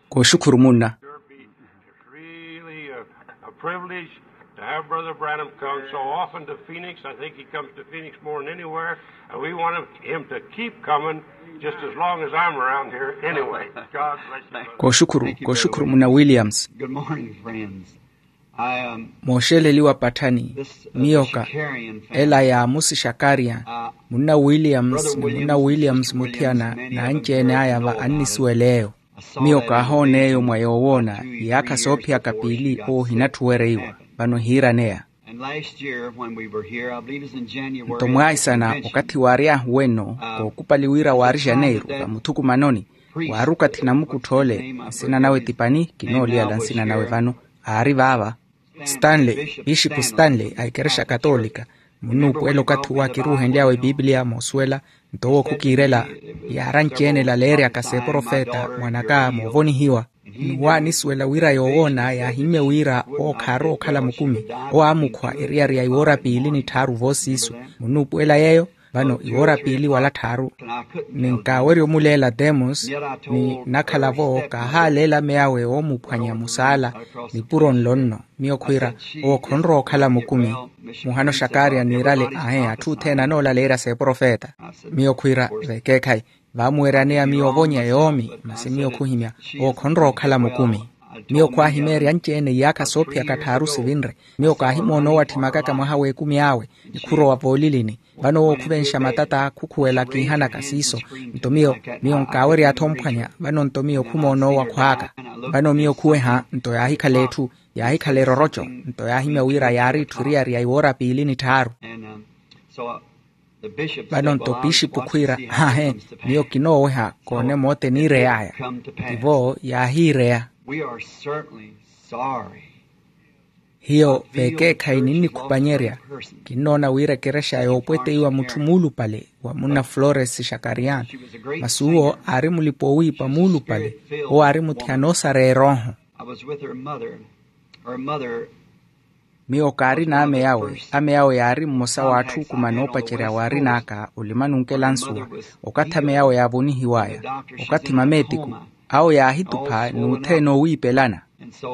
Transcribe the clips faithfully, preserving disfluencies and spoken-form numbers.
Kooxukhuru munna. Really a, a privilege to have Brother Branham come so often to Phoenix. I think he comes to Phoenix more than anywhere, and we want him to keep coming just as long as I'm around here anyway. God bless you, brother. Kooxukhuru, kooxukhuru munna Williams. Good morning, friends. Mooxeleliwa patthani. Miyoka ela ya amusi xakariya, munna williams ni munna williams muthiyana, n'anci-ene aya va annisuwela eyo. Miyoka ahoona eyo mwa yoowoona iyaakha soophiyaka piili owo ohinatthuwereiwa. Vano ehiiraneya. Nto mwaisana okathi waary'ahu wenno, kookupali wira waari janeiru vamuthukumanoni, waari okathi namukuttha ole, nsina nawe ti pani kinooliyala nsina nawe vano, aari vaava. Stanley, pixipu stanley a ikerexa katoolika, munnuupuwela okathi owo akiruuhenly'awe epiipiliya moosuwela. Nto owo khukiirela yaaranci-ene elaleeryaka s'eprofeta mwan'aka moovonihiwa. Ni waanisuwela wira yoowoona yaahimmye wira owo khaarowa okhala mukumi. Owo aamukhwa eriyari ya iwoora piili ni tthaaru voosiisu. Munnuupuwela yeeyo? Vano iwoora piili wala tthaaru. Ni nkaawerya omuleela demos, ni nakhala-vo kaahaaleela ameyawe oomuphwanya musaala nipuro nlo nno. Miyo khwiira, owo khonrowa okhala mukumi. Muhana oxakaariya niirale ahe atthu othene anoolaleerya s'eprofeta. Miyo khwiira, vekeekhayi, vaamuweryaneya miyo ovonya yoomi masi miyo khuhimya, owo khonrowa okhala mukumi. Miyo khwaahimeerya anci-ene iyaakha soophiyaka tthaaru sivinre. Miyo kaahimoona owo atthimakaka mwaha w'ekumi awe, ni khurowa voolilini. Vano owo khuvenxa matata khukhuwela kiihanaka siiso. Nto miyo, miyo nkaawerya-tho omphwanya. Vano nto miyo khumoona owo akhwaaka. Vano miyo khuweha nto yaahikhala etthu, yaahikhala eroroco. Nto yaahimya wira yaari etthu eriyari ya iwoora piili ni tthaaru. Vano nto pixipu khwiira, ahe, miyo kinooweha koone moote niirey'aya. Tivo yaahiireya. Hiyo vekeekhayi ninnikhupanyerya. Kinnoona wira ekerexa yoopweteiwa mutthu muulupale wa munna flores xakariya. Masi uwo aari mulipa owiipa muulupale. Owo aari muthiyana osareya erooho. Miyo kaari n'ame awe. Ame awe yaari mmosa w'atthu okumana oopacerya waarin'aka olimanunkela nsuwa. Okathi ame awe yaavonihiw'aya, okathi mameetiku awo yaahitupha n'uthene owiipelana.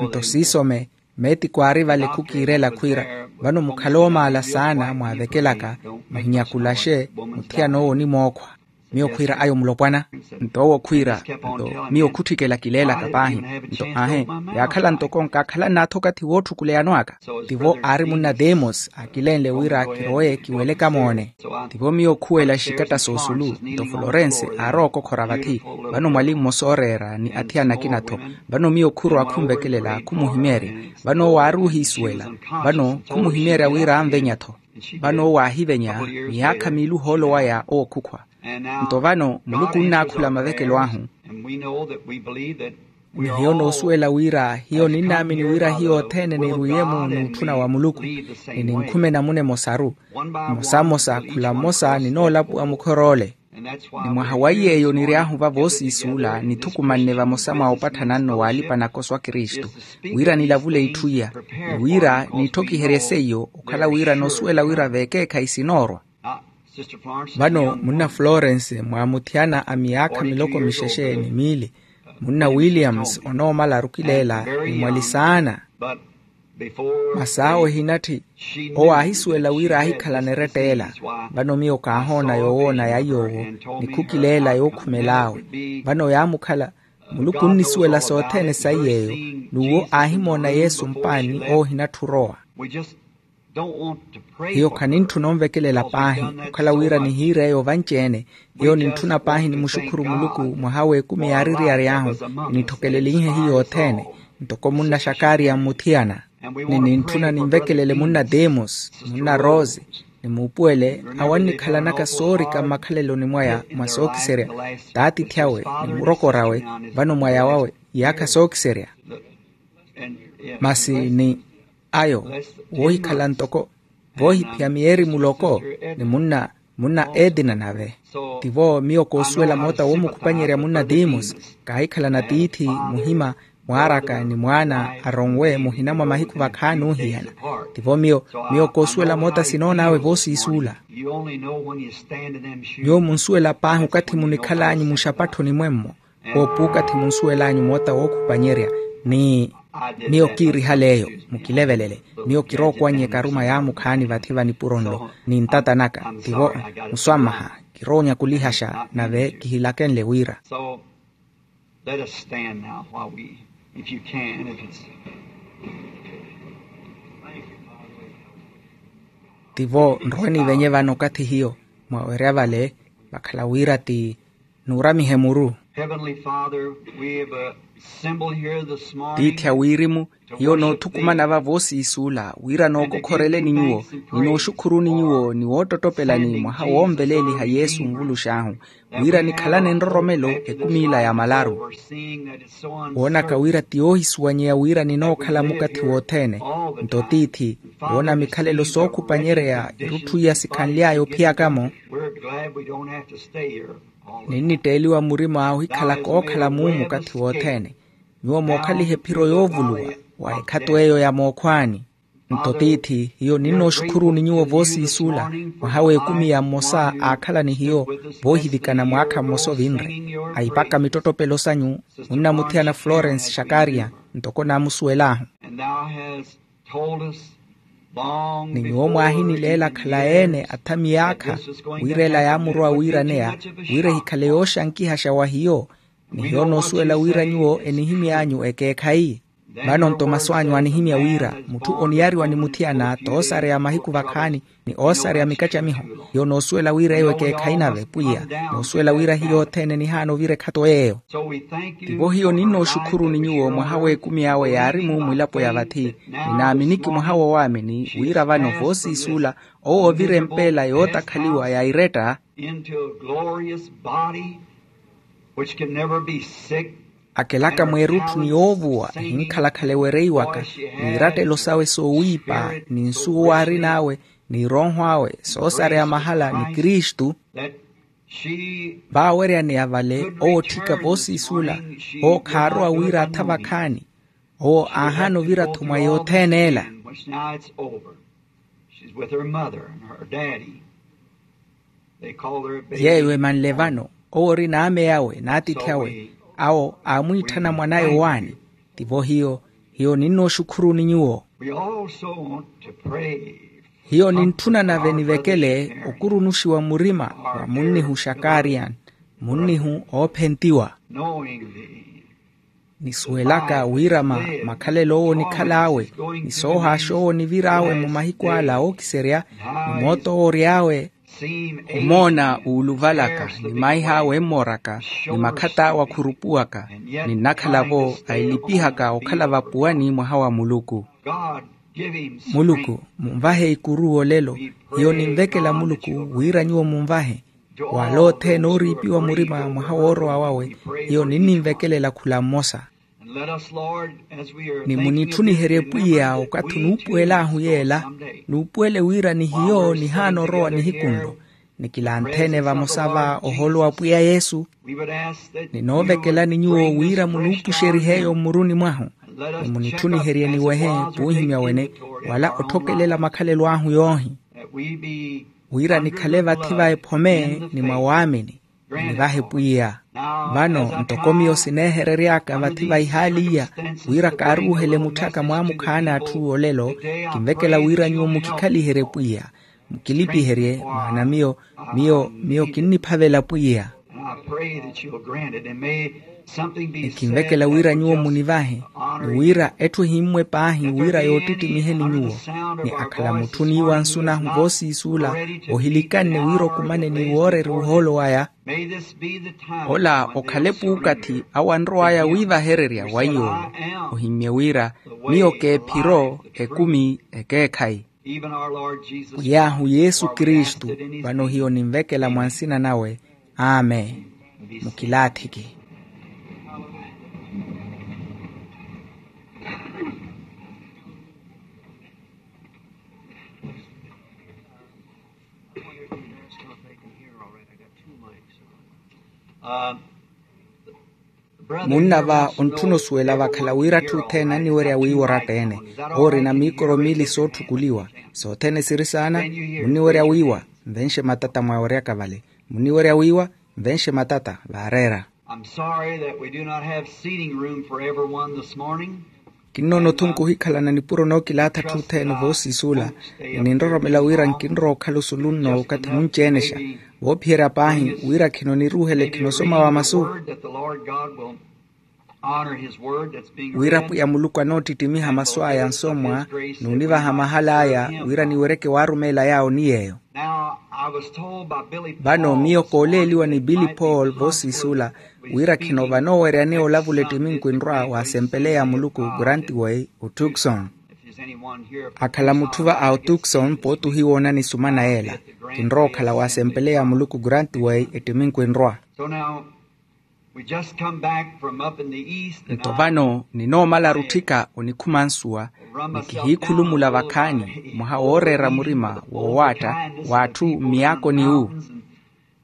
Nto siisome, meetiku aari vale khukiirela khwiira, vano mukhale oomaala saana mwaavekelaka, muhinyakulaxe, muthiyana owo onimookhwa. Miyo khwiira, ayo mulopwana. Nto owo khwiira, nto miyo khutthikela kileelaka paahi. Nto aahe, yaakhala ntoko nkaakhala nnatha okathi wootthukuleyano aka. Tivo aari munna demos akilenle wira kirowe kiweleke amoone. Tivo miyo khuwela exikatta s'osulu. Nto florense aarowa okokhora vathi. Vano mwali mmosa ooreera ni athiyana akina-tho. Vano miyo khurowa khunvekelela khumuhimeerya. Vano owo aari ohiisuwela. Vano khumuhimeerya wira anvenya-tho. Vano owo aahivenya miyaakha miili ohoolo waya owo khukhwa. Nto vano muluku onnaakhula mavekelo ahu. Ni hiyo noosuwela wira hiyo ninnaamini wira hiyo othene niirwiye-mu n'utthuna wa muluku. Ni ninkhume namuna emosaru. Mmosa mmosa khula mmosa ninoolapuwa mukhor'ole. Ni mwaha wa iy'eyo niry'ahu va voosiisuula nithukumanne vamosa mwa opatthana nno w'alipa nakoso a kristu, wira nilavule itthu iya, ni wira niitthokiherye seiyo okhala wira noosuwela wira veekeekhayi sinoorwa. Vano munna florence mwaamuthiyana a miyaakha miloko mixexe ni miili, munna williams onoomala arukileela ni mwali saana. Masi awo ehinatthi owo aahisuwela wira aahikhalana eretteela. Vano miyo kaahoona yoowoona ya iy'owo ni khukileela yookhumel'awe. Vano yaamukhala, muluku onnisuwela sothene sa iy'eyo. N'uwo aahimoona yesu mpaani owo ohinatthi orowa. Hiyo khanintthuna onvekelela paahi okhala wira nihiire eyo vanci-ene. Hiyo nintthuna paahi nimuxukhuru muluku mwaha w'ekumi yaari eriyari ahu, nitthokelelinhe hiyo othene ntoko munna xakariya mmuthiyana. Ni nintthuna ninvekelele munna demos, munna rose, ni muupuwele awo annikhalanaka soorika mmakhaleloni mwaya mwa sookiserya, t'atiithi awe ni murokor'awe vano mwaya wawe iyaakha sookiserya. Masi ni ayo woohikhala ntoko voohiphiya miyeeri muloko ni munna munna edina nave. Tivo miyo koosuwela moota woomukhupanyerya munna demos, kaahikhalana tiithi muhima mwaaraka ni mwaana aronwe muhina mwa mahiku vakhaani oohihana. Tivo miyo miyo koosuwela moota sinoon'awe voosiisuula. Nyuwo munsuwela paahi okathi munikhal'anyu muxapatthoni mwemmo. Woopuukathi munsuwel'anyu moota wookhupanyerya, ni miyo kiirihaleeyo. Mukilevelele. Miyo kirookwannyeka aruma yaamukhaani vathi va nipuro nlo ni ntata naka. Tivo muswammaha. Kiroonyakulihaxa nave kihilakenle wira. Let us stand now while we, if you can, if it's tivo nrowe nivenye vano okathi hiyo mwawerya vale vakhala wira ti nuuramihe muru. Heavenly Father, we have a symbol here this morning. Tiithi a wirimu, hiyo noothukumana va voosiisuula wira nookokhoreleni nyuwo ni nooxukhuruni nyuwo ni woottottopelani mwaha woonveleeliha yesu onvulux'ahu wira nikhalane nroromelo ekumi ila ya malaru. Woonaka wira ti yoohisuwanyeya wira ninookhala mukathi wothene. Nto tiithi woona mikhalelo sookhupanyereya irutthu iya sikhanly'aya ophiyaka-mo. Ninnitteeliwa murima ohikhala kookhala muu mukathi wothene. Nyuwo mookhaliha ephiro yoovuluwa wa ekhato eyo ya mookhwaani. Nto tiithi hiyo ninnooxukhuruni nyuwo voosiisuula mwaha w'ekumi ya mmosa aakhala ni hiyo voohivikana mwaakha mmosa ovinre. Ahipaka mittottopelo sanyu munnamuthiyana florence xakariya ntoko naamusuwel'ahu. Ni nyuwo mwaahinileela khala ene athamiyaakha wira ela yaamurowa wiiraneya wira ehikhale yooxankihaxa wa hiyo. Ni hiyo noosuwela wira nyuwo enihimy'anyu ekeekhayi. Vano nto masu anyu anihimya wira mutthu oniyariwa ni muthiyana t'osareya mahiku vakhaani ni oosareya mikacamiho. Hiyo noosuwela wira eyo ekeekhayi nave pwiya noosuwela wira hiyo othene nihaana ovira ekhato yeeyo. Tivo hiyo ninnooxukhuruni nyuwo mwaha w'ekumi awe yaari-mu mwilapo ya vathi. Ninaaminiki mwaha woowaamini wira vano voosiisuula owo ovira empeela yootakhaliwa ya iretta. Akelaka mweerutthu ni yoovuwa ehinkhalakhala ewereiwaka ni irattelo sawe soowiipa ni nsuwo arin'awe ni erooho awe soosareya mahala ni kristu. Vaaweryaneya vale owo otthika voosiisuula owo khaarowa wira atha vakhaani. Owo aahaana ovira-tho mwa yothene ela. Yeeyo emanle vano owo ori n'ameyi awe n'atiithi awe awo aamwiitthana mwanaye owaani. Tivo hiyo hiyo ninnooxukhuruni nyuwo. Hiyo nintthuna nave nivekele okurunuxiwa murima wa munnihu xakarian munnihu oophentiwa. Nisuwelaka wira ma makhalelo owo onikhal'awe ni soohaaxa owo onivir'awe mu mahiku ala ookiserya ni mooto owo ory'awe omoona wuuluvalaka ni maih'awe emmooraka ni makhat'awe akhurupuwaka. Ninnakhala-vo ailipihaka okhala vapuwani mwaha wa muluku. Muluku munvahe ikuru olelo. Hiyo ninvekela muluku wira nyuwo munvahe wala othene ooriipiwa murima mwaha woorowa wawe. Hiyo ninninvekelela khula mmosa ni munitthuniherye pwiya okathi onuupuwel'ahu yeela nuupuwele wira ni hiyo nihaana orowa nihiku nlo ni kilanthene vamosa va oholo wa pwiya yesu. Ninoovekelani nyuwo wira munuupuxerih'eyo mmuruni mwahu ni munitthuniherye niwehe puuhimya wene wala otthokelela makhalelo ahu yoohi wira nikhale vathi va ephome ni mwa waamini. Munivahe pwiya vano ntoko miyo sineeherery'aka vathi va ihaali iya wira kaaruuhele mutthaka mwaamukhaani atthu olelo. Kinvekela wira nyuwo mukikhaliherye pwiya mukilipiherye maana miyo miyo miyo kinniphavela pwiya. Ekinvekela wira nyuwo munivahe ni wira etthu ehimmwe paahi wira yoottittimihe ni nyuwo ni akhala mutthu oniiwa nsu nahu voosiisuula ohilikanne wira okumane ni woorerya ohoolo waya. Ola okhale puukathi awo anrow'aya wiivahererya wa iy'owo ohimmye wira miyo k'ephiro ekumi ekeekhayi. Pwiy'ahu yesu kristu vano hiyo ninvekela mwa nsina nawe. Amen. Mukilaathiki. Munna va ontthuna osuwela vakhala wira atthu othene anniwerya wiiwa oratta-ene owo orina miikoro miili sootthukuliwa. Sothene siri saana munniwerya wiiwa nvenxe matata mwaweryaka vale. Munniwerya wiiwa nvenxe matata vaareera. I'm sorry that we do not have seating room for everyone this morning. Kinnoona othunku ohikhalana nipuro nookilaatha atthu othene voosiisuula. Ninroromela wira nkinrowa okhala osulu nno okathi munci-enexa, voophiherya paahi wira khino niruuhele khinosoma wa masu. Wira pwiya muluku anoottittimiha masu aya ansomwa n'univaha mahala aya wira niwereke waarumeela yaawo ni yeeyo. Vano miyo kooleeliwa ni billy paul voosiisuula wira khino vanooweryaneya olavula ettimi nkwinrwa wa asempeleya ya muluku grantway otukson. Akhala mutthu va a otukson pooti ohiwoonani sumana yeela. Kinrowa okhala wa asempeleya ya muluku grantway ettimi nkwinrwa. Nto vano ninoomalaru otthika onikhuma nsuwa, ni kihiikhulumula vakhaani mwaha wooreera murima woowaatta w'atthu mmiyaakoni wu.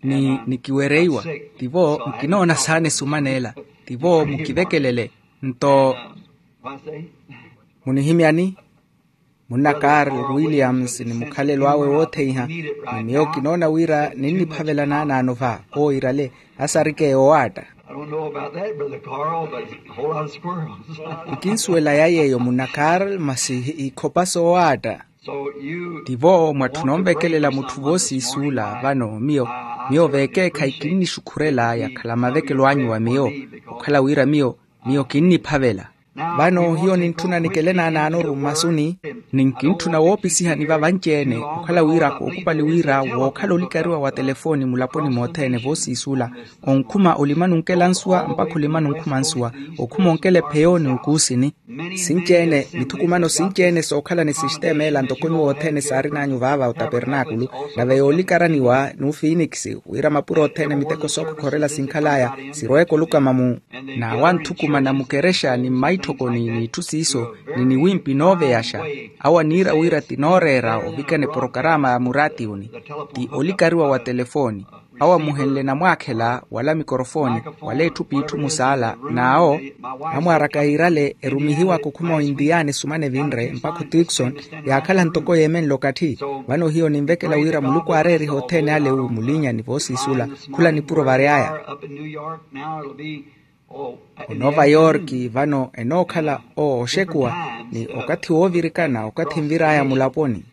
Ni nikiwereiwa, tivo nkinoona saana esumaneela. Tivo mukivekelele. Nto munihimyani? Munna karl williams ni mukhalelo awe wootheiha. Ni miyo kinoona wira ninniphavela naanaano va owo irale asarikeya owaatta. Nkinsuwela ya yeeyo munna karl masi ikhopa soowaatta. Tivo mwatthuna onvekelela mutthu voosiisuula vano miyo miyo veekeekhayi kinnixukhurela yakhala mavekelo anyu wa miyo okhala wira miyo miyo kinniphavela. Vano hiyo nintthuna nikele naanaanoru mmasuni. Ni nkintthuna woopisihani vavanci-ene okhala wira kookupali wira wookhala olikariwa wa telefoni mulaponi mothene voosiisuula. Onkhuma olimani onkela nsuwa mpakha olimani onkhuma nsuwa. Okhuma onkela epheyo ni okuusini. Sinci-ene mithukumano sinci-ene sookhala ni sistema ela ntoko nyuwo othene saarin'anyu vaava otapernaakulu. Nave yoolikaraniwa n'ufiinikisi wira mapuro othene miteko sookokhorela sinkhal'aya sirweeke olukama mu. N'awo anthukumana mukerexa ni mmaitthokoni n'itthu siiso ni niwimpi nooveyaxa. Awo aniira wira ti nooreera ovikana eporokarama ya muraatiyuni ti olikariwa wa telefoni. Awo amuhenle namwaakhela wala mikorofoni wala etthu p'itthu musaala n'awo amwaaraka yiirale erumihiwaka okhuma ointiyani sumana evinre mpakha otikson. Yaakhala ntoko yeemenle okatthi. Vano hiyo ninvekela wira muluku aareeriha othene ale wu mulinyani voosiisula khula nipuro vary'aya. Onova yorki vano enookhala ooxekuwa ni okathi woovirikana okathi nvir'aya mulaponi.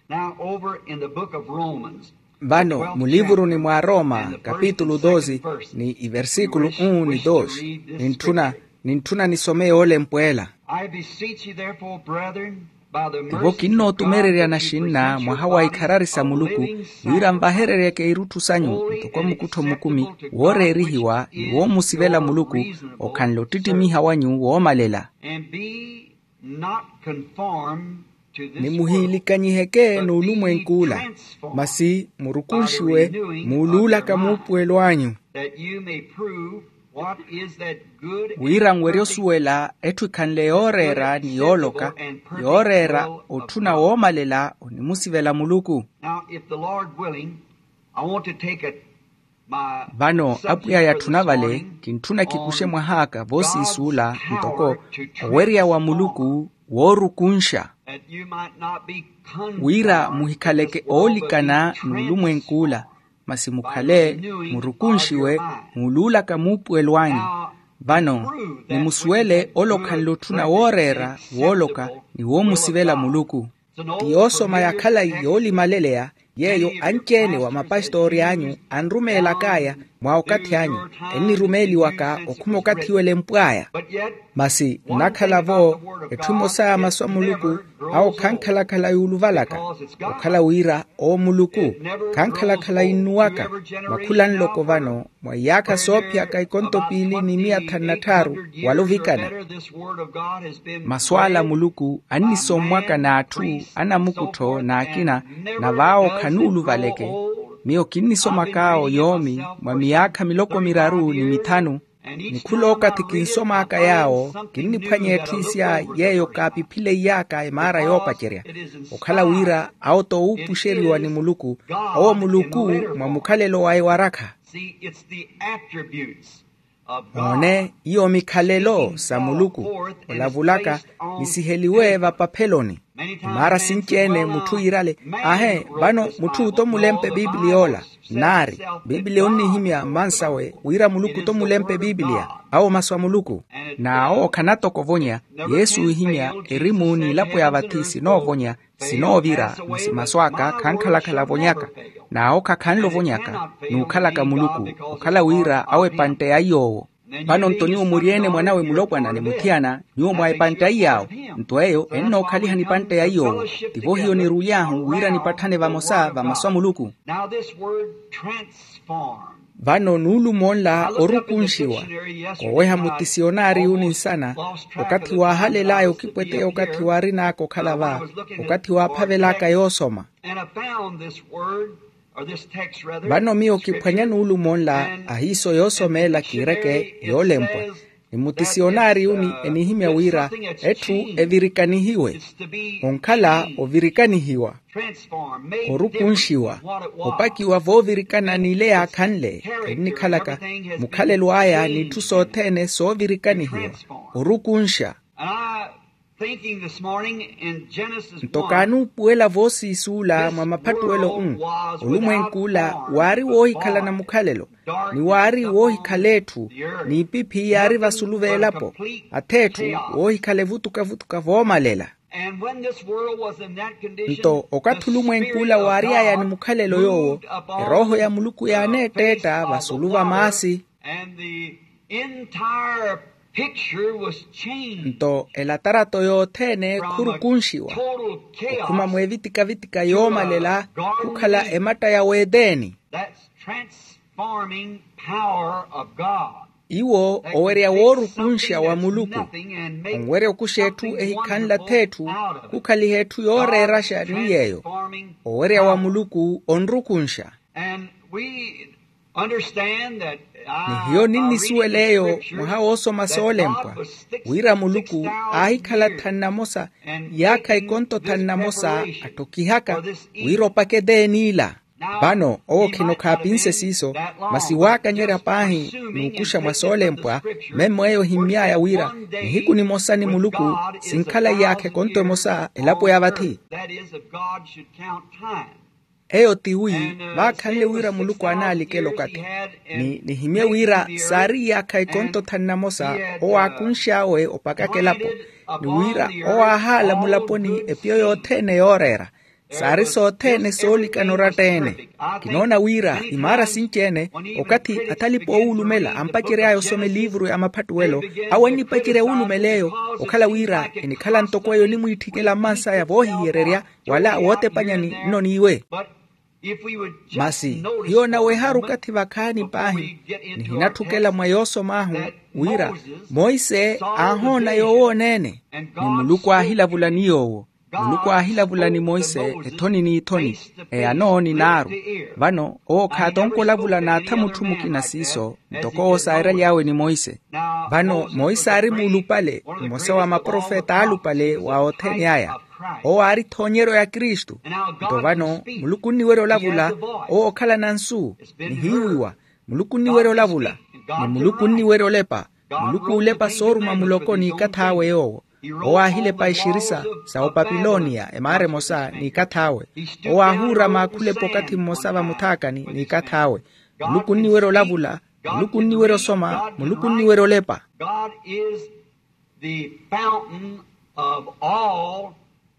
Vano mulivuruni mwa roma kapitulu doze ni iversikulu un ni dos nintthuna nintthuna nisome yoolempw'ela. Tivo kinnootumereryana xinna mwaha wa ikharari sa muluku wira nvahereryeke irutthu sanyu ntoko mukuttho mukumi wooreerihiwa ni woomusivela muluku okhanle ottittimiha wanyu woomalela. Ni muhiilikanyiheke n'ulumwenk'ula masi murukunxiwe muuluulaka muupuwelo anyu. Wira nwerye osuwela etthu ekhanle yooreera ni yooloka yooreera otthuna woomalela onimusivela muluku. Vano apwiya yatthuna vale kintthuna kikuxe mwah'aka voosiisuula ntoko owerya wa muluku woorukunxa wira muhikhaleke oolikana n'ulumwenk'ula masi mukhale murukunxiwe muuluulaka muupuwelo anyu. Vano nimusuwele ole okhanle otthuna wooreera wooloka ni woomusivela muluku. Ti yoosoma ya khalayi yoolimaleleya yeeyo anci-ene wa mapastoori anyu anrumeelak'aya mwa okathi anyu ennirumeeliwaka okhuma okathi iwo elempw'aya. Masi nnakhala-vo etthu emosa ya masu a muluku awo khankhalakhala yuuluvalaka okhala wira owo muluku khankhalakhala yinnuwaka. Mwa khula nloko vano mwa iyaakha soophiyaka ikonto piili ni miya thanu na tthaaru wala ovikana. Masu ala a muluku annisommwaka n'atthu anamukuttho n'akina na vaawo khanuuluvaleke. Miyo kinnisomak'awo yoomi mwa miyaakha miloko miraru ni mithanu ni khul'okathi kinsom'aka yaawo kinniphwanya etthu isya yeeyo kaapiphileiy'aka emaara yoopacerya okhala wira awo t'owuupuxeriwa ni muluku owo muluku mwa mukhalelo waye warakha. Moone iyo mikhalelo sa muluku olavulaka nisiheliwe vapapheloni. Maara sinci-ene mutthu yiirale, ahe, vano mutthu t'omulempe piipiliya ola. Naari, piipiliya onnihimya mmansawe wira muluku t'omulempe piipiliya. Awo masu a muluku. N'awo khanatoko ovonya. Yesu oohimya, erimu n'ilapwe ya vathi sinoovonya, sinoovira. Masi masu aka khankhalakhala avonyaka. N'awo khakhanle ovonyaka n'ukhalaka muluku. Okhala wira awo epantte ya iy'owo. Vano nto nyuwo muri-ene mwanawe mulopwana ni muthiyana, nyuwo mwa epantte ya iy'awo. Nto eyo ennookhaliha ni pantte ya iy'owo. Tivo hiyo niruly'ahu wira nipatthane vamosa va masu a muluku. Now this word transform. Vano nuulumo nla orukunxiwa. Koweha mutisionari uni nsana. Okathi waahalel'aya okipweteya okathi waarin'aka okhala va, okathi waaphavel'aka yoosoma. And I found this word, or this text rather. Vano miyo kiphwanya nuulumo nla, ahiiso yoosomeela kiireke yoolempwa. Ni mutisionari uni enihimya wira etthu evirikanihiwe. Onkhala ovirikanihiwa, orukunxiwa, opakiwa voovirikana n'ile yaakhanle. Ennikhalaka mukhalelo aya n'itthu sothene soovirikanihiwa, orukunxa. Nto kaanuupuwela voosiisuula mwa maphattuwelo-u, olumwenk'ula waari woohikhalana mukhalelo, ni waari woohikhala etthu, n'ipiphi yaari vasulu v'elapo, ath'etthu woohikhala evutukavutuka voomalela. Nto okathi olumwenk'ula waary'aya ni mukhalelo yoowo, erooho ya muluku yaaneetteetta vasulu va maasi. Nto elatarato yothene khurukunxiwa, okhuma mweevitika-vitika yoomalela khukhala ematta ya weeteni. Iwo owerya woorukunxa wa muluku, onwerya okuxa etthu ehikhanle ath'etthu, khukhaliha etthu yooreeraxa ni yeeyo. Owerya wa muluku onrukunxa. Ni hiyo ninnisuwela eyo mwaha woosoma soolempwa, wira muluku aahikhala thanu namosa, iyaakha ekonto thanu namosa, atthokihaka wira opaka eteeni ila. Vano owo khino khaapinse siiso, masi waakanyerya paahi n'ukuxa mwa soolempwa. Memmo eyo ohimmy'aya wira nihiku nimosa ni muluku sinkhala iyaakha ekonto emosa elapo ya vathi. Eyo tiwi, vaakhanle wira muluku aanaalikela okathi. Ni nihimye wira saari iyaakha ekonto thanu namosa, owo aakunx'awe opakaka elapo. Ni wira owo aahaala mulaponi epiyo yothene yooreera. Saari sothene soolikana oratta-ene. Kinoona wira imaara sinci-ene, okathi athalipa oowulumela ampacery'aya osoma eliivuru ya maphattuwelo, awo annipacerya owulumela eyo, okhala wira enikhala ntoko eyo onimwiitthikela mmansaya voohihiyererya, wala wootepanyani nno n'iwe. Masi hiyo onaweharu okathi vakhaani paahi, nihinatthukela mwa yoosom'ahu wira monse aahoona yoowooneene, ni muluku aahilavula ni yoowo. Muluku aahilavula ni monse ethoni n'ithoni, eyano ni naaru. Vano owo khaatonka olavula n'atha mutthu mukina siiso, ntoko owo saairaly'awe ni monse. Vano monse aari muulupale, mmosa wa maprofeta aalupale wa othene aya. Owo aari ethoonyeryo ya kristu. Nto vano muluku onniwerya olavula, owo okhalana nsu, nihiiwiwa. Muluku onniwerya olavula, ni muluku onniwerya olepa. Muluku oolepa sooruma muloko n'ikath'awe yoowo. Owo aahilepa exirisa sa opapiloniya emaara emosa n'ikath'awe. Owo aahuurama akhulepa okathi mmosa vamuthaakani n'ikath'awe. Muluku onniwerya olavula, muluku onniwerya osoma, muluku onniwerya olepa. God is the fountain of all.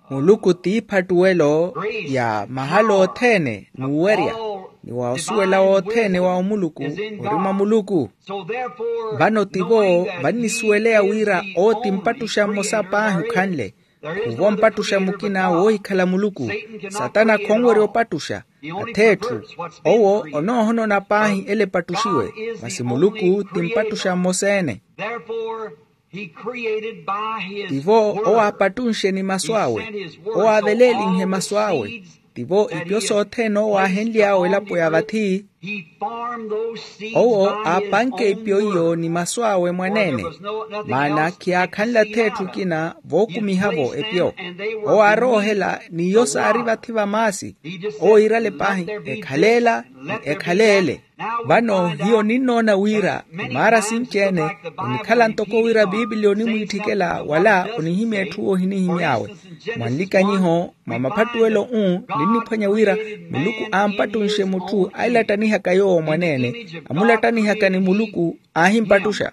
Muluku t'iphattuwelo ya mahala othene n'uwerya, ni wa osuwela wothene wa omuluku ori mwa muluku. Vano tivo vannisuweleya wira owo ti mpattuxa mmosa paahi okhanle. Khuvo mpattuxa mukina woohikhala muluku. Satana khonwerya opattuxa ath'etthu. Owo onoohonona paahi ele epattuxiwe, masi muluku ti mpattuxa mmosa-ene. Tivo owo aapattunxe ni masu awe, owo aaveleelinhe masu awe. Tivo ipyo sothene owo aahenly'awe elapo ya vathi. Owo aapanke epyo iyo ni masu awe mwaneene, maana khiyaakhanle ath'etthu ekina vookumiha-vo epyo. Owo aaroohela n'iyo saari vathi va maasi. Owo iirale paahi, ekhaleela ni ekhaleele. Vano hiyo ninnoona wira imaara sinci-ene onikhala ntoko wira piipiliya onimwiitthikela wala onihimya etthu ohinihimy'awe. Mwa nlikanyiho mwa maphattuwelo-u, ninniphwanya wira muluku aampattunxe mutthu ailattanihaka yoowo mwaneene, amulattanihaka ni muluku aahimpattuxa.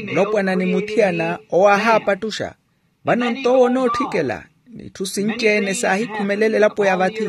Mulopwana ni muthiyana owo aahaapattuxa. Vano nto owo onootthikela n'itthu sinci-ene saahikhumelela elapo ya vathi.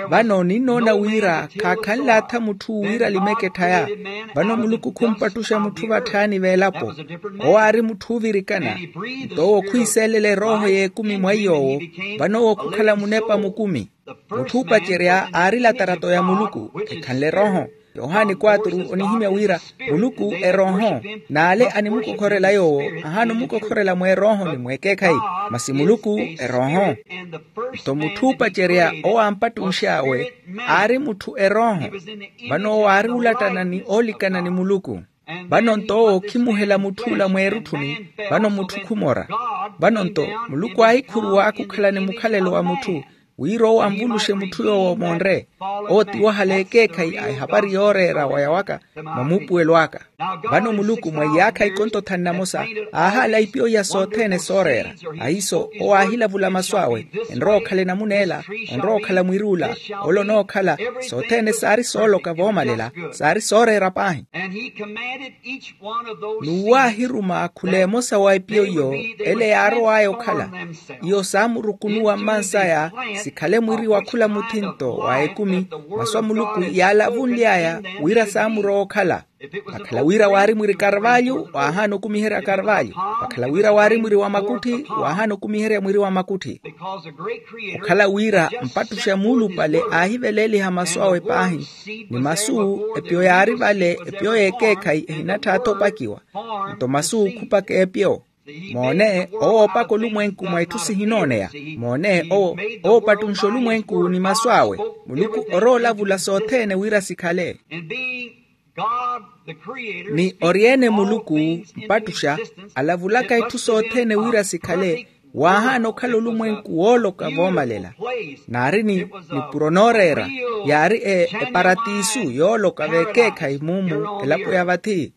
Vano ninnoona wira khaakhanle atha mutthu wira alimeke etthaya. Vano muluku khumpattuxa mutthu vatthaani v'elapo. Owo aari mutthu oovirikana. Nto owo khwiiseelela erooho y'ekumi mwa iy'owo. Vano owo khukhala munepa mukumi. Mutthu oopacerya aari latarato ya muluku, ekhanle erooho. Yohani quatro onihimya wira muluku erooho, n'ale animukokhorela yoowo ahaana omukokhorela mw'erooho ni mw'ekeekhayi, masi muluku erooho. Nto mutthu oopacerya owo aampattunx'awe aari mutthu erooho. Vano owo aari olattana ni oolikana ni muluku. Vano nto owo okhimuhela mutth'ula mweerutthuni. Vano mutthu khumora. Vano nto muluku aahikhuruwa khukhala ni mukhalelo wa mutthu, wira owo anvuluxe mutthu yoowo omonre. Owo tiwahala ekeekhayi a ehapari yooreera waya waka mwa muupuwelo aka. Vano muluku mwa iyaakha ikonto thanu na mosa aahaala ipyo iya sothene sooreera. Ahiiso owo aahilavula masu awe, enrowa okhala enamun'ela, onrowa okhala mwir'ula, ole onookhala. Sothene saari sooloka voomalela, saari sooreera paahi. N'uwo aahiruma khula emosa wa epyo iyo ele yaarow'aya okhala. Iyo saamurukunuwa mmansaya sikhale mwiri wa khula muthinto wa ekumi. Masu a muluku yaalavunly'aya wira saamurowa okhala. Vakhala wira waari mwiri karvalyu waahaana okumiherya karvalyu. Vakhala wira waari mwiri wa makutthi waahaana okumiherya mwiri wa makutthi. Okhala wira mpattuxa muulupale aahiveleeliha masu awe paahi, ni masu epyo yaari vale epyo y'ekeekhayi ehinatthaatha opakiwa. Nto masu khupaka epyo. Moone owo oopaka olumwenku mwa itthu sihinooneya. Moone owo oopattunxa olumwenku ni masu awe. Muluku oroolavula sothene wira sikhale. Ni ori-ene muluku mpattuxa alavulaka itthu sothene wira sikhale. Waahaana okhala olumwenku wooloka voomalela. Naari ni nipuro nooreera yaari eparatisu yooloka v'ekeekhayi mumu elapo ya vathi.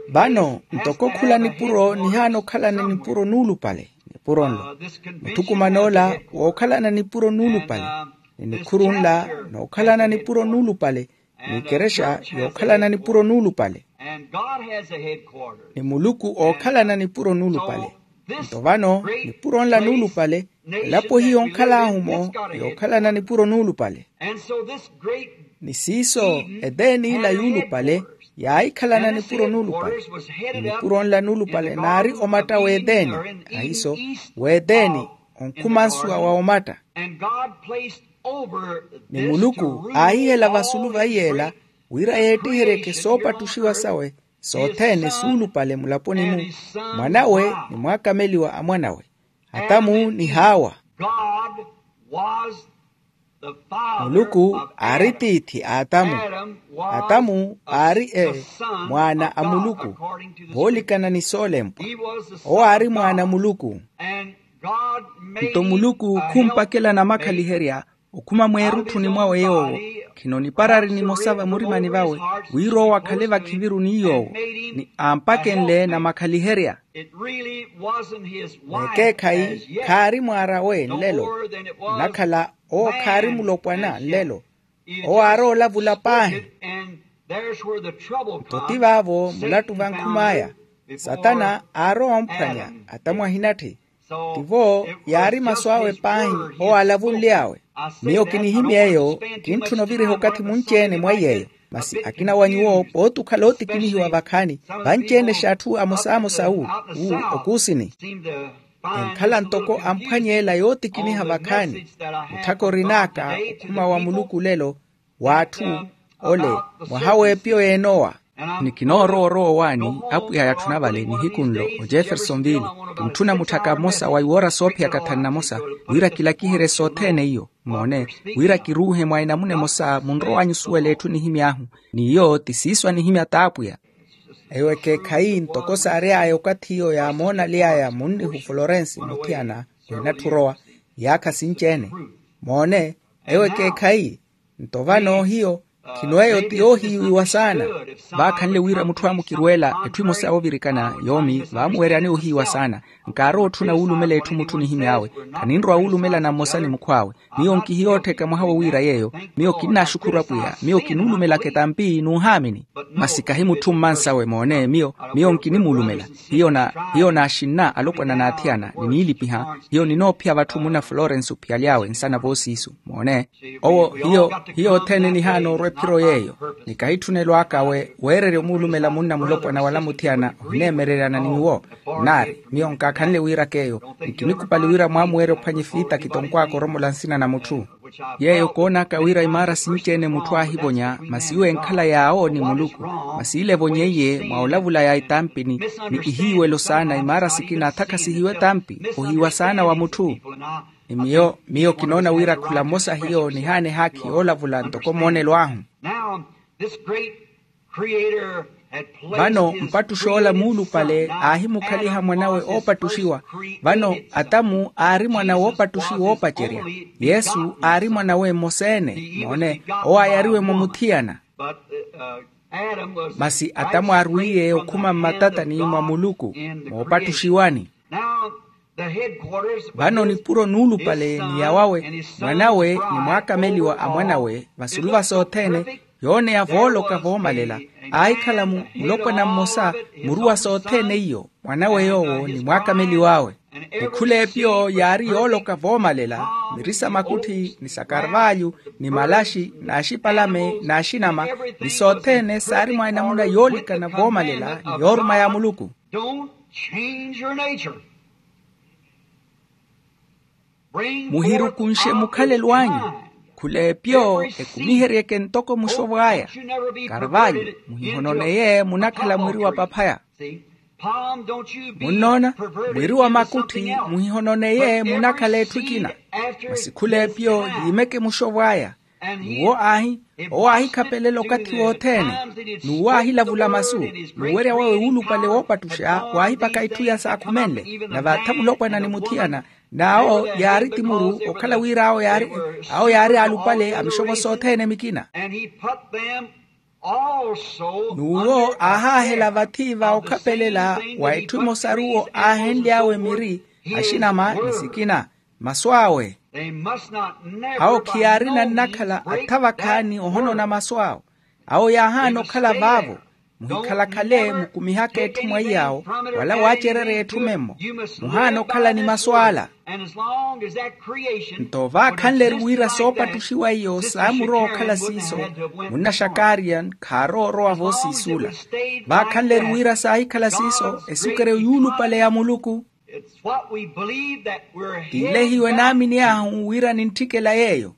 Vano ntoko khula nipuro nihaana okhalana nipuro nuulupale nipuro nlo. Muthukuman'ola wookhalana nipuro nuulupale ni nikhuru nla nookhalana nipuro nuulupale ni ikerexa yookhalana nipuro nuulupale. Ni muluku ookhalana nipuro nuulupale. Nto vano nipuro nla nuulupale elapo hiyo onkhal'ahu-mo yookhalana nipuro nuulupale. Ni siiso eteeni ila yuulupale yaahikhalana nipuro nuulupale. Ni nipuro nla nuulupale naari omatta w'eteeni ahiiso w'eteeni onkhumansuwa wa omatta. Ni muluku aahihela vasulu va iy'ela wira yeettiheryeke soopattuxiwa sawe sothene suulupale mulaponi-mu, mwanawe ni mwaakameliwa a mwanawe, atamu ni haawa. Muluku aari tiithi a atamu. Atamu aari e mwaana a muluku voolikana ni soolempwa. Owo aari mwaana a muluku. Nto muluku khumpakela namakhaliherya okhuma mweerutthuni mwawe yoowo khino niparari nimosa vamurimani vawe wira owo akhale vakhiviru ni yoowo ni aampakenle namakhaliherya. N'ekeekhayi khaari mwaar'awe nlelo. Nnakhala owo khaari mulopwana nlelo. Owo aaroolavula paahi. Nto ti vaavo mulattu vankhum'aya satana aarowa omphwanya atamu ahinatthi. Tivo yaari masu awe paahi owo aalavunly'awe. Miyo kinihimya eyo. Kintthuna oviriha okathi munci-ene mwa iy'eyo. Masi akina wa nyuwo pooti okhala ootikinihiwa vakhaani vanci-ene x'atthu amosamosa wu wu okuusini. Enkhala ntoko amphwany'ela yootikiniha vakhaani. Mutthaka orin'aka okhuma wa muluku lelo w'atthu ole mwaha w'epiyo y'enowa. Ni kinoorowa orowa owaani apwiya yatthuna vale nihiku nlo ojeffersonville. Kintthuna mutthaka mmosa wa iwoora soophiyaka thanu na mosa wira kilakiherye sothene iyo. Moone, wira kiruuhe mwa enamuna emosa munrow'anyu osuwela etthu nihimy'ahu. N'iyo ti siiso anihimya t'apwiya. Eyo ekeekhayi ntoko saary'aya okathi iyo yaamoonaly'aya munnihu florensi muthiyana, w'enatthi orowa iyaakha sinci-ene. Moone, eyo ekeekhayi. Nto vano hiyo khino eyo ti yoohiiwiwa saana. Vaakhanle wira mutthu amukirweela etthu emosa yoovirikana yoomi vaamuweryani ohiiwa saana. Nkaarowa otthuna wuulumela etthu mutthu nihimy'awe. Khaninrowa wuulumelana mmosa ni mukhw'awe. Miyo nkihiyoottheka mwaha wowiira yeeyo. Miyo kinnaaxukhuru apwiya, miyo kinuulumelaka etampi n'uhaamini. Masi kahi mutthu mmansawe moone miyo, miyo nkinimuulumela. Hiyo naxinna alopwana n'athiyana niniilipiha. Hiyo ninoophiya vatthu munna florensi ophiyaly'awe nsana voosiisu. Moone, owo hiyo, hiyo othene nihaana orwa ephiro yeeyo. Ni kahitthunelo aka weererya omuulumela munna mulopwana wala muthiyana ohineemereryana ni nyuwo. Nnaari miyo nkaakhanle wiiraka eyo. Nkinikupali wira mwaamuwerya ophwanya efiitakiti onkwaka oromola nsina na mutthu. Yeeyo koonaka wira imaara sinci-ene mutthu aahivonya masi iwo enkhala yaawo ni muluku. Masi ile evonyeiye mwa olavula ya etampini ni ihiiwelo saana imaara sikina athakhasihiwe etampi. Ohiiwa saana wa mutthu. Ni miyo miyo kinoona wira khula mmosa hiyo nihaana ehaakhi yoolavula ntoko moonelo ahu. Vano mpattuxi ola muulupale aahimukhaliha mwanawe oopattuxiwa. Vano atamu aari mwana woopattuxiwa oopacerya. Yesu aari mwanawe mmosa-ene moone, owo ayariwe mwa muthiyana. Masi atamu arwiiye okhuma mmatatani mwa muluku moopattuxiwani. Vano nipuro nuulupale ni yawawe mwanawe ni mwaakameliwa a mwanawe vasulu va sothene. Yooneya vooloka voomalela aahikhala mulopwana mmosa muru wa sothene iyo mwanawe yoowo ni mwaakameliw'awe. Ni khul'epiyo yaari yooloka voomalela miri sa makutthi ni sa karvalyu ni malaxi n'axipalame n'axinama ni sothene saari mwa enamuna yoolikana voomalela ni yooruma ya muluku. Muhirukunxe mukhalelo anyu. Khul'epyo ekumiheryeke ntoko muxovw'aya. Karvalyu muhihononeye munakhala mwiri wa paphaya. Munnoona, mwiri wa makutthi muhihononeye munakhala etthu ekina. Masi khul'epyo yiimeke muxovw'aya. N'uwo aahi owo aahikhapelela okathi wothene. N'uwo aahilavula masu. N'uwerya wawe wuulupale woopattuxa waahipaka itthu iya saakhumenle. Nave atha mulopwana ni muthiyana n'awo yaari timuru okhala wira awo yaari alupale a mixopo sothene mikina. N'uwo aahaahela vathi va okhapelela wa etthu emosaru owo aahenly'awe miri axinama ni sikina. Masu awe awo khiyaarina nnakhala atha vakhaani ohonona masu awo. Awo yaahaana okhala vaavo. Muhikhalakhale mukumihaka etthu mwa iy'awo wala waacererya etthu memmo. Muhaana okhala ni masu ala. Nto vaakhanle-ru wira soopattuxiwa iyo saamurowa okhala siiso. Munna xakaariya khaarowa orowa voosiis'ula. Vaakhanle-ru wira saahikhala siiso esikeryo yuulupale ya muluku. T'ile hiyo enaamin'ahu wira nintthikela yeeyo.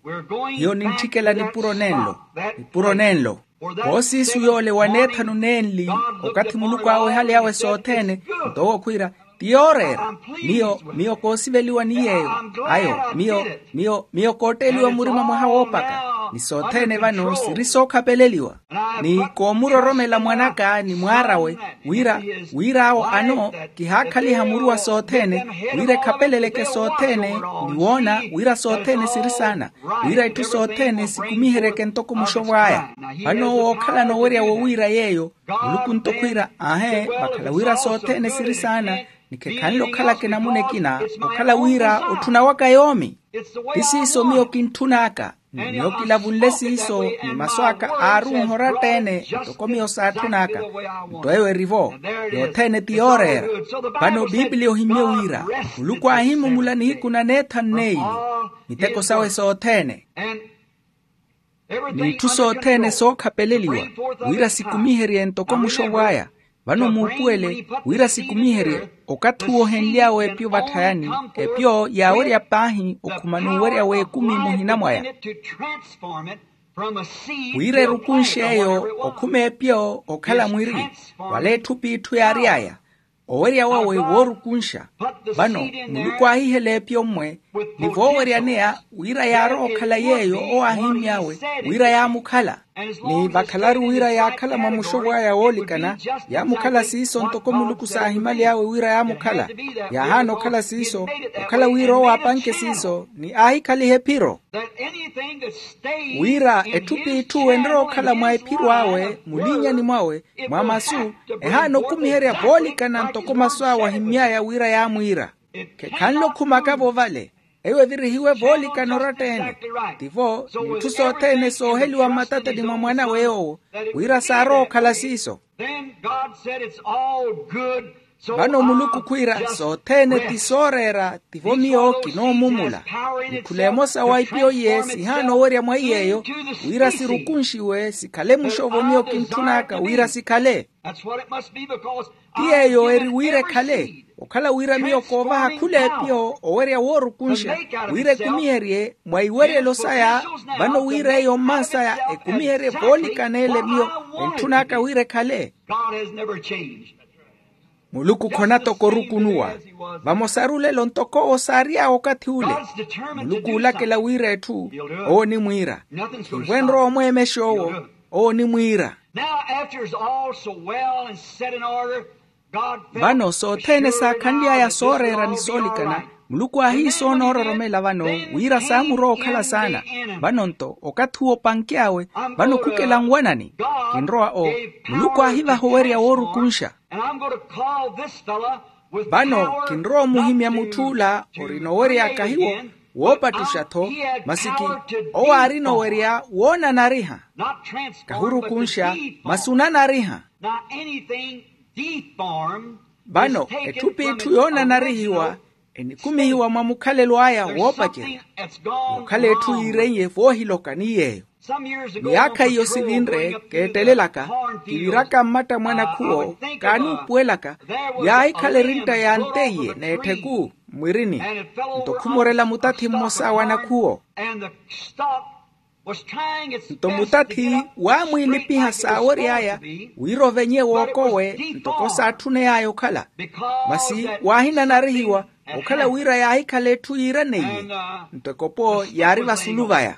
Hiyo nintthikela nipuro nenlo. Nipuro nenlo. Voosiisu yoole waneethanu nenli okathi muluku aawehaly'awe sothene. Nto owo khwiira ti yooreera. Miyo miyo koosiveliwa ni yeeyo. Ayo miyo miyo miyo kootteeliwa murima mwaha woopaka. Ni sothene vano siri sookhapeleliwa. Ni koomuroromela mwan'aka ni mwaar'awe wira wira awo ano kihaakhaliha muru wa sothene wira ekhapeleleke sothene. Ni woona wira sothene siri saana wira itthu sothene sikumiheryeke ntoko muxovw'aya. Vano owo ookhalana owerya wowiira yeeyo. Muluku nto khwiira aahe vakhala wira sothene siri saana. Ni khekhanle okhalaka enamuna ekina okhala wira otthuna waka yoomi. Ti siiso miyo kintthun'aka. Miyo kilavunle siiso ni masu aka aari onhoratta-ene. Ntoko miyo saatthun'aka. Nto eyo eri-vo. Yothene ti yooreera. Vano piipiliya ohimmye wira muluku aahimumula nihiku na neethanu n'eyili miteko sawe sothene. N'itthu sothene sookhapeleliwa wira sikumiherye ntoko muxovw'aya. Vano muupuwele wira sikumiherye okathi uwo ohenly'awe epyo vatthayani. Epyo yaawerya paahi okhuma n'uwerya w'ekumi muhina mwaya. Wira erukunxe eyo okhuma epyo okhala mwiri wala etthu p'itthu yaary'aya. Owerya wawe woorukunxa. Vano muluku aahihela epyo mmwe Ni vooweryaneya wira yaarowa okhala yeeyo owo aahimmy'awe, wira yaamukhala. Ni vakhalaru wira yaakhala mwa muxovo aya woolikana, yaamukhala siiso ntoko muluku saahimaly'awe wira yaamukhala. Yaahaana okhala siiso, okhala wira owo apanke siiso ni aahikhaliha ephiro. Wira etthu p'itthu enrowa okhala mwa ephiro awe mulinyani mwawe, mwa masu, ehaana okumiherya voolikana ntoko masu awe ahimmy'aya wira yaamwiira. Khekhanle okhumaka-vo vale. Eyo evirihiwe voolikana oratta-ene. Tivo ni itthu sothene sooheliwa mmatatani mwa mwan'awe yoowo, wira saarowa okhala siiso. Then God said, "It's all good." So vano muluku khwiira, sothene ti sooreera. Tivo miyo kinoomumula. Ni khula emosa wa ipiyo iye sihaana owerya mwa iy'eyo, wira sirukunxiwe sikhale muxovo miyo kintthun'aka wira sikhale. Ti yeeyo eri wira ekhale. Okhala wira miyo koovaha khula epiyo owerya woorukunxa, wira ekumiherye mwa iweryelo saya. Vano wira eyo mmansaya ekumiherye voolikana ele miyo entthun'aka wira ekhale. Muluku khonatoko orukunuwa. Vamosaru lelo ntoko owo saary'awe okathi ule. Muluku oolakela wira etthu, owo onimwiira. Khivo enrowa omweemexa owo, owo onimwiira. Now, after it's all so well and set in order, God felt vano sothene saakhanly'aya sooreera ni soolikana, muluku aahiisoona oororomela vano wira saamurowa okhala saana. Vano nto okathi uwo opanky'awe, vano khukela nwanani. Kinrowa o, muluku aahivaha owerya woorukunxa. And I'm going to call this fella with vano kinrowa omuhimya mutthu ula orina owerya akahiwo, woopattuxa-tho. Masiki owo aarina owerya woonanariha. Kahurukunxa, masi onanariha. Now anything deformed, vano etthu p'itthu yoonanarihiwa enikumihiwa mwa mukhalelo aya woopacerya. Okhala etthu yiireiye voohiloka ni yeeyo. Miyaakha iyo sivinre keettelelaka, kiviraka mmatta mwa nakhuwo kaanuupuwelaka, yaahikhala erintta ya nteiye n'etthiku mmwirini. Nto khumorela mutathi mmosa wa nakhuwo. Nto mutathi waamwiilipiha saawery'aya wira ovenye wookowe ntoko saatthuney'aya okhala. Masi waahinanarihiwa okhala wira yaahikhala etthu yiiraneiye. Nto ekopo yaari vasulu vaya.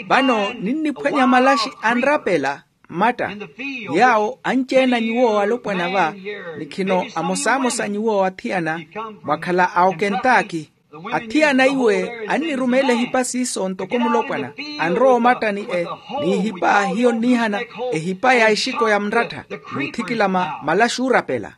Vano ninniphwanya malaxi anrapela mmatta, yaawo anci-ene a nyuwo alopwana va, ni khino amosamosa a nyuwo athiyana mwakhala a okentaki. Athiyana iwe annirumeela ehipa siiso ntoko mulopwana, anrowa omattani e, n'ihipa hiyo nniihana ehipa ya exiko ya mrattha, n'uthikilama malaxi oorapela.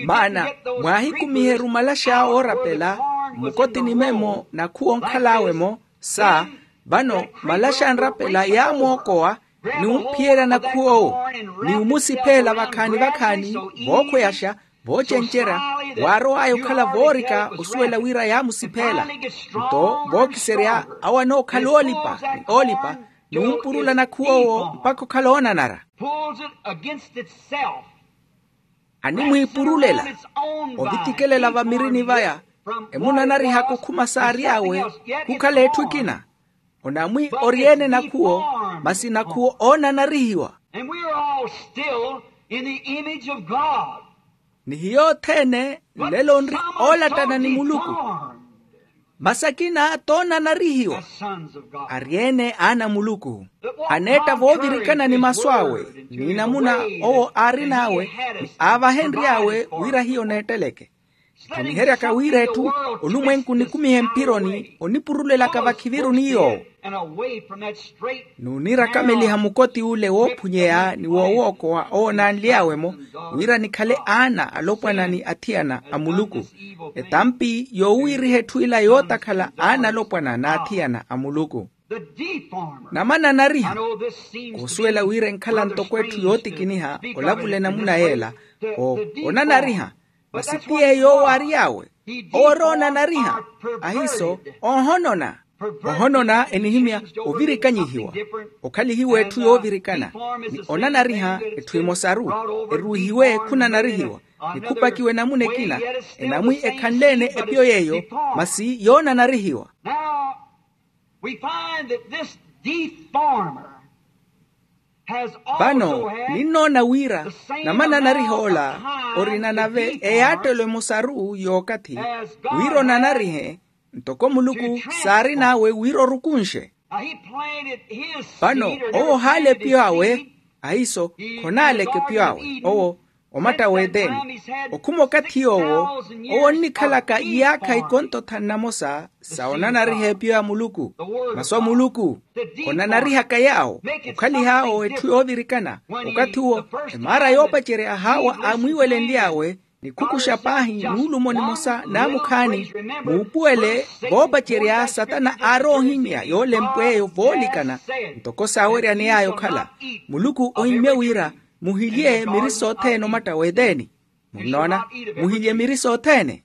Maana mwaahikumiheru malaxi awe oorapela mmukotini memo nakhuwa onkhal'awe-mo, sa, vano malaxi anrapela yaamwookowa, ni omphiyerya nakhuwa owo, ni omusipheela vakhaani-vakhaani vookhweyaxa, voocencerya, waarow'aya okhala voorika osuwela wira yaamusipheela. Nto vookiserya awo anookhala oolipa ni oolipa, ni ompurula nakhuwa owo mpakha okhala oonanara. Animwiipurulela, ovitikelela vamirini vaya, emunanarihaka okhuma saary'awe khukhala etthu ekina. Onamwi ori-ene nakhuwo, masi nakhuwo oonanarihiwa. And we are all still in the image of God. Ni hiyo othene nlelo nri oolattana ni muluku. Masi akina toonanarihiwa, ari-ene aana a muluku. Aneetta voovirikana ni masu awe, ni namuna owo aarin'awe, ni aavahenry'awe wira hiyo neetteleke. Tthuniheryaka wira etthu olumwenku nikumihe mphironi onipurulelaka vakhiviru ni yoowo. N'unirakameliha mukoti ule woophunyeya ni woowookowa owo naanly'awe-mo, wira nikhale aana alopwana ni athiyana a muluku. Etampi yoowiiriha etthu ila yootakhala aana alopwana n'athiyana a muluku. Namananariha. Koosuwela wira enkhala ntoko etthu yootikiniha olavula enamuna yeela. Onanariha. Masi ti yeeyo owo aary'awe, owo ori onanariha. Ahiiso oohonona. Ohonona enihimya ovirikanyihiwa, okhalihiwa etthu yoovirikana. Ni onanariha etthu emosaru eruuhiwe khunanarihiwa, ni khupakiwa enamuna ekina, enamwi ekhanle-ene epiyo yeeyo, masi yoonanarihiwa. We find that this deformer has also had the same amount of time as the deformer. Vano ninnoona wira namananariha ola orina nave eyaattelo emosaru y'okathi, wira onanarihe Ntoko muluku saarin'awe wira orukunxe. Vano owo ohaala epiyo awe. Ahiiso khonaaleke epiyo awe owo omatta w'eteni. Okhuma okathi yoowo owo onnikhalaka iyaakha ikonto thanu namosa sa onanariha epiyo ya muluku. Masu a muluku onanarihaka yaawo okhalih'awo etthu yoovirikana. Okathi uwo emaara yoopacerya haawa aamwiiwelenly'awe nikhukuxa paahi nuulumo nimosa naamukhaani. Muupuwele voopacerya satana aari ohimya yoolempw'eyo voolikana. Ntoko saaweryaney'aya okhala muluku ohimmye wira muhilye miri sothene omatta w'eteni. Munnoona? Muhilye miri sothene.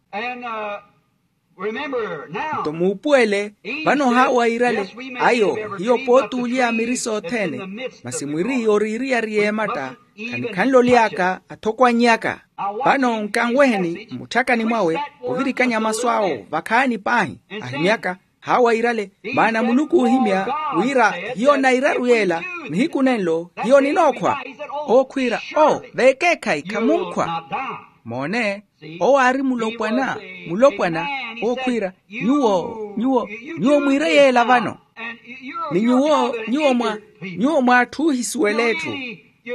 Nto muupuwele vano haawa iirale ayo hiyo pootuulya miri sothene. Masi mwiri yoriiriyari y'ematta khanikhanle oly'aka athokwanny'aka. Vano nkanweheni mmutthakani mwawe ovirikanya masu awo vakhaani paahi ahimyaka. Haawa iirale maana muluku oohimya wira hiyo nairaru yeela nihiku nenlo hiyo ninookhwa. Ookhwiira o veekeekhayi khamunkhwa. Moone owo aari mulopwana mulopwana. Ookhwiira nyuwo nyuwo nyuwo mwiire yeela vano. Ni nyuwo nyuwo mwa nyuwo mwaatth'uhisuwela etthu.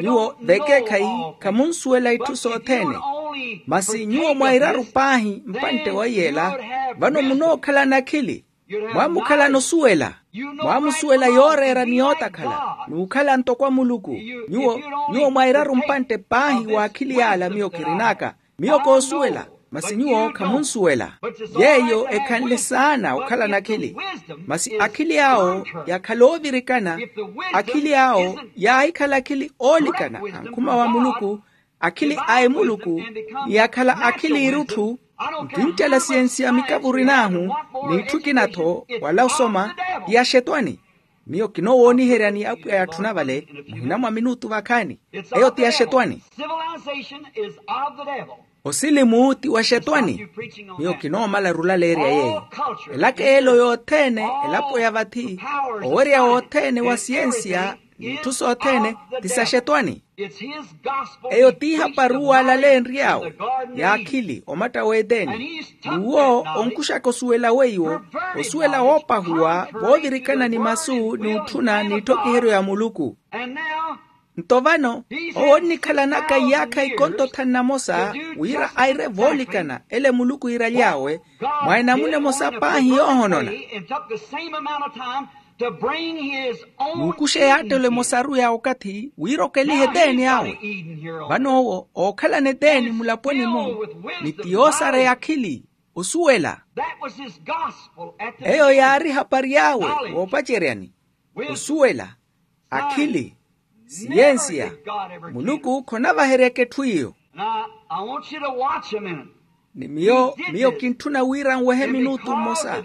Nyuwo vekeekhayi khamunsuwela itthu sothene. Masi nyuwo mwairaru paahi mpantte wa yeela vano munookhalana akhili. Mwaamukhalana osuwela. Mwaamusuwela yooreera ni yootakhala n'ukhala ntoko a muluku. Nyuwo nyuwo mwairaru mpantte paahi w'akhili y'ala miyo kirin'aka. Miyo koosuwela masi nyuwo khamunsuwela. Yeeyo ekhanle saana okhalana akhili. Masi akhili awo yakhala oovirikana. Akhili awo yaahikhala akhili oolikana ankhuma wa muluku. Akhili a emuluku ni yakhala akhili irutthu. Nkinttela siyensiya mikavuri n'ahu n'itthu ekina-tho wala osoma ti axetwani. Miyo kinoowooniheryani apwiya yatthuna vale muhina mwa minutu vakhaani. Eyo ti axetwani. Osilimu ti wa xetwani. Miyo kinoomala rulaleerya yeeyo. Elaka elo yothene elapo ya vathi owerya wothene wa siyensiya n'itthu sothene ti sa xetwani. Eyo ti ihapari uwo alaleenry'awe y'akhili omatta w'eteni. N'uwo onkuxaka osuwela weiwo osuwela woopahuwa voovirikana ni masu n'utthuna n'itthokiheryo ya muluku. Nto vano owo onnikhalanaka iyaakha ikonto thanu namosa wira aire voolikana ele muluku iiraly'awe mwa enamuna emosa paahi yoohonona. N'ukuxa eyaattelo emosaru ya okathi wira okelihe eteni awe. Vano owo ookhalana eteni mulaponi-mu ni ti yoosareya akhili osuwela. Eyo yaari ehapari awe woopaceryani. Osuwela, akhili, siyensiya. Muluku khonavaheryaka etthu iyo. Ni miyo miyo kintthuna wira nwehe minutu mmosa.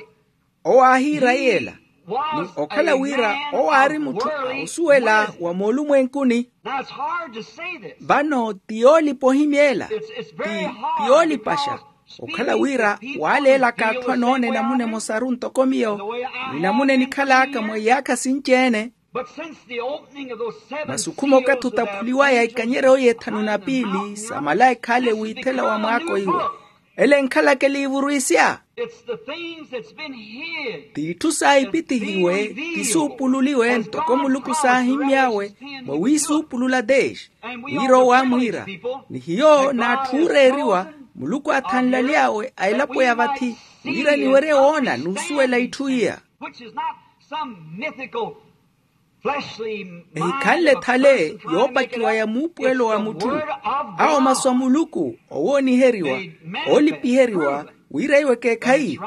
Owo aahiira yeela ni okhala wira owo aari mutthu a osuwela wa moolumwenkuni. Vano ti yoolipa ohimya ela ti ti yoolipaxa okhala wira waaleelaka atthu anoona enamuna emosaru ntoko miyo ni namuna enikhal'aka mwa iyaakha sinci-ene. Masi okhuma okathi otaphuliwaya ikanyeryo y'ethanu na piili sa malaika ale wiithela wa mwaako iwe. Ele enkhalaka eliivuru isya. T'itthu saahipitihiwe ti suupululiwe ntoko muluku saahimmy'awe mwa wiisuupulula teexi. Wira owo aamwiira ni hiyo n'atthu ooreeriwa muluku aathanlaly'awe a elapo ya vathi wira eniwerye woona n'usuwela itthu iya. Ehikhanle thale yoopakiwa ya muupuwelo wa mutthu. Awo masu a muluku owooniheriwa oolipiheriwa wira iwo ekeekhayi.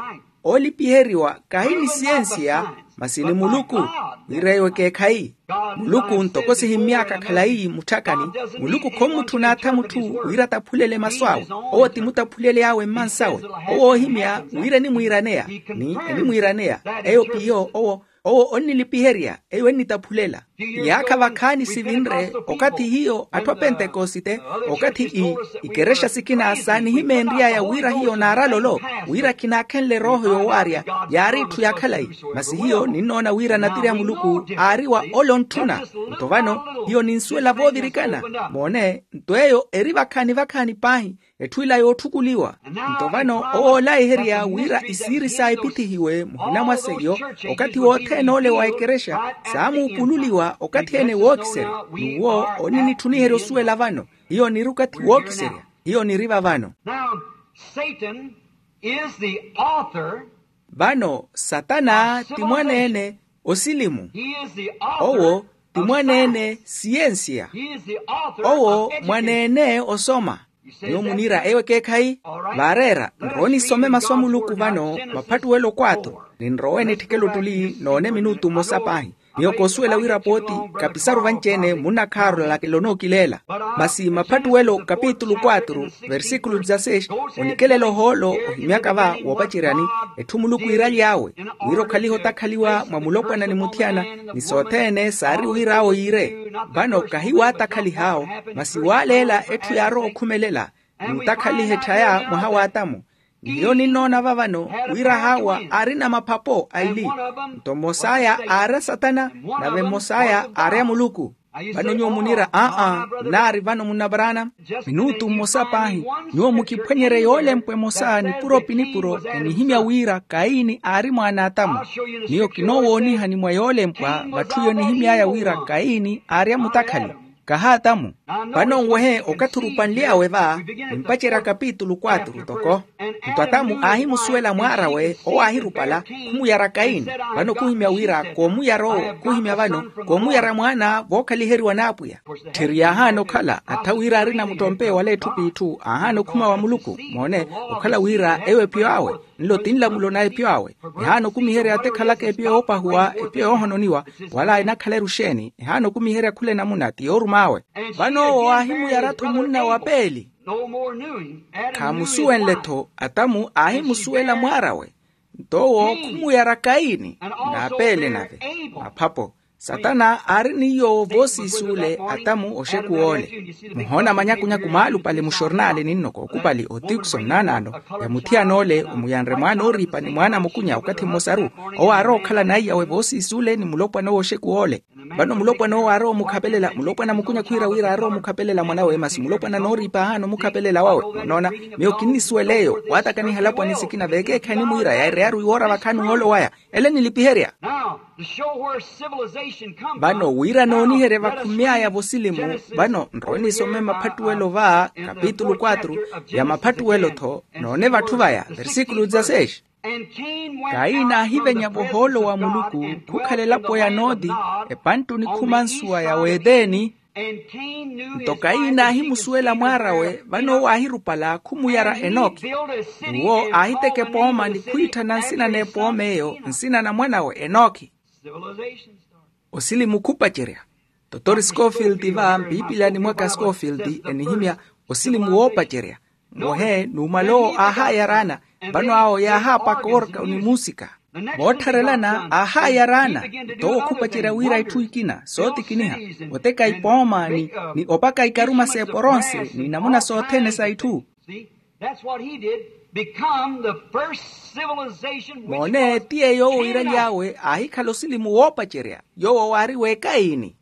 Oolipiheriwa kahi ni siyensiya masi ni muluku wira iwo ekeekhayi. Muluku ntoko sihimmy'aka khalayi mutthakani. Muluku khomutthun'atha mutthu wira ataphulele masu awe. Owo ti mutaphulel'awe mmansawe. Owo oohimya wira enimwiiraneya ni enimwiiraneya. Eyo p'iyo owo owo onnilipiherya eyo ennitaphulela. Iyaakha vakhaani sivinre okathi hiyo atthu a pentekosite, okathi i ikerexa sikina saanihimeenry'aya wira hiyo naaralolo, wira khinaakhenle erooho yoowaarya, yaari itthu ya khalayi. Masi hiyo ninnoona wira natiri a muluku aari wa ole ontthuna. Nto vano hiyo ninsuwela voovirikana. Moone, nto eyo eri vakhaani vakhaani paahi, etthu ila yootthukuliwa. Nto vano owo oolayiherya wira isiiri saya epithihiwe muhina mwa seiyo, okathi wothene ole wa ekerexa saamuukululiwa okathi ene wookiserya. N'uwo oninitthuniherya osuwela vano. Hiyo niri okathi wookiserya. Hiyo niri vavano. Now, Satan is the author. Vano satana ti mwaneene osilimu. He is the author. Owo ti mwaneene siyensiya. He is the author. Owo mwaneene osoma. Nyuwo muniira eyo ekeekhayi. Vaareera nrowe nisome masu a muluku vano, maphattuwelo kwatru. Ninrowe nitthikele ottuli noone minutu mmosa paahi. Miyo koosuwela wira pooti kapisaru vanci-ene munnakhaaru lakela onookileela. Masi maphattuwelo kapitulu kwatru, versikulu dizasesi, onikelela ohoolo ohimyaka va woopaceryani. Etthu muluku iiraly'awe wira okhalihe otakhaliwa mwa mulopwana ni muthiyana, ni sothene saari wira awo yiire. Vano kahi waatakhalih'awo, masi waaleela etthu yaarowa okhumelela, ni otakhaliha etthaya mwaha w'atamu. Ni hiyo ninnoona vavano wira haawa aarina maphapo aili. Nto mmos'aya aari a satana, nave mmos'aya aari a muluku. Vano nyuwo muniira aa, nnaari vano munnavaraana. Minutu mmosa paahi. Nyuwo mukiphwenyerye yoolempwa emosa nipuro pi nipuro enihimya wira kaini aari mwaana a atamu. Miyo kinoowoonihani mwa yoolempwa vatthu iyo enihimy'aya wira kaini aari a mutakhali, kaha atamu. Vano nwehe okathi orupanly'awe va, nimpacerya kapitulu kwatru toko. Nto atamu aahimusuwela mwaar'awe owo aahirupala, khumuyara kaini. Vano khuhimya wira koomuyara owo khuhimya vano, koomuyara mwaana vookhaliheriwa n'apwiya. Tthiri yaahaana okhala attha wira aarina muttompe wala etthu p'itthu aahaana okhuma wa muluku. Moone, okhala wira eyo ephiyo awe, nlo ti nlamulo na ephiyo awe. Ehaana okumiherya atekhalaka ephiyo yoopahuwa, ephiyo yoohononiwa, wala enakhala eruxeeni ehaana okumiherya khula enamuna ti yoorum'awe. Vano owo aahimuyara-tho munna wa peeli. Khaamusuwenle-tho atamu aahimusuwela mwaar'awe. Nto owo khumuyara kaini, n'apeele nave maphapo. Satana aari ni yoowo voosiisuule atamu oxekuwa ole. Muhoona manyakunyaku maalupale muxornaale ninno kookupali otikso nnaanaano, ya muthiyana ole omuyanre mwaana ooriipa ni mwaana mukunya okathi mmosaru. Owo aarowa okhala n'aiyawe voosiisuule ni mulopwana owo oxekuwa ole. Vano mulopwana owo aarowa omukhapelela, mulopwana mukunya khwiira wira aarowa omukhapelela mwanawe masi mulopwana nooriipa aahaana omukhapelela wawe. Onoona, miyo kinnisuwela eyo waatakaniha alapwani sikina veekeekhayi nimwiira yaireyaru iwoora vakhaani ohoolo waya. Ele enilipiherya. Now, to show where civilization come from, vano wira nooniherya vakhumy'aya vosilimu. Vano nrowe nisome maphattuwelo va kapitulu kwatru ya maphattuwelo-tho. Noone vatthu vaya versikulu dizasesi. Kaini aahivenya vohoolo wa muluku khukhala elapo ya nooti, epanttuni khuma nsuwa ya weteni. Nto kaini aahimusuwela mwaar'awe vano owo aahirupala khumuyara enoki. N'uwo aahiteka epooma ni khwiitthana nsina n'epooma eyo nsina na mwan'awe enoki. Osilimu khupacerya. Totori scofield va mpiipilani mwaka scofield enihimya osilimu woopacerya. Mwehe numala owo aahaayaraana. Vano awo yaahaapaka oorka onimuusika. Voottharelana aahaayaraana. Nto owo khupacerya wira itthu ikina sootikiniha, oteka ipooma ni opaka ikaruma s'eporonse ni namuna sothene sa itthu. Moone ti yeeyo owo iiraly'awe aahikhala osilimu woopacerya. Yoowo waari w'ekaini.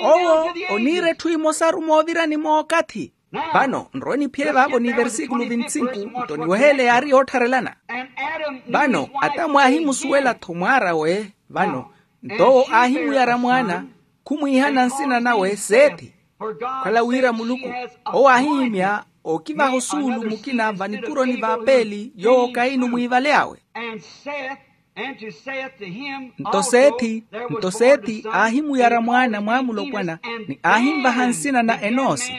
Owo oniira etthu imosaru moovirani mookathi. Vano nrowe niphiye vaavo ni versikulu vintsinku. Nto niweheele yaari yoottharelana. Vano atamu aahimusuwela-tho mwaar'awe. Vano nto owo aahimuyara mwaana, khumwiihana nsina nawe seethi. Okhala wira muluku owo aahihimya okivaha osuulu mukina vanikuro ni vaapeeli yoowo kaini omwiivaly'awe. Nto sethi nto sethi aahimuyara mwaana mwaamulopwana, ni aahinvaha nsina na enoosi.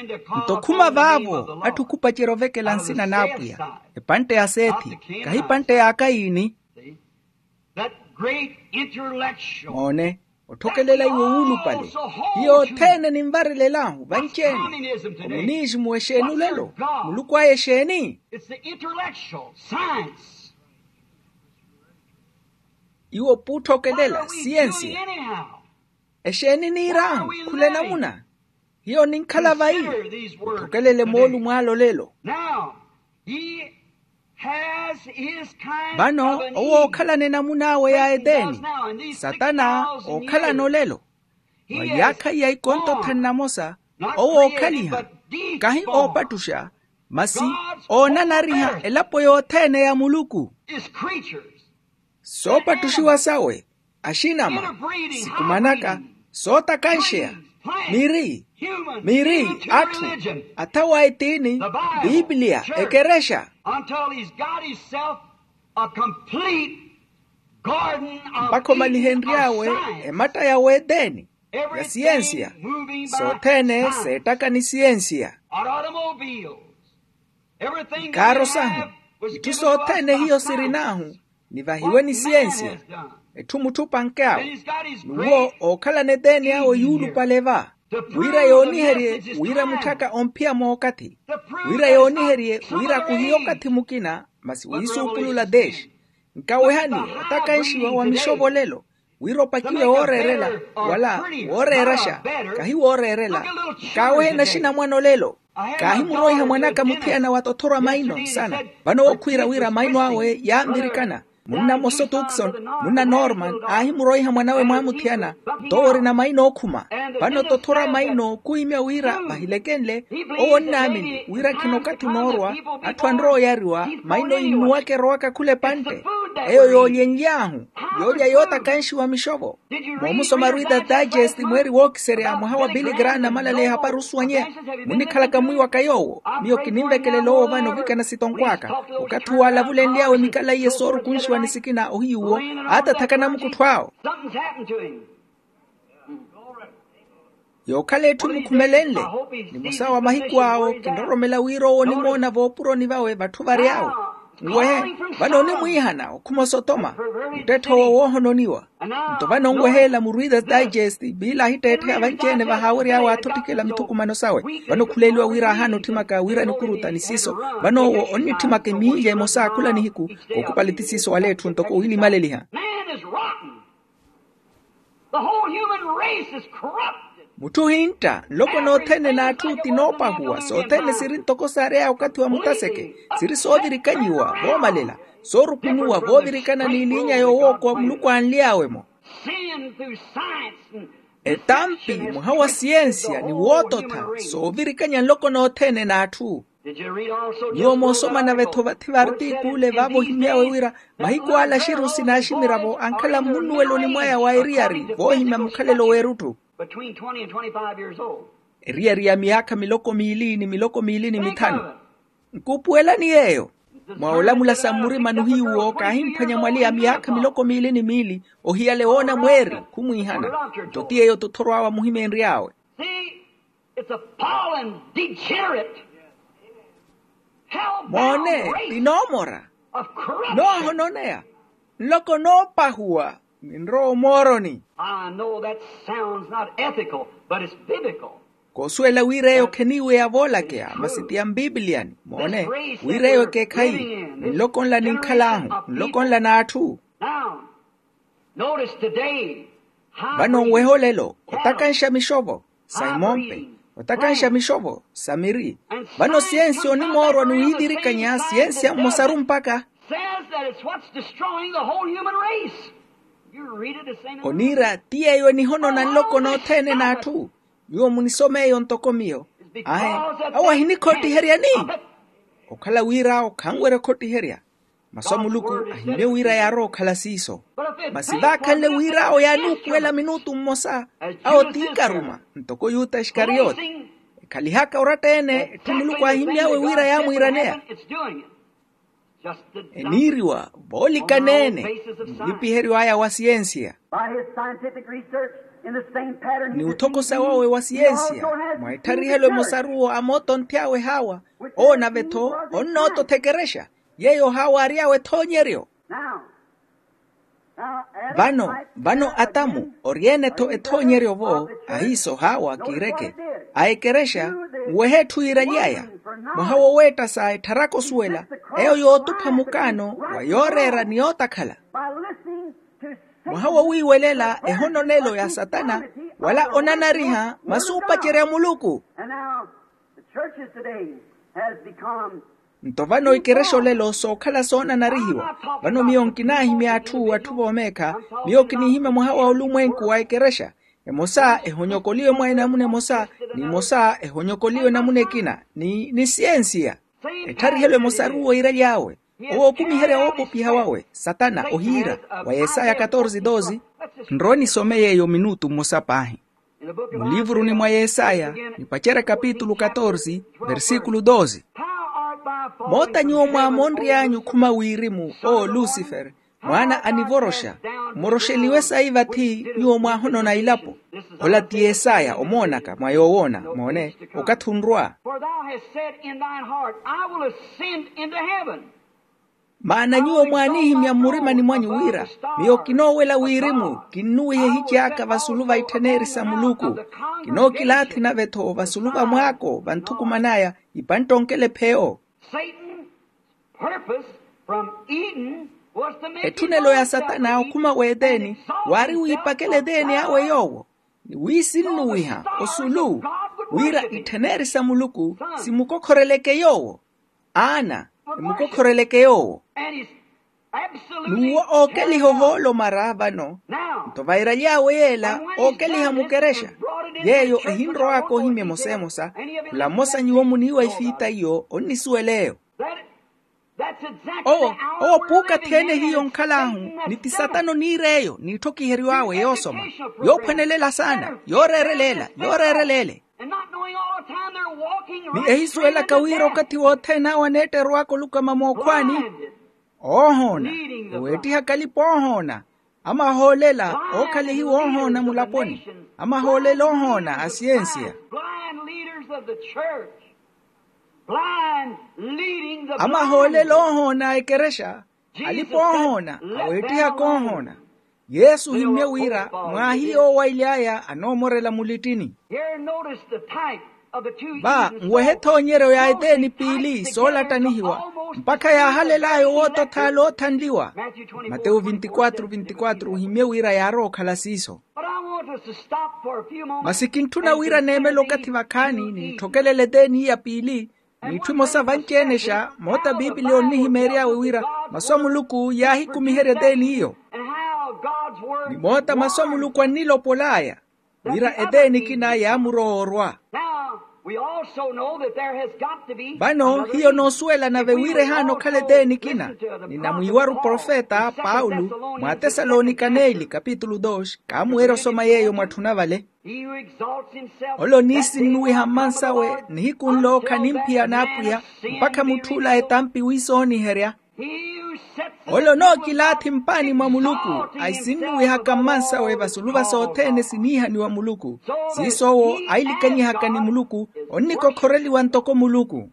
Nto khuma vaavo atthu khupacerya ovekela nsina n'apwiya. Epantte ya sethi, kahi epantte ya kaini. Moone, otthokelela iwe wuulupale. Hiyo othene ninvarelelahu vanci-ene. Omuniisimu exeeni olelo? Muluku aya exeeni? Iwo puutthokelela siyensiya. Exeeni niir'ahu khula enamuna? Hiyo ninkhala vayi. Mutthokelele moolumo ale olelo. Vano owo ookhalana enamun'awe ya eteni. Satana ookhalana olelo. Mwa yaakha iya ikonto thanu na mosa, owo ookhaliha, kahi oopattuxa, masi oonanariha elapo yothene ya muluku. Soopattuxiwa sawe, axinama, sikumanaka, sootakanxeya, miri, miri, atthu, athawa a etiini, piipiliya, ekerexa. Mpakha omalihenry'awe ematta ya weteni, ya siyensiya, sothene seettaka ni siyensiya. Nkaaru sahu, itthu sothene hiyo sirin'ahu, nivahiwe ni siyensiya. Etthu mutthu opank'awe, n'uwo ookhalana eteni awe yuulupale va, wira yooniherye wira mutthaka omphiya mookathi, wira yooniherye wira khuhiya okathi mukina, masi wiisuupulula deshi. Nkawehani otakanxiwa wa mixovolelo, wira opakiwe wooreerela, wala wooreeraxa, kahi wooreerela. Nkaawehe naxinamwane olelo. Kaahimuroiha mwan'aka muthiyana wa tothorwa maino nsana. Vano owo khwiira wira maino awe yaanvirikana. Munna moso tukson, munna norman, aahimuroiha mwan'awe mwamuthiyana, nto owo orina maino ookhuma. Vano tothorwa maino khuhimya wira vahilekenle, owo onnaamini wira khina okathi onoorwa, atthu anrowa oyariwa maino innuwaka erowaka khula epantte. Eyo yoolyenly'ahu, yoolya yootakanxiwa mixovo. Moomusoma reader's digest mweeri wookiserya mwaha wa billy graham namalaleya ehapari osuwanyeya. Munnikhalaka mwiiwaka yoowo? Miyo kininvekelela owo vano ovikana sitonkw'aka. Okathi uwo alavulenly'awe mikala iye soorukunxiwa ni sikina ohiy'uwo, aatathaka namukuttho awo. Yookhala etthu emukhumelenle. Nimosa wa mahiku awo kinroromela wira owo onimoona voopuroni vawe vatthu vary'awe. Nwehe, vano onimwiihana okhuma osotoma, muttetthe owo woohononiwa. Nto vano onweheela mu reader's digest biila ahitteettheya vanci-ene vahaawery'awe aathotikela mithukumano sawe. Vano khuleeliwa wira ahaana otthimaka wira nikuruta ni siiso. Vano owo onnitthimaka emiilya emosa khula nihiku, kookupali ti siiso wala etthu ntoko wiinimaleliha. Mutthu ohintta nloko nothene n'atthu ti noopahuwa sothene siri ntoko saary'aya okathi wa mutaseke, siri soovirikanyiwa voomalela, soorukunuwa voovirikana n'iliinya yoowookowa muluku aanly'awe-mo. Etampi mwaha wa siyensiya ni woototha soovirikanya nloko nothene n'atthu. Nyuwo moosoma nave-tho vathi vartikule vaavo ohimy'awe wira mahiku ale axiru sinaaximiravo ankhala mmunnuweloni mwaya wa eriyari voohimya mukhalelo w'erutthu. Eriyari ya miyaakha miloko miili ni miloko miili ni mithanu. Nkuupuwelani yeeyo? Mwa olamula sa mmurimani ohiy'uwo kaahimphwanya mwali ya miyaakha miloko miili ni miili, ohiyale woona mweeri khumwiihana. Nto ti yeeyo tothorw'awe amuhimeenry'awe. Moone, ti noomora, noohononeya, nloko noopahuwa, ninrowa omooroni. I know that sounds not ethical, but it's biblical. Koosuwela wira eyo kheniiwe ya voolakeya masi ti ya mpipiliyani. Moone, wira eyo ekeekhayi, ni nloko nla ninkhal'ahu, nloko nla n'atthu. Now, notice today how vano nwehe olelo otakanxa mixovo sa imompe, otakanxa mixovo sa miri. Vano siyensiya onimoorwa ni wiivirikanya siyensiya mmosaru mpakha says that it's what's destroying the whole human race. You read it the same. Oniira ti yeeyo enihonona nloko nothene n'atthu. Nyuwo munisome eyo ntoko miyo. Ahe, awo ahinikhoottiheryani? Okhala wira awo khanwerya okhottiherya. Masu a muluku ahimye wira yaarowa okhala siiso. Masi vaakhanle wira awo yaanuupuwela minutu mmosa, awo tiikaruma ntoko yuta iskariyote. Ekhalihaka oratta-ene etthu muluku aahimy'awe wira yaamwiiraneya. Eniiriwa voolikaneene nnipiheryo aya wa siyensiya. Ni uthokosa wawe wa siyensiya mwa ettharihelwe mosaruwo a mootonthy'awe haawa, owo nave-tho onnoototha ekerexa yeeyo haawa aary'awe ethoonyeryo. Vano vano atamu ori-ene-tho ethoonyeryo-vo, ahiiso haawa kiireke a ekerexa, nwehe etthu yiiraly'aya mwaha woweetta sa ettharaka osuwela eyo yootupha mukaano wa yooreera ni yootakhala. By listening to Mwaha wowiiwelela ehononelo ya satana, wala onanariha masu opacerya muluku. And now the churches today has become nto vano ikerexa olelo sookhala soonanarihiwa. Vano miyo nkinaahimya atthu atthu voomeekha. Miyo kinihimya mwaha wa olumwenku wa ikerexa. Emosa ehonyokoliwe mwa enamuna emosa, ni emosa ehonyokoliwe namuna ekina ni ni siensiya. Ettharihelwe emosaru weirery'awe. Owo okumiherya woopopiha wawe satana ohiira. Wa yesaya katorze doze. Nrowe nisome yeeyo minutu mmosa paahi. Mulivuruni mwa yesaya, nipacerya kapitulu katorze, versikulu doze. Moota nyuwo mwaamonry'anyu khuma wirimu, owo lusifere, mwaana anivoroxa. Mmoroxeliwe sayi vathi nyuwo mwaahonona ilapo. Ola ti yesaya omoonaka mwa yoowoona moone, okathi onrwa. For thou hast said in thine heart, I will ascend into heaven. Maana nyuwo mwaanihimya mmurimani mwanyu wira, miyo kinoowela wirimu kinnuwiha ehici aka vasulu va ittheneri sa muluku. Kinookilaathi nave-tho vasulu va mwaako vanthukuman'aya. Ipantta onkela epheyo. Satan purpose from Eden was to make etthunelo ya satana okhuma w'eteni, waari wiipakela eteni awe yoowo, ni wiisinnuwiha osulu, wira ittheneri sa muluku simukokhoreleke yoowo. Aana, emukokhoreleke yoowo. N'uwo ookeliha ohoolo mara vano. Nto vairaly'awe yeela ookeliha mukerexa, yeeyo ehinrow'aka ohimya emosa emosa. Khula mmosa nyuwo muniiwa ifiita iyo onnisuwela eyo. Owo, owo puukathi-ene hiyo nkhal'ahu, ni ti satana oniir'eyo n'itthokiheryo awe yoosoma, yoophwanelela saana, yooreereleela, yooreereleela. Ni ehisuwelaka wira okathi wothene awo aneetterowaka olukama mookhwaani. Oohoona, eweettihaka alipa oohoona. Amahoolela ookhalihiwa oohoona mulaponi. Amahoolela oohoona a siensiya. Amahoolela oohoona a ekerexa. Alipa oohoona, aweettihaka oohoona. Yesu ohimmye wira mwaahiya owaily'aya anoomorela mulittini. Va nwehe ethoonyeryo ya eteeni piili soolattanihiwa, mpakha yaahalel'aya owoota othaala oothanliwa. Matewu vinti kwatru vinti kwatru ohimmye wira yaarowa okhala siiso. Masi kintthuna wira neemele okathi vakhaani ninthokelele eteeni iya piili, n'itthu emosa vanci-enexa moota a piipiliya onnihimeery'awe wira masu a muluku yaahikumiherya eteeni iyo. Ni moota masu a muluku annilopol'aya wira eteeni ekina yaamurowa orwa. Vano hiyo noosuwela nave wira ehaana okhala eteeni ekina. Ninamwiiwaru profeta paulo mwa atesalonika neeli kapitulu dos kaamuweerya osoma yeeyo mwatthuna vale. Ole oniisinnuwiha mmansawe nihiku nlo khanimphiyana apwiya, mpakha mutth'ula etampi wiisooniherya. Ole onookilaathi mpaani mwa muluku, aisinnuwihaka mmansawe vasulu va sothene siniihaniwa muluku. Siiso owo ailikanyihaka ni muluku, onnikokhoreliwa ntoko muluku.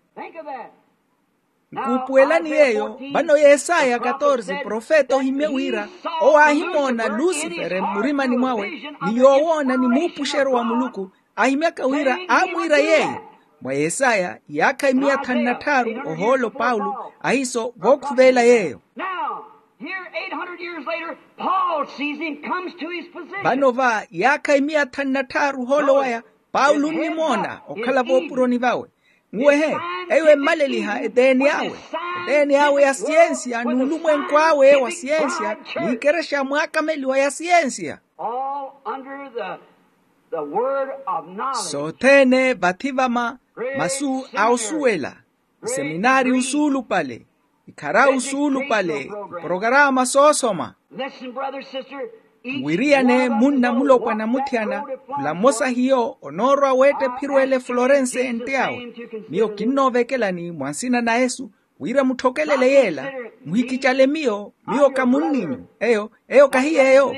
Nkuupuwelani yeeyo. Vano yesaya katorze profeta ohimmye wira owo aahimoona lusifere mmurimani mwawe, ni yoowoona ni muupuxeryo wa muluku. Ahimyaka wira aamwiira yeeyo. Mwa yesaya yaakha imiya thanu na tthaaru ohoolo paulo ahiiso vookhuveela yeeyo. Vano va yaakha imiya thanu na tthaaru ohoolo waya paulo onnimoona okhala voopuroni vawe. Nwehe, eyo emmaleliha eteeni awe, eteeni awe ya siyensiya n'ulumwenku awe wa siyensiya, n'ikerexa mwaakameliwa ya siyensiya. Sothene vathi vama masu a osuwela, iseminaari usuulupale, ikhara usuulupale, iporokarama soosoma. Nwiriyane munna mulopwana muthiyana, khula mmosa hiyo onoorwa weetta ephiro ele florense ente awe. Miyo kinnoovekelani mwa nsina na yesu, wira mutthokelele yeela. Muhikicale miyo, miyo ka munninyu. Eyo, eyo kahi yeeyo.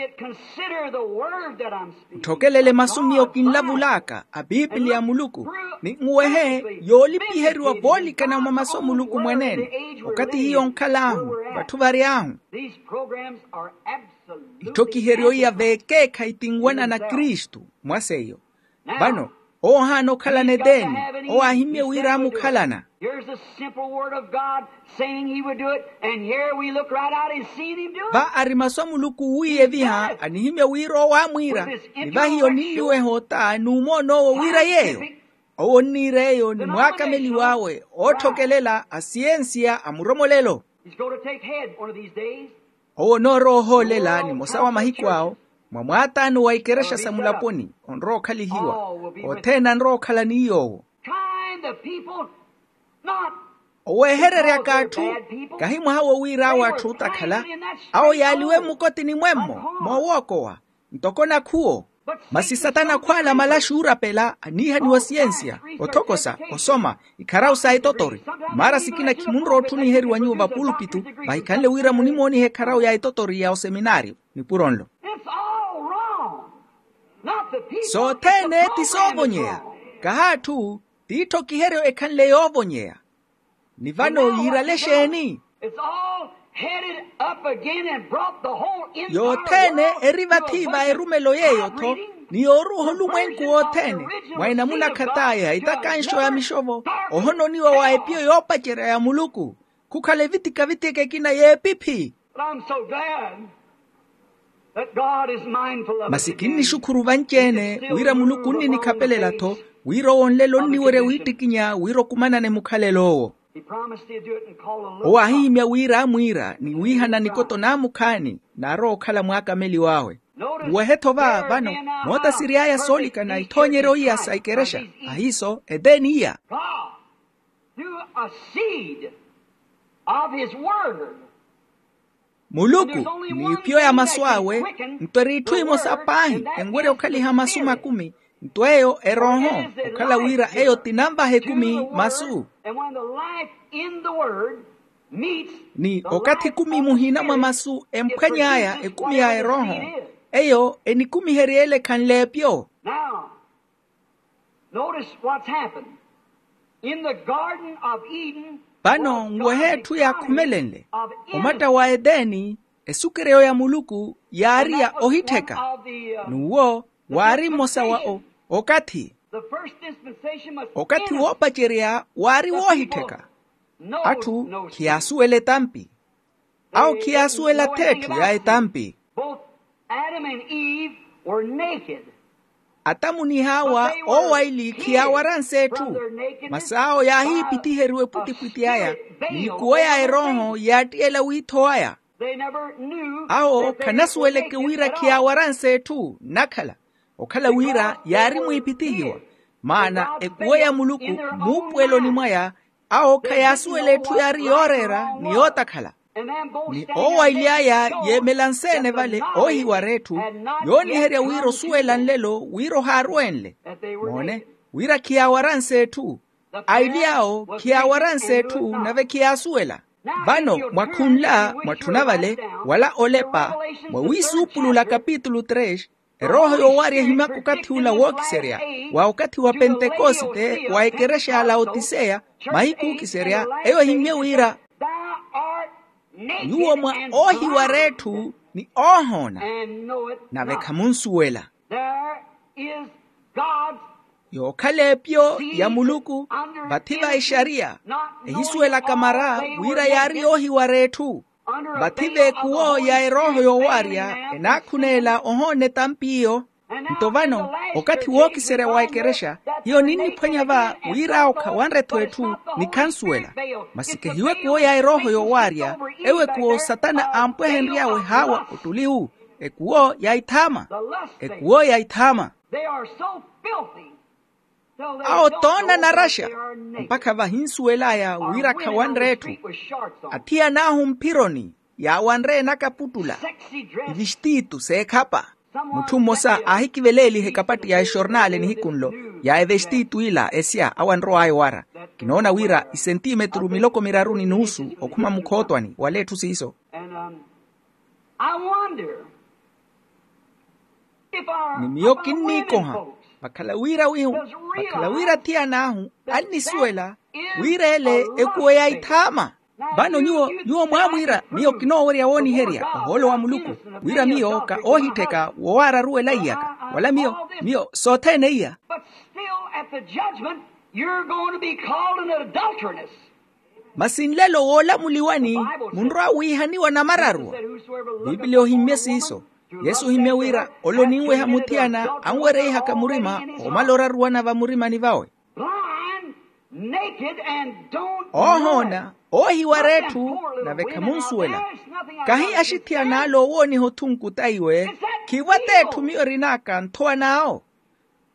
Mutthokelele masu miyo kinlavul'aka a piipiliya a muluku, ni nwehe yoolipiheriwa voolikana mwa masu a muluku mwaneene. Okathi hiyo onkhal'ahu, vatthu vary'ahu. Itthokiheryo iya veekeekhayi ti nwanana kristu. Mwa seiyo, vano Owo ohaana okhalana eteeni. Owo aahimmye wira amukhalana. Here's the simple word of God saying he would do it, and here we look right out and seen him do it. Va ari masu a muluku wiiye viha anihimmye wira owo aamwiira. Ni vahiyo ninluweha ota n'umoon'owo wira yeeyo. Owo onniira eyo ni mwaakameliw'awe ootthokelela a siyensiya a muromolelo. He's going to take head one of these days. Owo onoorowa ohoolela nimosa wa mahiku awo, mwa mwaataano wa ikerexa sa mulaponi onrowa okhalihiwa. Othene anrowa okhala ni yoowo. Trying the people, not owehereryaka atthu. Kahi mwaha wo wira awo atthu otakhala. Awo yaaliwe mmukotini mwemmo moowookowa, ntoko nakhuwo. Masi satana khwaala malaxi oorapela aniihaniwa siyensiya, othokosa, osoma, ikharawu sa etotori. Maara sikina khimunrowa otthuniheriwa nyuwo vapulpitu, vahikhanle wira munimoonihe ekharawu ya etotori ya oseminaariyo. Nipuro nlo. It's all wrong. Not the people. Sothene ti soovonyeya. Kaha atthu. T'itthokiheryo ekhanle yoovonyeya. Ni vano yiirale exeeni? It's all headed up again and brought the whole entire world to a bunch of hybriding perversion of the original seed of God. Ni yoothene erivatiiva erumelo yeeyo-tho, ni yooruuha olumwenku wothene mwa enamuna khat'aya itakanxo ya mixovo, ohononiwa wa epiyo yoopacerya ya muluku. Khukhala evitika-vitika ekina y'epiphi. But I'm so glad that God is mindful of us again. Masi kinnixukhuru vanci-ene wira muluku onninikhapelela-tho, wira owo onlelo onniwerya wiittikinya wira okumanane mukhalelo owo. He promised he'd do it and call a little. Owo aahihimya wira amwiira ni wiihana nikoto naamukhaani, naarowa okhala mwaakameliw'awe. Uwehe-tho va vano, mootasiri aya soolikana ithoonyeryo iya sa ikerexa. Ahiiso eteeni iya. God, through a seed of his word. Muluku, n'ipiyo ya masu awe, nto eri itthu imosa paahi enwerya okhaliha masu makumi, nto eyo erooho, okhala wira eyo tinanvaha ekumi masu. And when the life in the word meets the life of the Spirit, ni okathi ekumi muhina mwa masu emphwany'aya ekumi ya erooho, eyo enikumiherya ele ekhanle epyo. Now, notice what's happened. In the Garden of Eden, vano nwehe etthu yaakhumelenle, omatta wa eteeni, esukeryo ya muluku yaari ya ohittheka. N'uwo waari mmosa wa o, okathi. Okathi woopacerya waari woohittheka. Atthu khiyaasuwela etampi. Awo khiyaasuwela-tho etthu ya etampi. Atamu ni hawa owaili khiyaawaranse etthu. Masi awo yaahiipithiheriwa epwitipwiti aya, ni ikuwo ya erooho yaattiyela wiitho waya. Awo khanasuweleke wira khiyaawaranse etthu nnakhala, okhala wira yaari mwiipithihiwa. Maana ekuwo ya muluku muupuweloni mwaya, awo khayaasuwela etthu yaari yooreera ni yootakhala. Ni owaili aya yeemela nseene vale oohiwara etthu, yooniherya wira osuwela nlelo wira ohaaruwenle. Moone, wira khiyaawaranse etthu. Aili awo khiyaawaranse etthu nave khiyaasuwela. Vano mwakhunla mwatthuna vale, wala olepa, mwa wiisuupulula kapitulu tres, erooho yoowarya ehimaka okathi ula wookiserya, wa okathi wa pentekosite wa ekerexa ya laotiseya, mahiku ookiserya eyo ehimmye wira, nyuwo mwa oohiwara etthu ni oohoona, nave khamunsuwela. Yookhala epyo ya muluku, vathi va exariya, ehisuwelaka mara wira yaari yoohiwara etthu. Vathi v'ekuwo ya erooho yoowarya enaakhuneela ohoona etampi iyo. Nto vano, okathi wookiserya wa ekerexa hiyo ninniphwanya va, wira awo khawanre-tho etthu ni khansuwela. Masi kehiwo ekuwo ya erooho yoowarya, ewo ekuwo satana aampwehenry'awe haawa ottuli wu. Ekuwo ya ithaama. Ekuwo ya ithaama. Awo toona naraxa, mpakha vahinsuwel'aya wira khawanre etthu. Athiyan'ahu mphironi yaawanre enakaputtula, ivestitu s'ekhapa. Mutthu mmosa aahikiveleeliha ekapatti ya exornale nihiku nlo, ya evestitu ila esya awanrow'aya owara. Kinoona wira isentimetru miloko miraru ni nuusu okhuma mukhootwani wala etthu siiso. Ni miyo kinniikoha, vakhala wira wihu, vakhala wira athiyan'ahu annisuwela wira ele ekuwo ya ithaama. Vano nyuwo, nyuwo mwaamwiira miyo kinoowerya wooniherya ohoolo wa muluku, wira miyo ka oohittheka wowaararuwela iyaka, wala miyo, miyo sothene iya. At the judgment, you're going to be called an adulteress. Masi nlelo woolamuliwani munrowa wiihaniwa namararuwa. Pipiliya ohimmye siiso. Yesu ohimmye wira ole oninweha muthiyana anwereihaka murima omala oraruwana vamurimani vawe. Blind, naked, and don't know. Oohoona, oohiwara etthu, nave khamunsuwela. Kahi axithiyana ale owooniha othunku ta iwe. Khivo ath'etthu miyo erin'aka nthowa n'awo.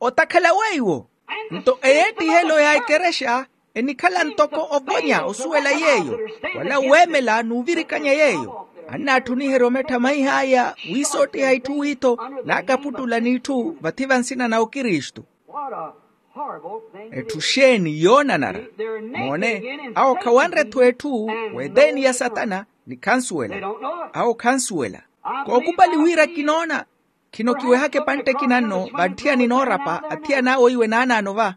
Otakhala weiwo. Nto eyeettihelo ya ekerexa enikhala ntoko ovonya osuwela yeeyo, wala weemela n'uvirikanya yeeyo. Annaatthuniherya omettha maih'aya wiisoottiha itthu witho naakaputtula n'itthu vathi va nsina na okristu. What a horrible thing it is. Etthu xeeni yoonanara. Moone, awo khawanre-tho etthu w'eteeni ya satana ni khansuwela. Awo khansuwela. Kookupali wira kinoona. Khino kiwehaka epantte ekina nno vantthiyani noorapa athiyana awo iwe naanaano va.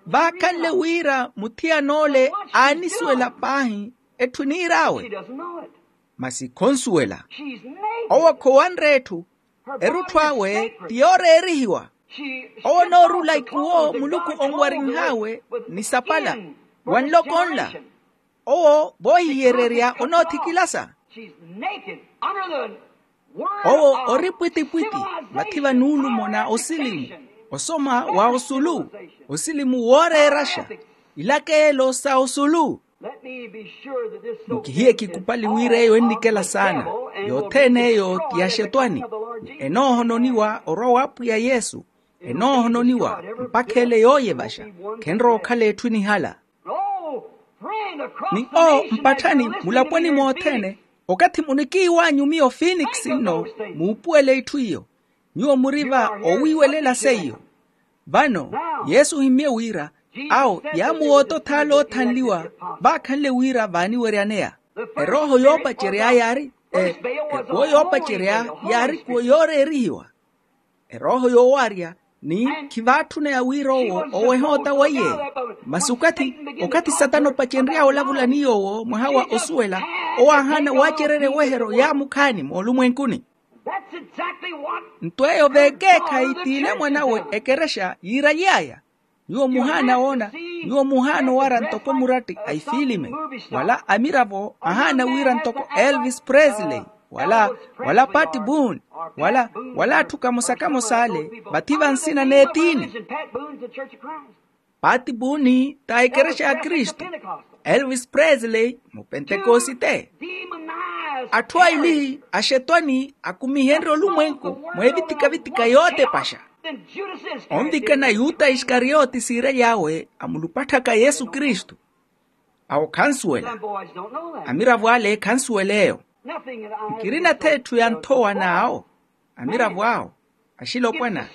Vaakhanle wira muthiyan'ole aanisuwela paahi etthu eniir'awe. Masi khonsuwela. Owo khowanre etthu. Erutthu awe ti yooreerihiwa. Owo onoorula ikuwo muluku onwarinh'awe ni sapala wa nloko nla. Owo voohihiyererya onoothikilasa. Owo ori pwitipwiti vathi va nuulumo na osilimu, osoma wa osulu, osilimu wooreeraxa, ilakelo sa osulu. Mukihiye kikupali wira eyo ennikela saana. Yothene eyo ti ya xetwani. Enoohononiwa orwa w'apwiya yesu. Enoohononiwa mpakha ele yooyevaxa. Khenrowa okhala etthu enihala. Ni o mpatthani mulaponi mothene. Okathi munikiiw'anyu miyo finikisi nno muupuwele itthu iyo. Nyuwo muri va owiiwelela seiyo. Vano yesu ohimmye wira awo yaamuwoota othaala oothanliwa. Vaakhanle wira vaaniweryaneya erooho yoopacerya yaari ekuwo yoopacerya yaari kuwo yooreerihiwa. Erooho yoowaarya ni khivaatthuna ya wira owo oweha ota weiye. Masi okathi okathi satana opacenry'awe olavula ni yoowo mwaha wa osuwela owo aahaana waacererya eweheryo yaamukhaani moolumwenkuni. Nto eyo veekeekhayi t'ile mwan'awe ekerexa yiiraly'aya. Nyuwo muhaana woona nyuwo muhaana owara ntoko muratti a ifiilime wala amiravo ahaana wira ntoko elvis presley wala wala pat boone wala wala atthu kamosa-kamosa ale vathi va nsina n'etiini. Pat boone ta ekerexa ya kristu. Elvis presley mupentekosite. Atthu aili axetwani akumihenrye olumwenku mweevithika-vithika yootepaxa. Onvikana yuta isikariyote siiraly'awe amulupatthaka yesu kristu. Awo khansuwela. Amiravo ale khansuwela eyo. Nkirina th'etthu ya nthowa n'awo. Amiravo awo axilopwana.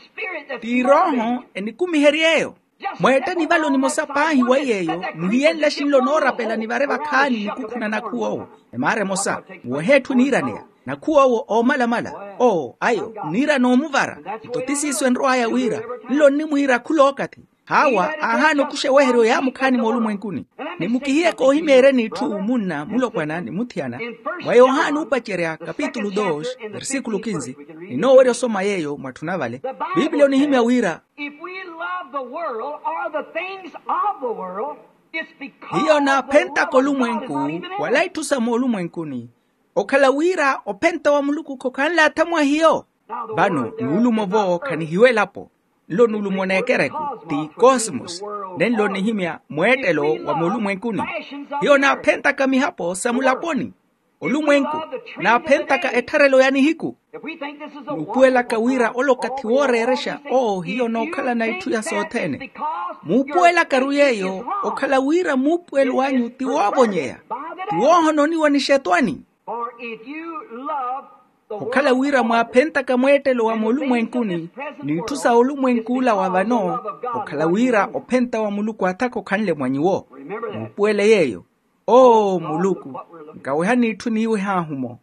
T'irooho enikumiherya eyo. Mweettani vale onimosa paahi wa yeeyo muhiyenle axinlo noorapela nivare vakhaani nikukhuna nakhuwa owo. Emaara emosa muwehe etthu eniiraneya nakhuwa owo oomalamala. Oo ayo nniira noomuvara. Nto ti siiso enrow'aya wira nlo nnimwiira khulookathi. Haawa aahaana okuxa eweheryo yaamukhaani moolumwenkuni. Ni mukihiye koohimeeryani itthu munna mulopwana ni muthiyana. Mwa yohani oopacerya kapitulu dos versikulu kinzi. Ninoowerya osoma yeeyo mwatthuna vale. Pipiliya onihimya wira. If we love the world or the things of the world, it's because hiyo naaphentaka olumwenku wala itthu sa moolumwenkuni. Okhala wira ophenta wa muluku khokhanle atha mwa hiyo. Vano nuulumo-vo khanihiwa elapo. Nlo nuulumo n'ekereku ti kosmos. Nenlo nihimya mweettelo wa moolumwenkuni. Hiyo naaphentaka mihapo sa mulaponi. Olumwenku naaphentaka ettharelo ya nihiku. Nuupuwelaka wira ole okathi wooreerexa oo hiyo nookhalana itthu ya sothene. Muupuwelaka-ru yeeyo okhala wira muupuwelo anyu ti woovonyeya ti woohononiwa ni xetwani. Okhala wira mwaaphentaka mweettelo wa moolumwenkuni n'itthu sa olumwenk'ula wa vano. Okhala wira ophenta wa muluku athaka okhanle mwa nyuwo. Muupuwele yeeyo. Oo muluku, nkawehani itthu niiweh'ahu-mo.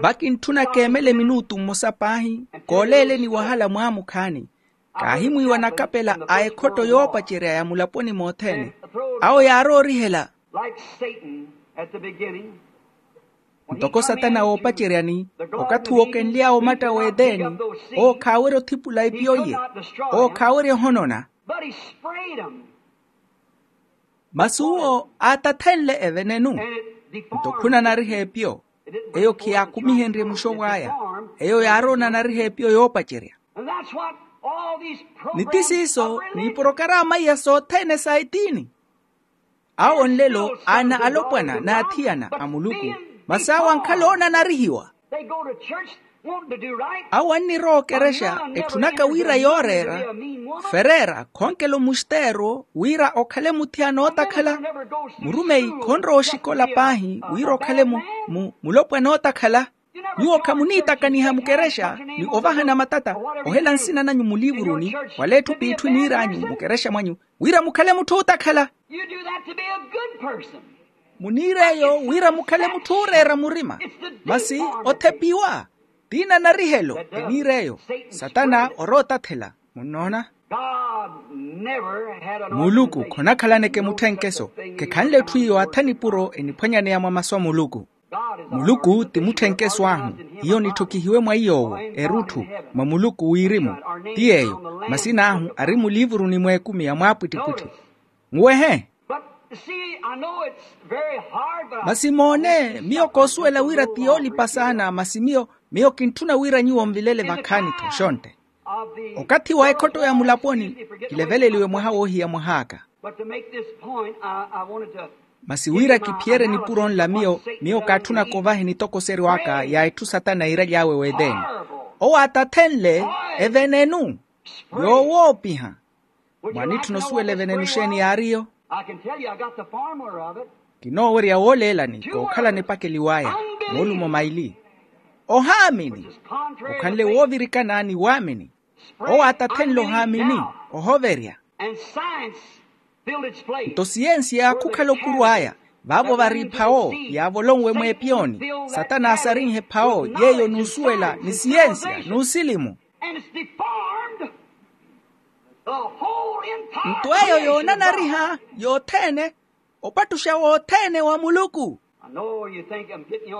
Vakintthuna keemele minutu mmosa paahi kooleeleni wahala mwaamukhaani. Kaahimwiiwa nakapela a ekhotto yoopacerya ya mulaponi mothene. Awo yaaroorihela. Like Satan at the beginning. Ntoko satana woopaceryani, okathi wookenly'awe omatta w'eteni, owo khaawerya othipula epiyo iye, owo khaawerya ohonona. Masi uwo aatathenle evenenu. Nto khunanariha epiyo. Eyo khiyaakumihenrye muxovo aya. Eyo yaarowa onanariha epiyo yoopacerya. Ni ti siiso n'iporokaraama iya sothene sa etiini. Awo nlelo ana alopwana n'athiyana a muluku, masi awo ankhala oonanarihiwa. Awo annirowa okerexa etthunaka wira yooreera fereera khonkela omusteero wira okhale muthiyana ootakhala. Murumeyi khonrowa oxikola paahi wira okhale mu- mu- mulopwana ootakhala. Nyuwo khamuniitakaniha mukerexa ni ovahana matata, ohela nsina nanyu muliivuruni wala etthu p'itthu eniir'anyu mukerexa mwanyu wira mukhale mutthu ootakhala. Muniir'eyo wira mukhale mutthu ooreera murima. Masi othepiwa tiina narihelo eniir'eyo. Satana orowa otathela. Munnoona? Muluku khonakhalaneke mutthenkeso. Khekhanle etthu iyo atha nipuro eniphwanyaneya mwa masu a muluku. Muluku ti mutthenkeso ahu. Hiyo nitthokihiwe mwa iy'owo erutthu mwa muluku wirimu. Ti yeeyo masin'ahu ari muliivuruni mw'ekumi ya mwaapwittipwitthi. Muwehe. Masi moone miyo koosuwela wira ti yoolipa saana masi miyo miyo kintthuna wira nyuwo nvilele vakhaani-tho xontte. Okathi wa ekhotto ya mulaponi kileveleliwe mwaha woohiya mwah'aka. Masi wira kiphiyerye nipuro nla miyo miyo kaatthunaka ovaha enitokoseryo aka ya etthu satana iiraly'awe w'eteni. Owo aatathenle evenenu yoowoopiha. Mwanitthuna osuwela evenenu xeeni yaariyo? Kinoowerya wooleelani kookhalana epakeliwa aya moolumo maili. Ohaamini okhanle woovirikana ni waamini. Owo aatathenle ohaamini ohoverya. Nto siyensiya khukhala okuru aya vaavo vari ephawo yaavolonwe mweepiyoni. Satana aasarinhe ephawo yeeyo n'usuwela ni siyensiya n'usilimu. Nto eyo yoonanariha yothene opattuxa wothene wa muluku.